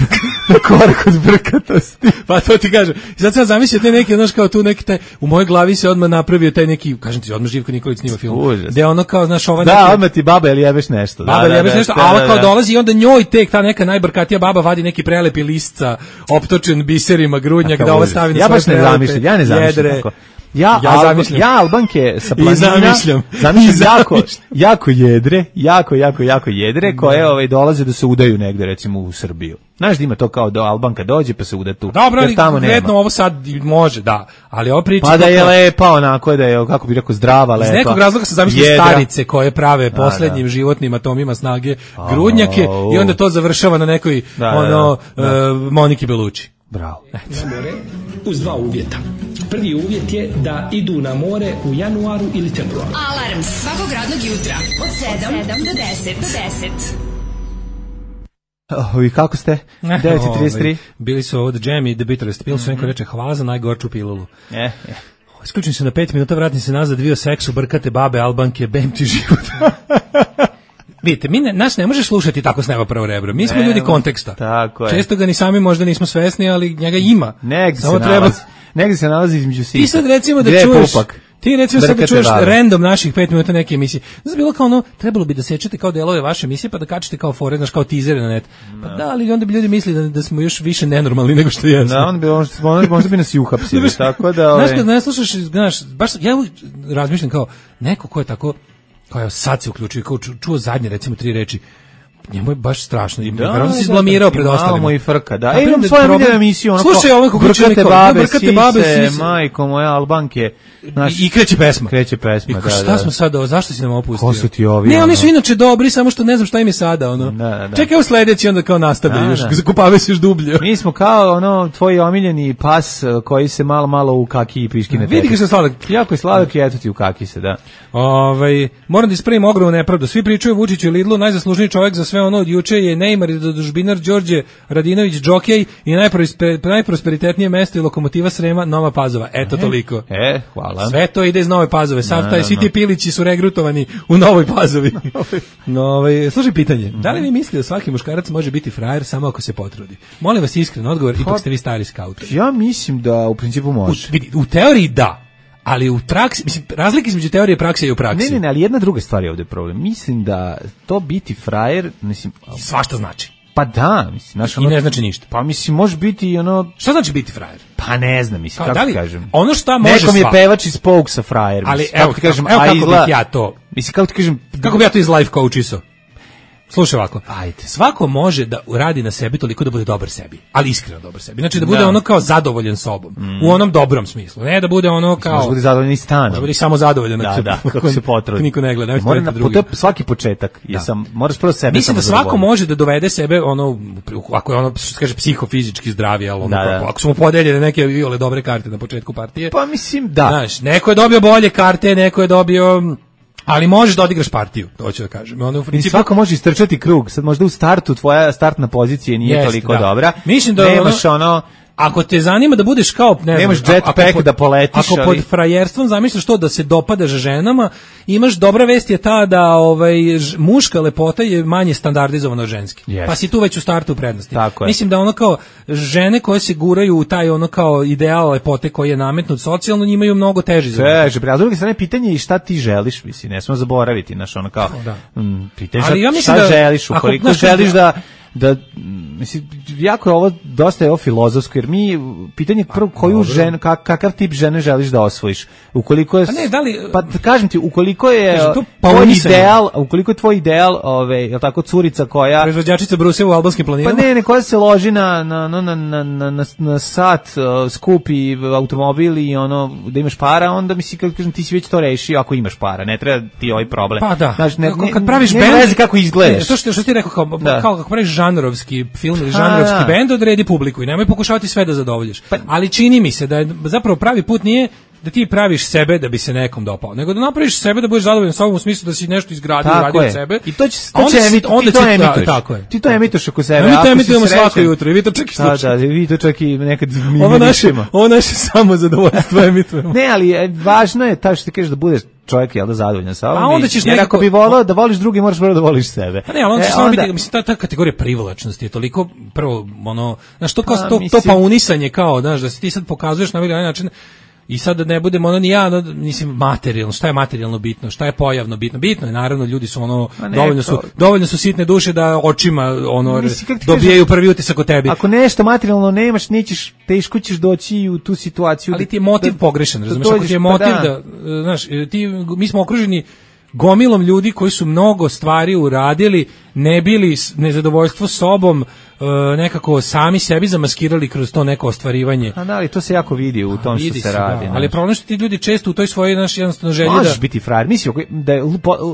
na korak od brkatosti. Pa to ti kažem. Sad sam zamislio te neke, znaš, kao tu neki taj, u mojoj glavi se odmah napravio taj neki, kažem ti, odmah Živko Nikolić snima film. Gde ono kao, znaš, ova da, neki, odmah ti baba ili jebeš nešto. Baba ili jebeš nešto, a ova kao dolazi i onda njoj tek ta neka najbrkatija baba vadi neki prelepi listca, optočen biserima grudnjak, da ova stavi na ja baš ne zamišljam, ja ne zamišljam tako. Ja, ja, Alba, ja Albanke sa planina zamišljam, zamišljam jako, jako jedre, jako, jako, jako jedre, koje ovaj, dolaze da se udaju negde, recimo u Srbiju. Znaš da ima to kao do Albanka dođe pa se uda tu. Dobro, ali konkretno ovo sad može, da, ali ovo priča... Pa da je lepa onako, da je, kako bi rekao, zdrava, lepa. Iz nekog razloga se zamišljaju starice koje prave poslednjim da, da. životnim atomima snage grudnjake oh, i onda to završava na nekoj da, ono, da, da. Uh, Moniki Belucci. Bravo. Na more uz dva uvjeta. Prvi uvjet je da idu na more u januaru ili februaru. Alarm svakog radnog jutra od sedam do deset. Do deset. Oh, i kako ste? devet i trideset tri. Bili su ovdje Jam i The Bitterest Pill, su neko reče hvala za najgorču pilulu. Je, je. Isključim se na pet minuta, vratim se nazad, dvio seksu, brkate babe, Albanke, bem ti život. Vidite, mi ne, nas ne može slušati tako s neba prvo rebro. Mi smo ne, ljudi konteksta. Tako je. Često ga ni sami možda nismo svesni, ali njega ima. Negdje se treba... nalazi. Negdje se nalazi između sita. Ti sad recimo da Gde čuješ... Pupak? Ti recimo sad da čuješ random naših pet minuta neke emisije. Znači bilo kao ono, trebalo bi da sečete kao delove vaše emisije pa da kačete kao fore, znaš, kao tizere na net. Pa da, ali onda bi ljudi mislili da, da smo još više nenormalni nego što jesmo. Da, onda bi, možda, možda bi nas i uhapsili. Tako da... Znaš, kad ne slušaš, znaš, baš, ja razmišljam kao, neko ko je tako, kao sad se uključio, kao čuo zadnje, recimo, tri reči, njemu je baš strašno. Da, verovatno se izblamirao pred ostalima. Malo mu i frka, da. E, imam svoju omiljenu emisiju, ono slušaj, ovo kako brkate babe, brkate babe, sise, majko moja, Albanke. Naš, I kreće pesma. Kreće pesma, I, da, šta da. smo sad, zašto si nam opustio? Ko su ti ovi? Ne, ono? oni su inače dobri, samo što ne znam šta im je sada, ono. Da, da. Čekaj u sledeći, onda kao nastavlja, još, zakupave se još dublje. Mi smo kao, ono, tvoj omiljeni pas koji se malo, malo u kaki i piški ne teče. Vidi ga što je sladak. Jako je sladak i eto ti u kaki se, da. Ovaj, moram da ispravim ogromnu nepravdu. Svi pričaju Vučiću i Lidlu, najzaslužniji čovjek za sve ono od juče je Neymar i dodužbinar Đorđe Radinović Džokej i najprosperitetnije mesto je Lokomotiva Srema Nova Pazova. Eto e, toliko. E, hvala. Sve to ide iz Nove Pazove. Sav taj, svi ti pilići su regrutovani u Novoj Pazovi. No, ovaj, slušaj pitanje. Da li vi mislite da svaki muškarac može biti frajer samo ako se potrudi? Molim vas iskren odgovor, ipak ste vi stari skautori. Ja mislim da u principu može. U, vidi, u teoriji da. Ali u praksi, mislim, razlike između teorije prakse i u praksi. Ne, ne, ne, ali jedna druga stvar je ovdje problem. Mislim da to biti frajer, mislim... Svašta znači. Pa da, mislim... Znaš, ono, i ne znači ništa. Pa mislim, može biti ono... Šta znači biti frajer? Pa ne znam, mislim, kako ti kažem. Ono šta može nekom sva. je pevač iz Pokesa frajer, ali mislim, evo, kako ti kažem, evo kako izla... bih ja to... Mislim, kako ti kažem... Kako bi ja to iz life coachisao? Slušaj ovako, ajde. Svako može da radi na sebi toliko da bude dobar sebi, ali iskreno dobar sebi. Znači da bude da. ono kao zadovoljan sobom, mm. u onom dobrom smislu. Ne da bude ono kao... Može bude zadovoljan i stanom. Da bude samo zadovoljan. Da, se, da, kako se potrudi. Niko ne gleda. Mora na, to svaki početak. Da. Sam, moraš prvo sebe mislim da svako može da dovede sebe, ono, ako je ono, što se kaže, psihofizički zdravi, ali ono, da, kako, da. Ako su mu podeljene neke viole dobre karte na početku partije. Pa mislim, da. Znaš, neko je dobio bolje karte, neko je dobio... Ali možeš da odigraš partiju, to ću da kažem. Ono, u principu... I svako može istrčati krug. Sad možda u startu tvoja startna pozicija nije Jest, toliko da. dobra. Mislim da nemaš ono... ono ako te zanima da budeš kao, ne nemaš znam, jetpack da poletiš, ako ali... pod frajerstvom zamišljaš to da se dopadaš ženama, imaš dobra vest je ta da ovaj ž, muška lepota je manje standardizovana od ženske. Yes. Pa si tu već u startu u prednosti. Tako mislim da ono kao žene koje se guraju u taj ono kao ideal lepote koji je nametnut socijalno, njima imaju mnogo teži zadatak. Teže, a s druge strane pitanje je šta ti želiš, mislim, ne smemo zaboraviti, znaš, ono kao da. mm, pitanje ali ja šta da, želiš, ukoliko ako, želiš da da mislim jako je ovo dosta je ovo filozofsko jer mi pitanje prvo koju ženu kak, kakav tip žene želiš da osvojiš ukoliko je pa ne da li pa kažem ti ukoliko je to tvoj ideal ukoliko je tvoj ideal ove je l' tako curica koja proizvođačica bruseva u albanskim planinama pa ne ne koja se loži na na na na na na, na, na sat uh, skupi automobil i ono da imaš para onda misli kako kažem ti si već to rešio ako imaš para ne treba ti ovaj problem pa da znaš ne, ne, kad praviš bend ne kako izgledaš ne, to što što ti rekao kao da. Kao kako praviš žanrovski film ili žanrovski bend odredi publiku i nemoj pokušavati sve da zadovoljiš. Pa, ali čini mi se da je zapravo pravi put nije da ti praviš sebe da bi se nekom dopao, nego da napraviš sebe da budeš zadovoljan sobom u smislu da si nešto izgradio, uradio od sebe. I to će to će emit, onda ti to emituješ. Tako je. Ti to emituješ oko sebe. Mi to emitujemo svako jutro i vi to čak i slušate. Da, da, vi to čak i nekad mi ovo naše, ovo naše samo zadovoljstvo emitujemo. Ne, ali važno je ta što ti kažeš da budeš čovjek je da zadovoljan sa ovom. A onda ćeš nekako... nekako bi voleo da voliš drugi, moraš prvo da voliš sebe. Pa ne, ali onda će e, samo onda... biti, mislim, ta, ta kategorija privlačnosti je toliko, prvo, ono, znaš, to kao pa, to, mislim... to paunisanje kao, znaš, da se ti sad pokazuješ na ovaj način, i sad da ne budemo ono ni ja, no, mislim, materijalno, šta je materijalno bitno, šta je pojavno bitno, bitno je, naravno, ljudi su ono, dovoljno su, dovoljno su sitne duše da očima, ono, mislim, dobijaju prvi utisak o tebi. Ako nešto materijalno nemaš, nećeš, teško ćeš doći u tu situaciju. Ali ti je motiv da, pogrešan, razumiješ, ako ti je motiv pa da. da, znaš, ti, mi smo okruženi gomilom ljudi koji su mnogo stvari uradili, ne bili nezadovoljstvo sobom, nekako sami sebi zamaskirali kroz to neko ostvarivanje. A da, ali to se jako vidi u tom što se, se radi. Da, ali problem što ti ljudi često u toj svojoj naš jednostavno želji možeš da... biti frajer. Mislim da je,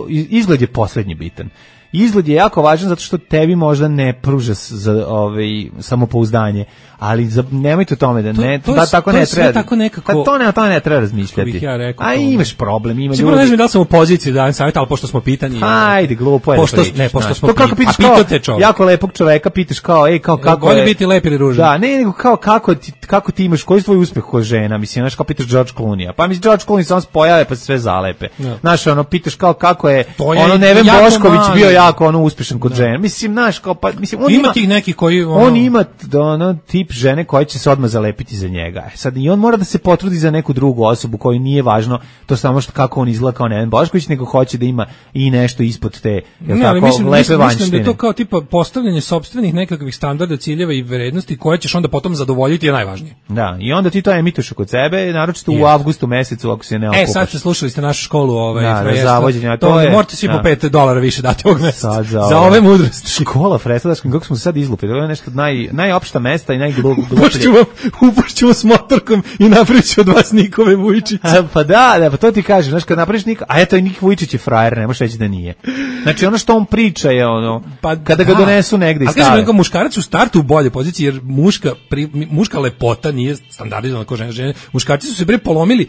izgled je poslednji bitan. Izgled je jako važan zato što tebi možda ne pruža za ovaj samopouzdanje, ali za, nemojte o tome da ne to, to da tako ne treba. Tako nekako, pa to ne, to ne treba razmišljati. Ja rekao, a imaš problem, ima ljudi. Ne znam da li sam u poziciji da dajem savjet, ali pošto smo pitani. Ajde, glupo je. Pošto ne, pošto smo to kako pitaš kao jako lepog čoveka, pitaš kao, ej, kao kako je. Biti lep ili ružan. Da, ne, nego kao kako ti kako ti imaš koji je tvoj uspeh kao žena, mislim, znaš, kao pitaš George Clooney. Pa mi George Clooney samo se pojave pa se sve zalepe. Znaš, ono pitaš kao kako je ono Neven Bošković bio jako ono uspešan kod žene. Mislim, znaš, kao pa mislim on ima tih nekih koji on ima ono tip žene koja će se odmah zalepiti za njega. E sad i on mora da se potrudi za neku drugu osobu koju nije važno to samo što kako on izgleda kao Neven Bošković, nego hoće da ima i nešto ispod te, je l' tako, mislim, lepe mislim, vanjštine. Mislim da je to kao tipa postavljanje sopstvenih nekakvih standarda, ciljeva i vrednosti koje ćeš onda potom zadovoljiti je najvažnije. Da, i onda ti to emituješ kod sebe, naročito yes. u avgustu mesecu ako se ne okupaš. E, sad ste slušali ste našu školu ovaj da, zavođenja, to to je. Morate svi da. Po pet dolara više dati ovog za, za ove mudrosti. Škola Freslačka, kako smo se sad izlupili, ovo je nešto naj, najopšta mesta i najgluplje. Upošću vam, upošću vam s motorkom i napravit ću od vas Nikove Vujčiće. Pa da, da, pa to ti kažem, znaš, kad napraviš Nik, a eto i Nik Vujčić je frajer, ne možeš reći da nije. Znači ono što on priča je ono, pa kada ga da. donesu negde i stave. A kažem, muškarac u startu u bolje poziciji, jer muška, pri, muška lepota nije standardizovana kao žene, žene. Muškarci su se bre polomili.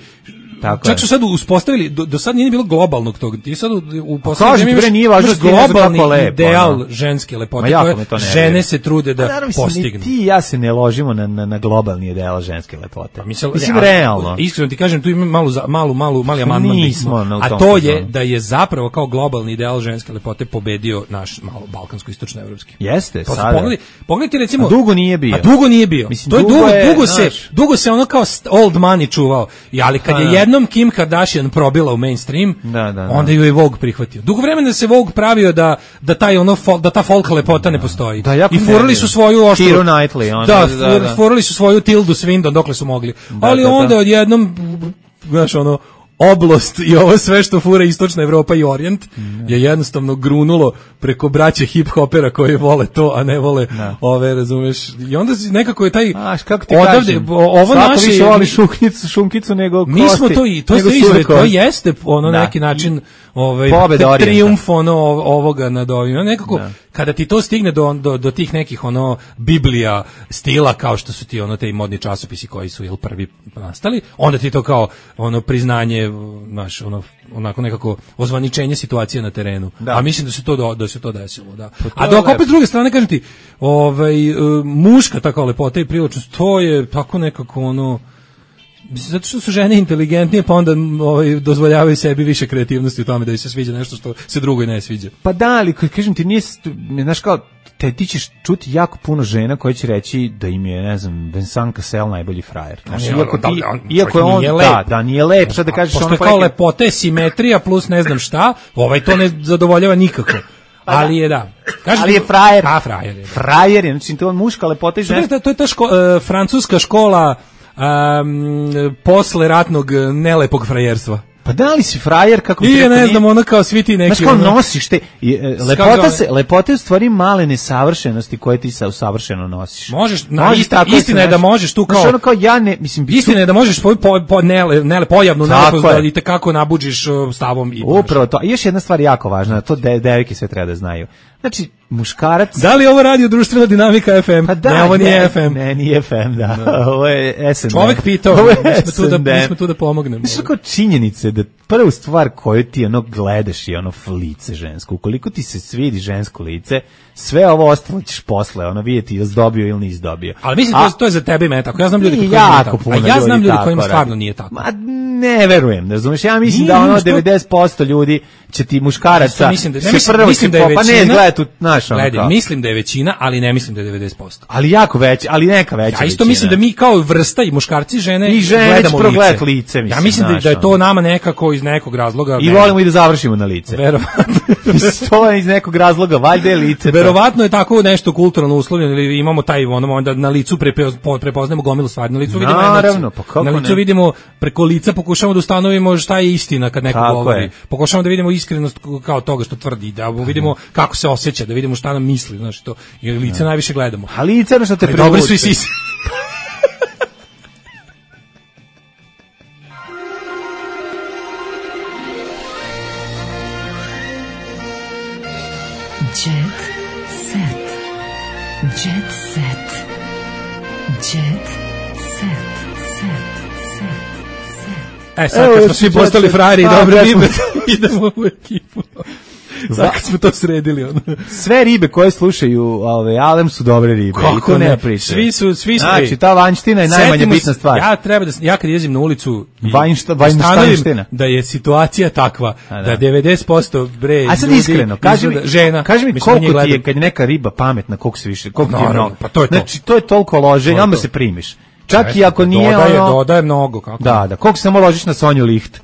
Tako čak su sad uspostavili, do, do sad nije bilo globalnog tog, ti sad u, u poslednjem imaš, nije važno globalni lepo, ideal ono. ženske lepote koje žene se trude da naravno, postignu. Ti i ja se ne ložimo na, na, na globalni ideal ženske lepote. Mislim, mislim ja, realno. Iskreno ti kažem, tu ima malu, malu, malu, mali amandman. A to je da je zapravo kao globalni ideal ženske lepote pobedio naš malo balkansko-istočno-evropski. Jeste, pa sada. Pogledaj, pogledajte recimo... A dugo nije bio. A dugo nije bio. Mislim, to je dugo, je, dugo, se, dugo se ono kao old money čuvao. I, ali kad je jednom Kim Kardashian probila u mainstream, da, da, da. onda ju je Vogue prihvatio. Dugo vremena se Vogue pravio da da taj ono da ta folk lepota ne postoji. Da, i furali su svoju oštru. Keira Knightley, ona, da, da, da, furali su svoju Tildu Swinton dokle su mogli. Da, ali da, onda da. odjednom, znaš, ono oblost i ovo sve što fura istočna Evropa i Orijent je jednostavno grunulo preko braće hip-hopera koji vole to, a ne vole ne. ove, razumeš. I onda nekako je taj Aš, kako ti odavde, kažem, ovo naše... više voli šunkicu, šunkicu nego kosti. Mi smo to i to, to, izve, to jeste ono da. neki način ovaj, trijumf ono, ovoga nad ovim. Nekako, da. kada ti to stigne do, do, do tih nekih ono Biblija stila kao što su ti ono te modni časopisi koji su jel prvi nastali, onda ti to kao ono priznanje, znaš, ono onako nekako ozvaničenje situacije na terenu. Da. A mislim da se to do, da se to desilo, da. To A dok opet s druge strane kažem ti, ovaj muška takva lepota i privlačnost, to je tako nekako ono zato što su žene inteligentnije, pa onda ovaj, dozvoljavaju sebi više kreativnosti u tome da im se sviđa nešto što se drugoj ne sviđa. Pa da, ali kažem ti, nije, znaš kao, te, ti ćeš čuti jako puno žena koje će reći da im je, ne znam, Vincent Cassel najbolji frajer. Znaš, on, iako, ti, da, on, iako je on, da, da, nije lep, sad da kažeš... Pošto je kao neke... lepota je simetrija plus ne znam šta, ovaj to ne zadovoljava nikako. Pa ali je da. Kažete, ali je frajer. A, frajer je. Frajer je, znači to je muška lepota i ženska. To je ta ško, uh, francuska škola Um, posle ratnog nelepog frajerstva. Pa da li si frajer kako ti rekao? I ne znam, ono kao svi ti neki... Znaš kao ono, nosiš te... Lepota, se, lepota je u stvari male nesavršenosti koje ti sa savršeno nosiš. Možeš, na, isti, istina je da možeš tu kao... Znaš, ono kao ja ne... Mislim, istina je da možeš svoju po, po, nele, nele, pojavnu nelepost da i tekako nabuđiš stavom i... Upravo to. I još jedna stvar jako važna, to de, devojke sve treba da znaju. Znači, muškarac... Da li ovo radio društvena dinamika F M? Pa da, ne, ovo nije ne, F M. Ne, nije F M, da. No. Ovo je S N D. Čovek pitao, mi smo, tu da, mi smo tu da pomognemo. Znači, kao činjenice da prvu stvar koju ti ono gledaš je ono lice žensko. Ukoliko ti se svidi žensko lice, sve ovo ostalo ćeš posle, ono vidjeti ili dobio ili nisi dobio. Ali mislim, a, to je za tebe i mene tako. Ja znam ljudi koji nije tako. A ja znam ljudi kojima stvarno nije tako. Ma ne verujem, razumiješ? Ja mislim nije, da ono devedeset posto ljudi će ti muškaraca mislim da, ne mislim, prvo mislim da je većina, pa ne, gledaj tu, znaš, ono gledaj, mislim da je većina, ali ne mislim da je devedeset posto. Ali jako već, ali neka veća ja isto većina. Mislim da mi kao vrsta i muškarci i žene, I žene gledamo lice. lice mislim, ja mislim znaš, da, da je to nama nekako iz nekog razloga. I volimo i da završimo na lice. Verovatno. To je iz nekog razloga, valjda je lice. Verovatno je tako nešto kulturno uslovljeno ili imamo taj ono onda na licu prepoznajemo gomilu stvari, na licu vidimo naravno, pa kako na licu ne? vidimo preko lica pokušavamo da ustanovimo šta je istina kad neko tako govori. Je. Pokušavamo da vidimo iskrenost kao toga što tvrdi, da vidimo kako se osjeća, da vidimo šta nam misli, znači to. I lice najviše gledamo. A lice ono što te privuče. Dobri su i sisi. Jet set. Jet set. Jet set. Set. Set. E, sad kad smo svi postali frajeri i dobre ribe, idemo u ekipu. Sad kad smo to sredili. Ono. Sve ribe koje slušaju ove, Alem su dobre ribe. Kako ne pričaju. Svi su, svi su. Znači, ta vanjština je najmanje bitna stvar. Ja treba da, ja kad izim na ulicu Vanjšta, vanjština. Da je situacija takva, da. da devedeset posto bre A sad iskreno, kaži mi, žena, kaži mi koliko ti je, kad je neka riba pametna, koliko se više, koliko ti je mnogo. Pa to je to. Znači, to je toliko loženja, onda se primiš. Čak i ako nije dodaje, ono... Dodaje mnogo, kako? Da, da, koliko samo ložiš na Sonju Licht.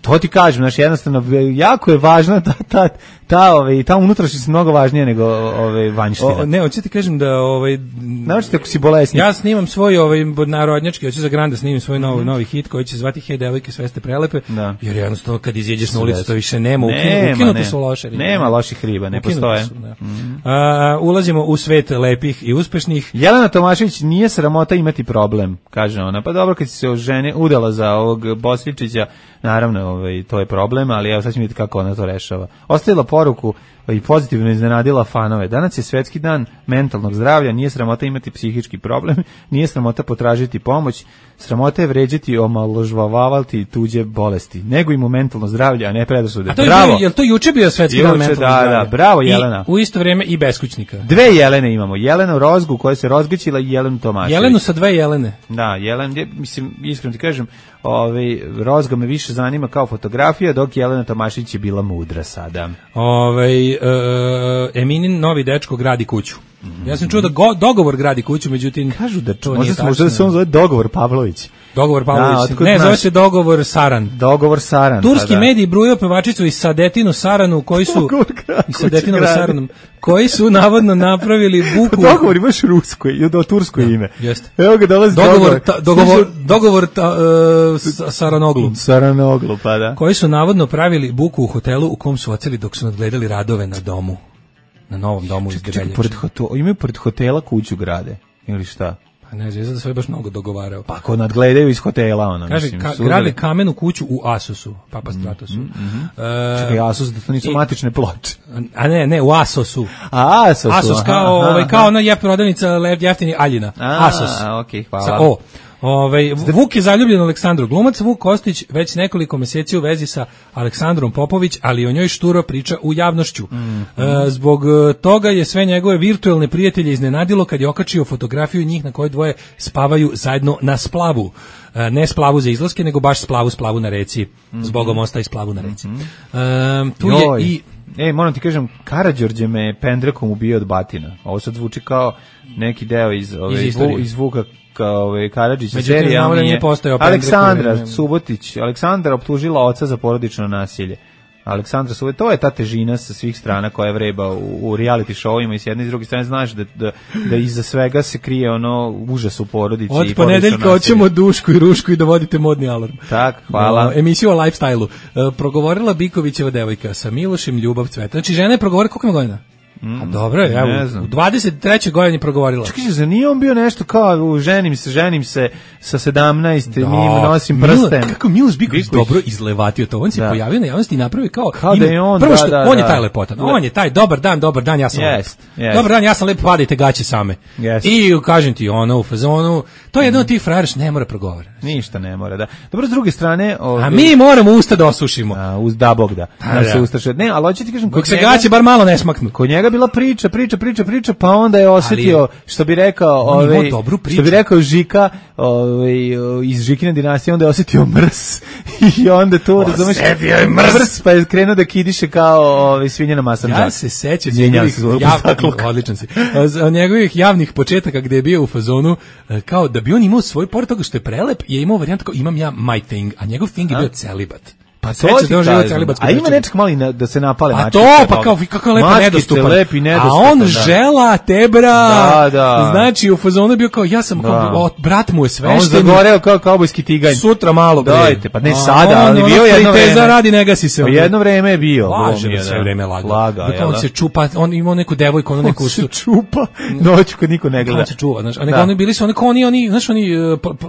To ti kažem, znači jednostavno, jako je važna ta, ta, ta ovaj ta unutrašnjost mnogo važnija nego ovaj vanjština. Ne, hoćete ti kažem da ovaj znači ako si bolesnik. Ja snimam svoj ovaj narodnjački, hoću za Granda snimim svoj novi mm-hmm. novi hit koji će se zvati Hej devojke sve ste prelepe. Da. Jer jednostavno kad izađeš na ulicu to više nema, nema ukinuti su loše ribe. Nema loših riba, ne ukinuti postoje. Su, mm-hmm. A, ulazimo u svet lepih i uspešnih. Jelena Tomašević nije sramota imati problem, kaže ona. Pa dobro kad si se oženi udala za ovog Bosličića, naravno, ovaj to je problem, ali evo sad ćemo vidjeti kako ona to rešava. Ostavila poruku i pozitivno iznenadila fanove. Danas je svetski dan mentalnog zdravlja, nije sramota imati psihički problem, nije sramota potražiti pomoć, sramota je vređati, omalovažavati tuđe bolesti. Nego im u mentalno zdravlje, a ne predrasude. Bravo. Je, je li to juče bio svetski juče, dan mentalnog da, zdravlja? Da, bravo Jelena. I u isto vrijeme i beskućnika. Dve Jelene imamo. Jelenu Rozgu koja se razgaćila i Jelenu Tomašević. Jelenu sa dve Jelene. Da, Jelen, mislim, iskreno ti kažem, ovaj, Rozga me više zanima kao fotografija, dok Jelena Tomašević je bila mudra sada. Ovaj uh, Eminin novi dečko gradi kuću. Mm-hmm. Ja sam čuo da go, dogovor gradi kuću, međutim kažu da to nije tačno. Možda da se on zove dogovor Pavlović. Dogovor Pavlović. Da, ne, zove se dogovor Saran. Dogovor Saran. Turski pa da. mediji brujao pevačicu i Sadetinu Saranu koji su i Sadetinu Saranu koji su navodno napravili buku. Dogovor imaš rusko i do tursko da, ime. Jeste. Evo ga dolazi dogovor. Ta, dogovor dogovor ta, uh, Saranoglu. Saranoglu, pa da. Koji su navodno pravili buku u hotelu u kom su oceli dok su nadgledali radove na domu. Na novom domu iz Debeljače. Pored hotela, imaju pored hotela kuću grade ili šta? Pa ne znam, da sve baš mnogo dogovarao. Pa ako nadgledaju iz hotela, ono, kaže, mislim. Kaže, ka, grade kamenu kuću u Asosu, Papa Stratosu. Mm, mm, mm. E, Čekaj, Asos, da to nisu i, matične ploče. A ne, ne, u Asosu. A, Asosu. Asos kao, aha, ovaj, kao ona je prodavnica jeftini Aljina. A, Asos. A, okej, okay, hvala. Sa O. Ovaj Vuk je zaljubljen u Aleksandru. Glumac Vuk Kostić već nekoliko mjeseci u vezi sa Aleksandrom Popović, ali o njoj šturo priča u javnošću. Mm. E, zbog toga je sve njegove virtuelne prijatelje iznenadilo kad je okačio fotografiju njih na kojoj dvoje spavaju zajedno na splavu. E, ne splavu za izlaske, nego baš splavu, splavu na reci. Mm-hmm. Zbogom ostaje splavu na reci. Mm-hmm. E, tu Joj. je i E, moram ti kažem, Karađorđe me pendrekom ubio od batina. Ovo sad zvuči kao neki deo iz, ove, iz, iz, iz Vuka Ove, Karadžića serija nije Aleksandra Subotić Aleksandra optužila oca za porodično nasilje. Aleksandra Subotić, to je ta težina sa svih strana koja vreba u, u reality showima i s jedne i s druge strane znaš da, da, da iza svega se krije ono užas u porodici. Od ponedeljka hoćemo Dušku i Rušku i dovodite modni alarm. Tak, hvala. No, emisiju o lifestyle-u. E, progovorila Bikovićeva devojka sa Milošem Ljubav Cveta. Znači žena je progovorila koliko ima godina? Mm, A dobro je, evo, u dvadeset trećoj godini progovorila. Čekaj, za nije on bio nešto kao ženim se, ženim se sa sedamnaest, da, mi nosim prsten. Milo, kako Miloš Biković dobro izlevatio to. On se da. pojavio na javnosti i napravio kao, kao ima, da je on, prvo da, što, da, on da. je taj lepotan, on je taj dobar dan, dobar dan, ja sam yes, lep. Yes. Dobar dan, ja sam lep, padajte gaće same. Yes. I kažem ti, ono u fazonu, to je jedno od tih frajera što ne mora progovoriti. Ništa ne mora, da. Dobro, s druge strane... Ovdje, a mi moramo usta da osušimo. A, uz da Bog da. Da, da se ustaše. Ne, ali hoću ti kažem... Kod se gaće bar malo ne smaknu. Kod njega bila priča, priča, priča, priča, pa onda je osjetio, ali, što bi rekao, ovaj, što bi rekao Žika, ovaj, iz Žikine dinastije, onda je osjetio mrs. I onda to, razumeš, mrs, pa je krenuo da kidiše kao ovaj, svinjena masanđa. Ja se sećam njegovih javnih, odličan si, njegovih javnih početaka gde je bio u fazonu, kao da bi on imao svoj, pored toga što je prelep, je imao varijant kao imam ja my thing, a njegov thing je bio celibat. Pa to ti kažem, a ima nečak mali na, da se napale mačke. A to, pa kao, kako lepo nedostupan. Lepi, nedostupan. A on da. žela tebra. Da, da. Znači, u fazonu je bio kao, ja sam, kao, brat mu je svešten. On zagoreo kao kaubojski tiganj. Sutra malo. Dajte, pa ne sada, ali bio jedno vreme. Teza radi, ne gasi se. Pa jedno vreme je bio. Laže da sve vreme laga. Laga, on se čupa, on imao neku devojku, ono neku... On se čupa, noću kad niko ne gleda. On se čuva, znaš. A nego oni bili su, oni kao oni, oni, znaš, oni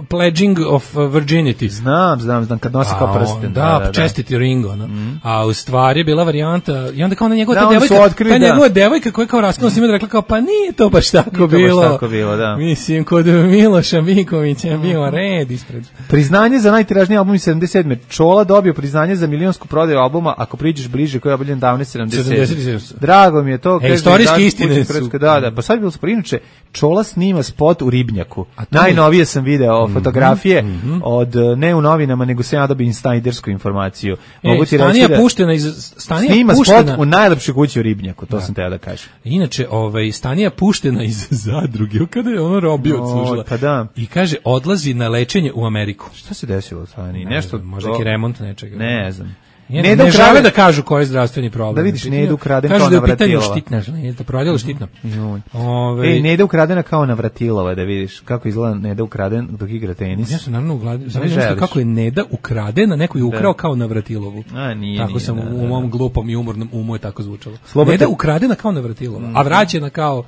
pledging of virginity. Znam, znam, znam, kad nosi kao prsten. Da, čestiti Ringo, no. Mm. A u stvari je bila varijanta i onda kao na njegova da, ta devojka, otkrili, ta da. njegova devojka koja kao raskinula s njima rekla kao pa nije to baš tako nije bilo. To baš tako bilo, da. Mislim kod Miloša Bikovića je bio red ispred. Priznanje za najtiražniji album iz sedamdeset sedme. Čola dobio priznanje za milionsku prodaju albuma ako priđeš bliže koji je objavljen davne sedamdeset sedme. Drago mi je to. E, istorijske istine su. Da, da, pa sad bilo se inače Čola snima spot u Ribnjaku. Najnovije sam video mm-hmm, fotografije mm-hmm. od ne u novinama nego sam ja dobio instajdersku informaciju. Mogu ti reći Stanija puštena iz Stanija snima puštena spot u najlepšoj kući u Ribnjaku, to da. sam teo da kažem. Inače, ovaj Stanija puštena iz Zadruge, kada je ono robio odslužila. Pa da. I kaže odlazi na lečenje u Ameriku. Šta se desilo Staniji? Ne Nešto znam, možda neki remont nečega. Ne znam. Ne, ne, ne žele da kažu koji je zdravstveni problem. Da vidiš, Neda ukradena kao Navratilova. Kažu da je pitanje štitna, ne, da prodjelo štitno. Ove... Ej, Neda ukradena kao Navratilova, da vidiš kako izgleda Neda ukraden dok igra tenis. Ja sam naravno ugladio, znam nešto kako je Neda ukradena, neko je ukrao kao Navratilova. A, nije, tako nije, sam da, u, da. u mom glupom i umornom umu je tako zvučalo. Slobodno... Neda ukradena kao Navratilova, a vraćena kao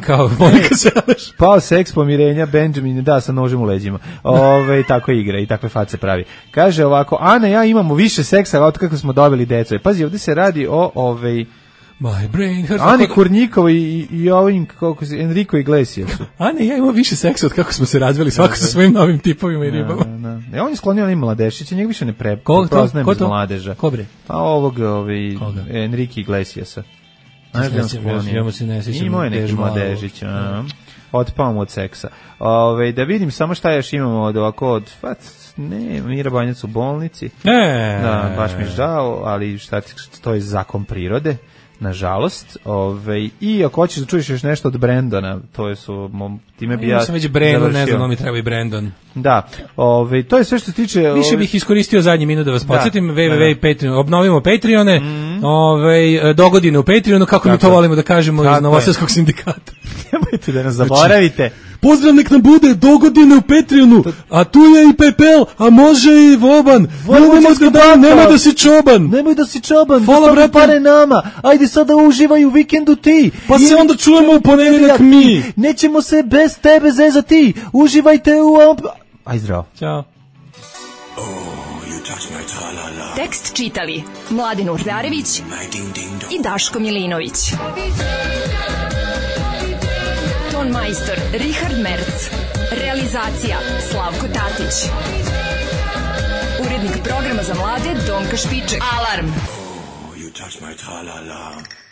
kao Monika Seleš. Pao seks, pomirenja, Benjamin, da, sa nožem u leđima. Ove, tako igra i takve face pravi. Kaže ovako, Ana, ja imamo više seksa od kako smo dobili deco. Pazi, ovdje se radi o ovej My brain hurts. Ani Kurnjikova i, i ovim, kako se, Enrico Iglesiasu. Ana, ja imam više seksa od kako smo se razveli, svako sa svojim novim tipovima i ribama. Da, da. E, on je sklonio onim mladešića, njeg više ne pre, prepoznajem iz mladeža. Ko bre? Pa ovog, ovi, Enrico Iglesiasa. Znaš da sklonio? Imao je neki mladežić, otpao mu od seksa. Ove, da vidim samo šta još imamo od ovako od, fat, ne, Mira Banjac u bolnici. Ne. Da, baš mi je žao, ali šta ti, to je zakon prirode. Nažalost, ovaj i ako hoćeš da čuješ još nešto od Brendona, to je su mom, time bi ja. Ja sam već Brendon, ne znam, mi treba i Brendon. Da. Ovaj to je sve što se tiče. Više ovaj... bih iskoristio zadnji minut da vas podsjetim, www punto patreon, obnovimo Patreone, mm. ovaj dogodine u Patreonu, kako Tako. mi to volimo da kažemo Tako iz Novosadskog sindikata. Nemojte da nas zaboravite. Pozdrav nek nam bude dogodine u Patreonu, a tu je i Pepel, a može i Voban. Nemoj da, nema da si čoban. Nemoj da si čoban, Hvala, da pare nama. Ajde sada uživaj u vikendu ti. Pa I... se onda čujemo u ponedeljak mi. Nećemo se bez tebe zezati. Uživajte u... Aj zdravo. Ćao. Tekst čitali Mladin Urdarević i Daško Milinović. Ton majstor Richard Merc. Realizacija Slavko Tatić. Urednik programa za mlade Donka Špiček. Alarm! Oh, you touch my tra-la-la.